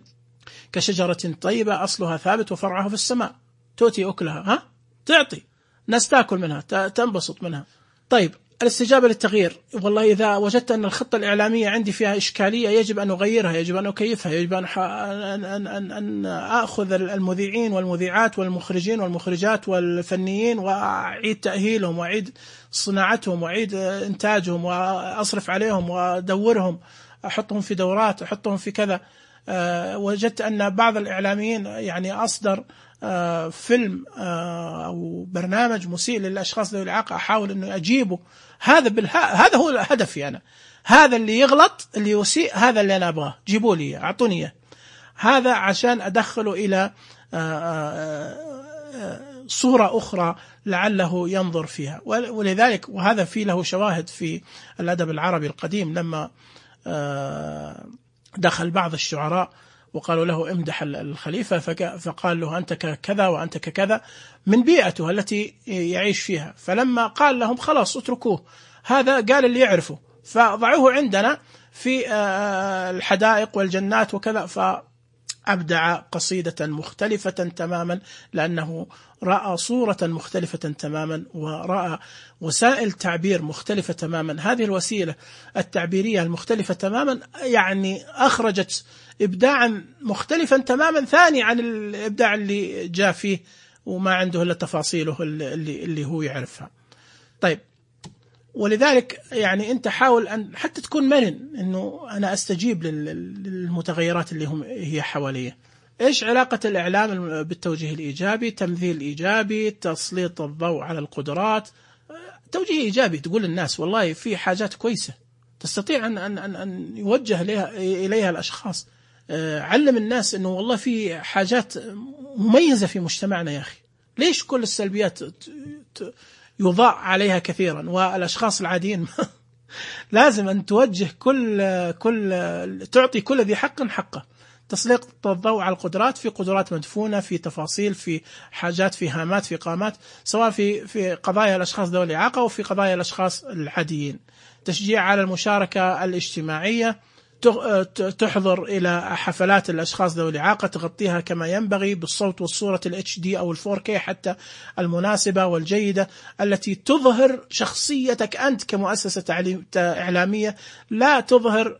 كشجرة طيبة أصلها ثابت وفرعها في السماء تؤتي أكلها، ها تعطي ناس تأكل منها تنبسط منها. طيب الاستجابة للتغيير. والله إذا وجدت أن الخطة الإعلامية عندي فيها إشكالية يجب أن أغيرها، يجب أن أكيفها، يجب أن, أن, أن, أن أخذ المذيعين والمذيعات والمخرجين والمخرجات والفنيين وأعيد تأهيلهم وأعيد صناعتهم وأعيد إنتاجهم وأصرف عليهم وأدورهم، أحطهم في دورات، أحطهم في كذا. أه وجدت أن بعض الإعلاميين يعني أصدر أه فيلم أه أو برنامج مسيء للأشخاص ذوي الإعاقة، أحاول أنه أجيبه. هذا بالها هذا هو هدفي أنا، هذا اللي يغلط اللي يسيء هذا اللي أنا أبغاه، جيبوا لي أعطوني هذا عشان أدخله إلى صورة أخرى لعله ينظر فيها. ولذلك وهذا في له شواهد في الأدب العربي القديم، لما دخل بعض الشعراء وقالوا له امدح الخليفة، فقال له أنت كذا وأنت كذا من بيئته التي يعيش فيها. فلما قال لهم خلاص اتركوه، هذا قال اللي يعرفه، فضعوه عندنا في الحدائق والجنات وكذا، فأبدع قصيدة مختلفة تماما، لأنه رأى صورة مختلفة تماما ورأى وسائل تعبير مختلفة تماما. هذه الوسيلة التعبيرية المختلفة تماما يعني أخرجت إبداعا مختلفا تماما ثاني عن الإبداع اللي جاء فيه وما عنده إلا تفاصيله اللي, اللي هو يعرفها. طيب، ولذلك يعني أنت حاول أن حتى تكون مرن، أنه أنا أستجيب للمتغيرات اللي هم هي حواليه. إيش علاقة الإعلام بالتوجيه الإيجابي؟ تمثيل إيجابي، تسليط الضوء على القدرات، توجيه إيجابي، تقول للناس والله في حاجات كويسة تستطيع أن, أن, أن, أن يوجه إليها, إليها الأشخاص. علم الناس أنه والله في حاجات مميزة في مجتمعنا يا أخي، ليش كل السلبيات يضاء عليها كثيرا والأشخاص العاديين لازم أن توجه كل كل تعطي كل ذي حق حقه. تسليط الضوء على القدرات، في قدرات مدفونة، في تفاصيل، في حاجات، في هامات، في قامات، سواء في في قضايا الأشخاص ذوي الإعاقة وفي قضايا الأشخاص العاديين. تشجيع على المشاركة الاجتماعية، تحضر إلى حفلات الأشخاص ذوي الإعاقة، تغطيها كما ينبغي بالصوت والصورة الاتش دي أو الفور كي حتى المناسبة والجيدة، التي تظهر شخصيتك أنت كمؤسسة إعلامية، لا تظهر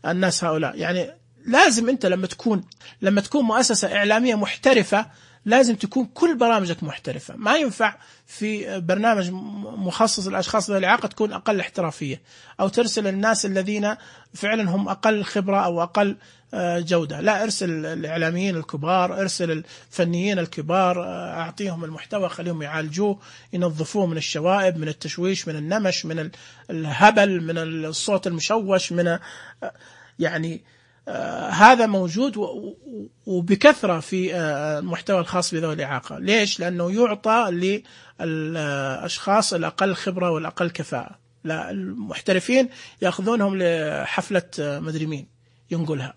الناس هؤلاء. يعني لازم أنت لما تكون لما تكون مؤسسة إعلامية محترفة لازم تكون كل برامجك محترفة. ما ينفع في برنامج مخصص للأشخاص ذوي الإعاقة تكون أقل احترافية، أو ترسل الناس الذين فعلا هم أقل خبرة أو أقل جودة. لا، ارسل الإعلاميين الكبار، ارسل الفنيين الكبار، أعطيهم المحتوى، خليهم يعالجوه، ينظفوه من الشوائب، من التشويش، من النمش، من الهبل، من الصوت المشوش، من يعني آه هذا موجود وبكثرة في آه المحتوى الخاص بذوي الإعاقة. ليش؟ لأنه يعطى للأشخاص الأقل خبرة والأقل كفاءة. لا، المحترفين يأخذونهم لحفلة آه مدري مين ينقلها.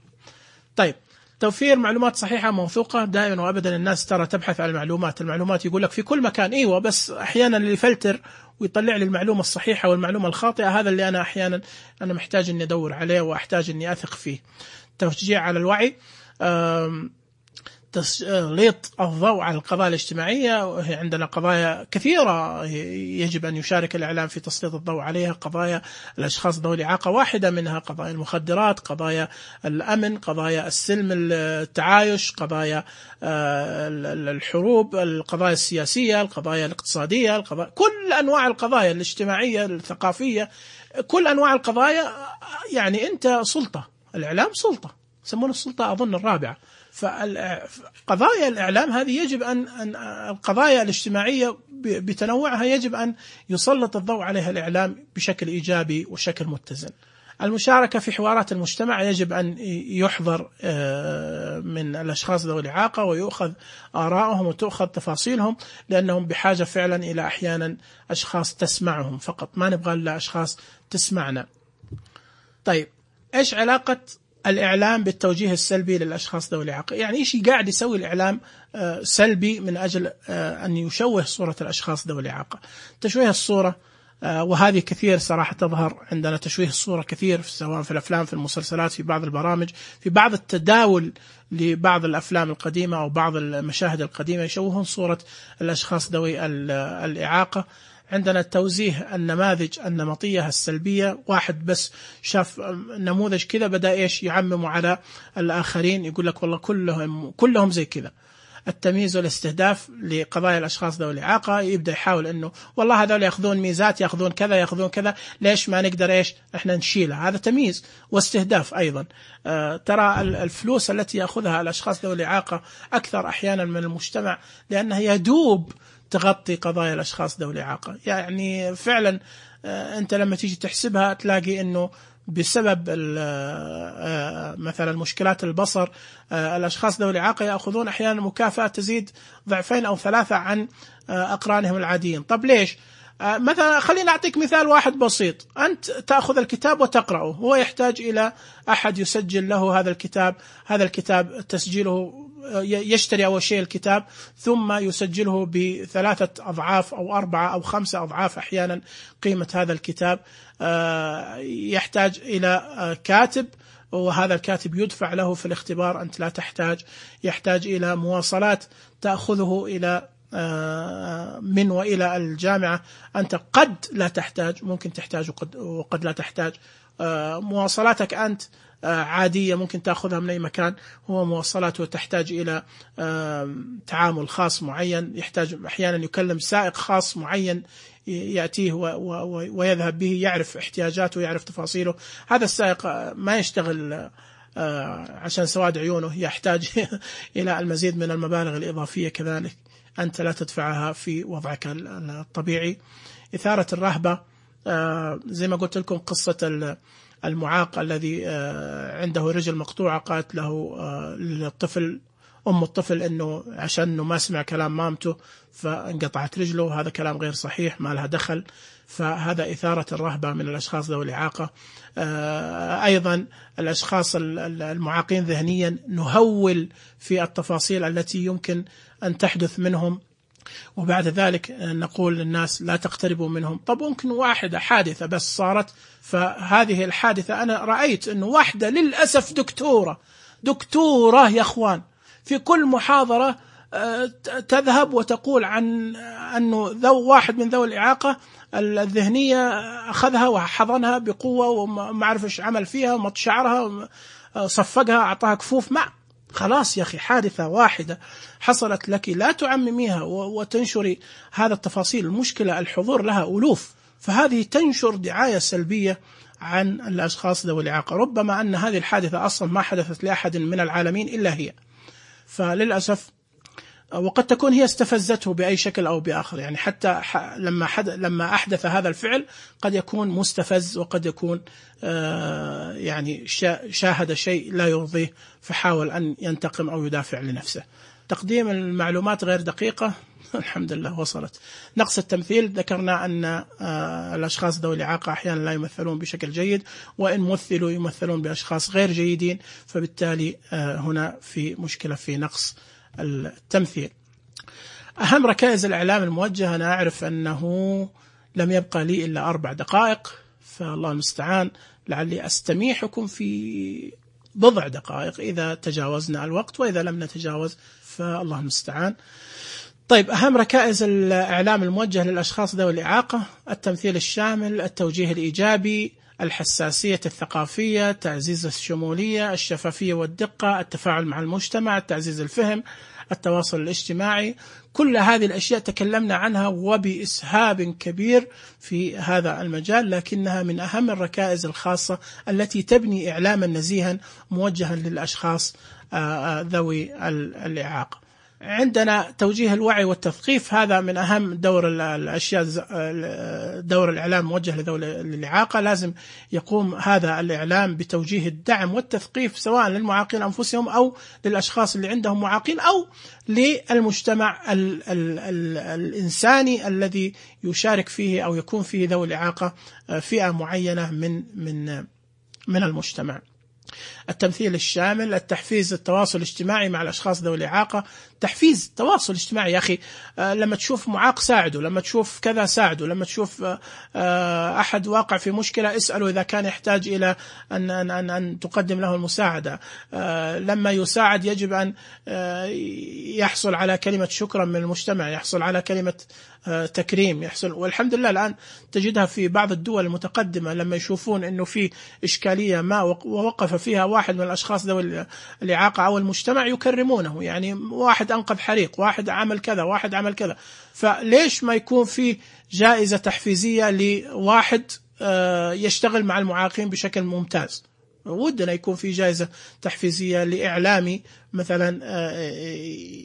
طيب، توفير معلومات صحيحة موثوقة. دائما وأبدا الناس ترى تبحث عن المعلومات، المعلومات يقول لك في كل مكان، إيوه، بس أحيانا اللي يفلتر ويطلع لي المعلومة الصحيحة والمعلومة الخاطئة، هذا اللي أنا أحيانا أنا محتاج أني أدور عليه وأحتاج أني أثق فيه. تشجيع على الوعي، تسليط الضوء على القضايا الاجتماعية. عندنا قضايا كثيرة يجب أن يشارك الإعلام في تسليط الضوء عليها. قضايا الأشخاص ذوي الإعاقة واحدة منها، قضايا المخدرات، قضايا الأمن، قضايا السلم التعايش، قضايا الحروب، القضايا السياسية، القضايا الاقتصادية، القضايا كل أنواع القضايا الاجتماعية الثقافية، كل أنواع القضايا. يعني أنت سلطة، الإعلام سلطة، يسمون السلطة أظن الرابعة. فقضايا الإعلام هذه يجب أن القضايا الاجتماعية بتنوعها يجب أن يسلط الضوء عليها الإعلام بشكل إيجابي وشكل متزن. المشاركة في حوارات المجتمع يجب أن يحضر من الأشخاص ذوي الإعاقة ويؤخذ آرائهم وتؤخذ تفاصيلهم، لأنهم بحاجة فعلا إلى أحيانا أشخاص تسمعهم فقط، ما نبغى إلا أشخاص تسمعنا. طيب، إيش علاقة الإعلام بالتوجيه السلبي للأشخاص ذوي الإعاقة؟ يعني إيش قاعد يسوي الإعلام سلبي من أجل أن يشوه صورة الأشخاص ذوي الإعاقة؟ تشويه الصورة، وهذه كثير صراحة تظهر عندنا، تشويه الصورة كثير سواء في الأفلام، في المسلسلات، في بعض البرامج، في بعض التداول لبعض الأفلام القديمة أو بعض المشاهد القديمة يشوهون صورة الأشخاص ذوي الإعاقة. عندنا توزيع النماذج النمطية السلبية، واحد بس شاف نموذج كذا بدأ إيش يعمم على الآخرين، يقول لك والله كلهم كلهم زي كذا. التمييز والاستهداف لقضايا الأشخاص ذوي الإعاقة، يبدأ يحاول إنه والله هذول يأخذون ميزات، يأخذون كذا يأخذون كذا، ليش ما نقدر إيش إحنا نشيلها؟ هذا تمييز واستهداف أيضا. آه ترى الفلوس التي يأخذها الأشخاص ذوي الإعاقة أكثر أحيانا من المجتمع، لأنها يدوب تغطي قضايا الأشخاص ذوي الإعاقة. يعني فعلا آه أنت لما تيجي تحسبها تلاقي إنه بسبب مثلا مشكلات البصر الأشخاص ذوي الإعاقة يأخذون أحيانا مكافأة تزيد ضعفين أو ثلاثة عن أقرانهم العاديين. طب ليش؟ مثلا خلينا أعطيك مثال واحد بسيط، أنت تأخذ الكتاب وتقرأه، هو يحتاج إلى أحد يسجل له هذا الكتاب، هذا الكتاب تسجيله يشتري أول شيء الكتاب ثم يسجله بثلاثة أضعاف أو أربعة أو خمسة أضعاف أحيانا قيمة هذا الكتاب. يحتاج إلى كاتب، وهذا الكاتب يدفع له في الاختبار، أنت لا تحتاج. يحتاج إلى مواصلات تأخذه إلى من وإلى الجامعة، أنت قد لا تحتاج، ممكن تحتاج وقد, وقد لا تحتاج. مواصلاتك أنت عادية ممكن تأخذها من أي مكان، هو مواصلاته تحتاج إلى تعامل خاص معين، يحتاج أحيانا يكلم سائق خاص معين يأتيه ويذهب به، يعرف احتياجاته ويعرف تفاصيله. هذا السائق ما يشتغل عشان سواد عيونه، يحتاج إلى المزيد من المبالغ الإضافية كذلك أنت لا تدفعها في وضعك الطبيعي. إثارة الرهبة، زي ما قلت لكم قصة المعاق الذي عنده رجل مقطوعة، قالت له للطفل أم الطفل إنه عشان إنه ما سمع كلام مامته فانقطعت رجله، هذا كلام غير صحيح، ما لها دخل. فهذا إثارة الرهبة من الأشخاص ذوي الإعاقة. أيضا الأشخاص المعاقين ذهنيا نهول في التفاصيل التي يمكن أن تحدث منهم، وبعد ذلك نقول للناس لا تقتربوا منهم. طب ممكن واحدة حادثة بس صارت، فهذه الحادثة أنا رأيت أنه واحدة للأسف دكتورة دكتورة يا أخوان في كل محاضرة تذهب وتقول عن أنه ذو واحد من ذوي الإعاقة الذهنية أخذها وحضنها بقوة وما عرف إيش عمل فيها ومط شعرها صفقها أعطاها كفوف. مع خلاص يا أخي، حادثة واحدة حصلت لك لا تعمميها وتنشري هذا التفاصيل. المشكلة الحضور لها ألوف، فهذه تنشر دعاية سلبية عن الأشخاص ذوي الإعاقة، ربما أن هذه الحادثة أصلا ما حدثت لأحد من العالمين إلا هي، فللأسف وقد تكون هي استفزته بأي شكل أو بآخر. يعني حتى لما حد لما أحدث هذا الفعل قد يكون مستفز، وقد يكون آه يعني شاهد شيء لا يرضيه فحاول أن ينتقم أو يدافع لنفسه. تقديم المعلومات غير دقيقة الحمد لله وصلت. نقص التمثيل، ذكرنا أن آه الأشخاص ذوي الإعاقة أحيانا لا يمثلون بشكل جيد، وإن مثلوا يمثلون بأشخاص غير جيدين، فبالتالي آه هنا في مشكلة في نقص التمثيل. أهم ركائز الإعلام الموجهة، أنا أعرف أنه لم يبقى لي إلا أربع دقائق، فالله المستعان، لعلي أستميحكم في بضع دقائق إذا تجاوزنا الوقت، وإذا لم نتجاوز فالله المستعان. طيب، أهم ركائز الإعلام الموجه للأشخاص ذوي الإعاقة: التمثيل الشامل، التوجيه الإيجابي، الحساسية الثقافية، تعزيز الشمولية، الشفافية والدقة، التفاعل مع المجتمع، تعزيز الفهم، التواصل الاجتماعي. كل هذه الأشياء تكلمنا عنها وبإسهاب كبير في هذا المجال، لكنها من أهم الركائز الخاصة التي تبني إعلاما نزيها موجها للأشخاص ذوي الإعاقة. عندنا توجيه الوعي والتثقيف، هذا من أهم دور الأشياء، دور الإعلام موجه لذوي الإعاقة. لازم يقوم هذا الإعلام بتوجيه الدعم والتثقيف سواء للمعاقين أنفسهم أو للأشخاص اللي عندهم معاقين أو للمجتمع ال ال ال الإنساني الذي يشارك فيه أو يكون فيه ذوي الإعاقة فئة معينة من من من المجتمع. التمثيل الشامل، التحفيز التواصل الاجتماعي مع الأشخاص ذوي الإعاقة، تحفيز التواصل الاجتماعي. يا أخي لما تشوف معاق ساعده، لما تشوف كذا ساعده، لما تشوف أحد واقع في مشكلة اسأله إذا كان يحتاج إلى أن, أن, أن, أن تقدم له المساعدة. لما يساعد يجب أن يحصل على كلمة شكرا من المجتمع، يحصل على كلمة تكريم، يحصل. والحمد لله الآن تجدها في بعض الدول المتقدمة، لما يشوفون أنه في إشكالية ما ووقف فيها واحد من الأشخاص ذوي الإعاقة أو المجتمع يكرمونه. يعني واحد أنقذ حريق، واحد عمل كذا، واحد عمل كذا. فليش ما يكون في جائزة تحفيزية لواحد يشتغل مع المعاقين بشكل ممتاز؟ ودنا يكون في جائزة تحفيزية لإعلامي مثلا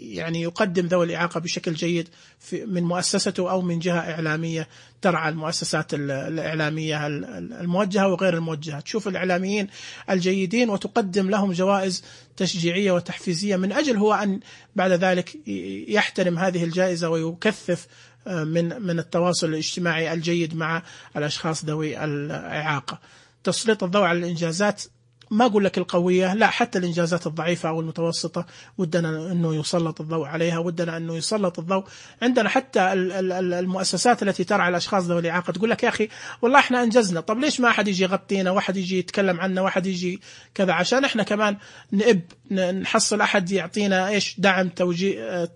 يعني يقدم ذوي الإعاقة بشكل جيد من مؤسسته أو من جهة إعلامية ترعى المؤسسات الإعلامية الموجهة وغير الموجهة. تشوف الإعلاميين الجيدين وتقدم لهم جوائز تشجيعية وتحفيزية من أجل هو أن بعد ذلك يحترم هذه الجائزة ويكثف من من التواصل الاجتماعي الجيد مع الأشخاص ذوي الإعاقة. تسليط الضوء على الإنجازات، ما أقول لك القوية، لا، حتى الإنجازات الضعيفة أو المتوسطة ودنا أنه يسلط الضوء عليها، ودنا أنه يسلط الضوء. عندنا حتى المؤسسات التي ترعى الأشخاص ذوي الإعاقة تقول لك يا أخي والله إحنا أنجزنا، طب ليش ما أحد يجي يغطينا، واحد يجي يتكلم عنا، واحد يجي كذا، عشان إحنا كمان نئب نحصل أحد يعطينا إيش دعم توجيه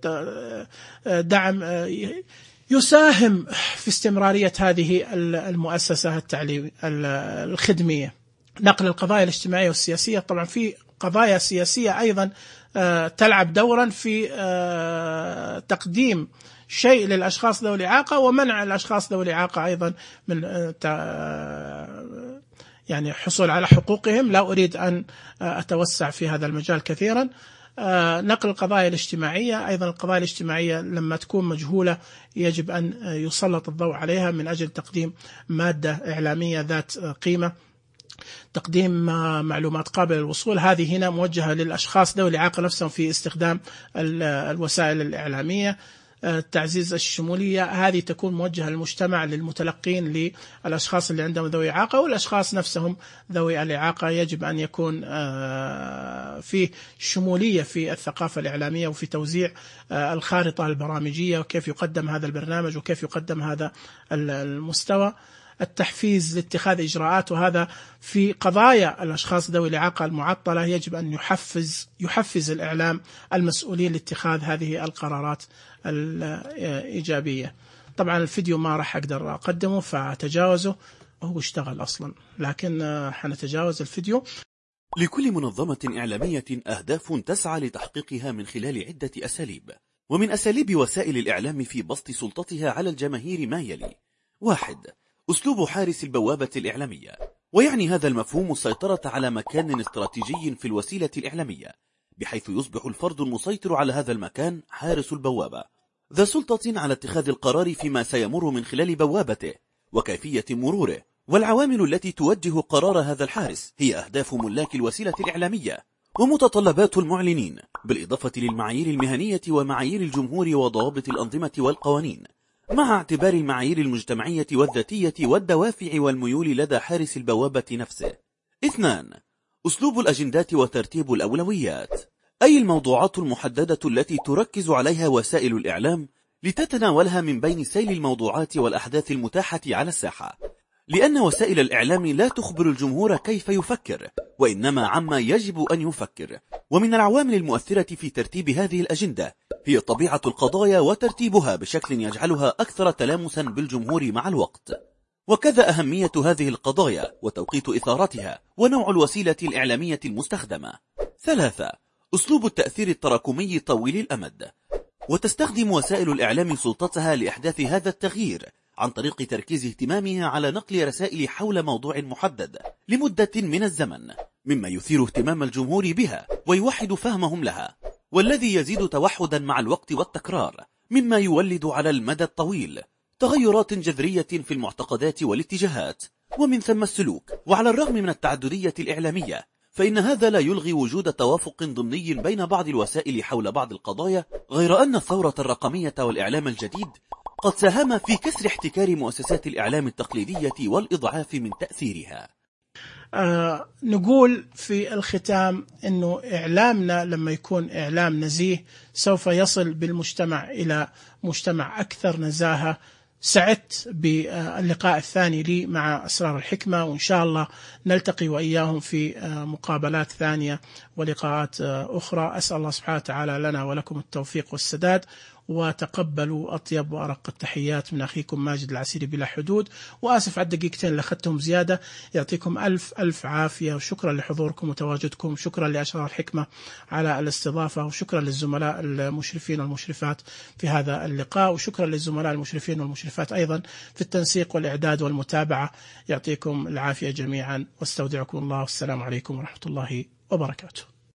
دعم يساهم في استمرارية هذه المؤسسة التعليمية الخدمية. نقل القضايا الاجتماعية والسياسية، طبعا في قضايا سياسية أيضا تلعب دورا في تقديم شيء للأشخاص ذوي الإعاقة ومنع الأشخاص ذوي الإعاقة أيضا من يعني حصول على حقوقهم. لا أريد أن أتوسع في هذا المجال كثيرا. نقل القضايا الاجتماعية، أيضا القضايا الاجتماعية لما تكون مجهولة يجب أن يسلط الضوء عليها من أجل تقديم مادة إعلامية ذات قيمة، تقديم معلومات قابلة للوصول. هذه هنا موجهة للأشخاص ذوي الإعاقة نفسهم في استخدام الوسائل الإعلامية. تعزيز الشمولية، هذه تكون موجهة للمجتمع، للمتلقين، للأشخاص اللي عندهم ذوي إعاقة والأشخاص نفسهم ذوي الإعاقة. يجب أن يكون في شمولية في الثقافة الإعلامية وفي توزيع الخارطة البرامجية وكيف يقدم هذا البرنامج وكيف يقدم هذا المستوى. التحفيز لاتخاذ إجراءات، وهذا في قضايا الأشخاص ذوي الإعاقة المعطلة يجب أن يحفز يحفز الإعلام المسؤولين لاتخاذ هذه القرارات الإيجابية. طبعا الفيديو ما راح أقدر أقدمه فتجاوزه، هو اشتغل أصلا، لكن حنتجاوز الفيديو. لكل منظمة إعلامية أهداف تسعى لتحقيقها من خلال عدة أساليب، ومن أساليب وسائل الإعلام في بسط سلطتها على الجماهير ما يلي: واحد، أسلوب حارس البوابة الإعلامية، ويعني هذا المفهوم السيطرة على مكان استراتيجي في الوسيلة الإعلامية، بحيث يصبح الفرد المسيطر على هذا المكان حارس البوابة، ذا سلطة على اتخاذ القرار فيما سيمر من خلال بوابته وكيفية مروره. والعوامل التي توجه قرار هذا الحارس هي أهداف ملاك الوسيلة الإعلامية ومتطلبات المعلنين، بالإضافة للمعايير المهنية ومعايير الجمهور وضوابط الأنظمة والقوانين، مع اعتبار المعايير المجتمعية والذاتية والدوافع والميول لدى حارس البوابة نفسه. اثنان، أسلوب الأجندات وترتيب الأولويات، أي الموضوعات المحددة التي تركز عليها وسائل الإعلام لتتناولها من بين سيل الموضوعات والأحداث المتاحة على الساحة، لأن وسائل الإعلام لا تخبر الجمهور كيف يفكر، وإنما عما يجب أن يفكر. ومن العوامل المؤثرة في ترتيب هذه الأجندة هي طبيعة القضايا وترتيبها بشكل يجعلها أكثر تلامسا بالجمهور مع الوقت، وكذا أهمية هذه القضايا وتوقيت إثارتها ونوع الوسيلة الإعلامية المستخدمة. ثلاثة، أسلوب التأثير التراكمي طويل الأمد، وتستخدم وسائل الإعلام سلطتها لإحداث هذا التغيير عن طريق تركيز اهتمامها على نقل رسائل حول موضوع محدد لمدة من الزمن، مما يثير اهتمام الجمهور بها ويوحد فهمهم لها، والذي يزيد توحدا مع الوقت والتكرار، مما يولد على المدى الطويل تغيرات جذرية في المعتقدات والاتجاهات ومن ثم السلوك. وعلى الرغم من التعددية الإعلامية، فإن هذا لا يلغي وجود توافق ضمني بين بعض الوسائل حول بعض القضايا، غير أن الثورة الرقمية والإعلام الجديد قد ساهم في كسر احتكار مؤسسات الإعلام التقليدية والإضعاف من تأثيرها. آه نقول في الختام أنه إعلامنا لما يكون إعلام نزيه سوف يصل بالمجتمع إلى مجتمع أكثر نزاهة. سعدت باللقاء الثاني لي مع أسرار الحكمة، وإن شاء الله نلتقي وإياهم في مقابلات ثانية ولقاءات أخرى. أسأل الله سبحانه وتعالى لنا ولكم التوفيق والسداد، وتقبلوا أطيب وأرق التحيات من أخيكم ماجد العسيري بلا حدود. وآسف على الدقيقتين اللي أخذتهم زيادة. يعطيكم ألف ألف عافية، وشكرا لحضوركم وتواجدكم. شكرا لأسرار الحكمة على الاستضافة، وشكرا للزملاء المشرفين والمشرفات في هذا اللقاء، وشكرا للزملاء المشرفين والمشرفات أيضا في التنسيق والإعداد والمتابعة. يعطيكم العافية جميعا، واستودعكم الله، والسلام عليكم ورحمة الله وبركاته.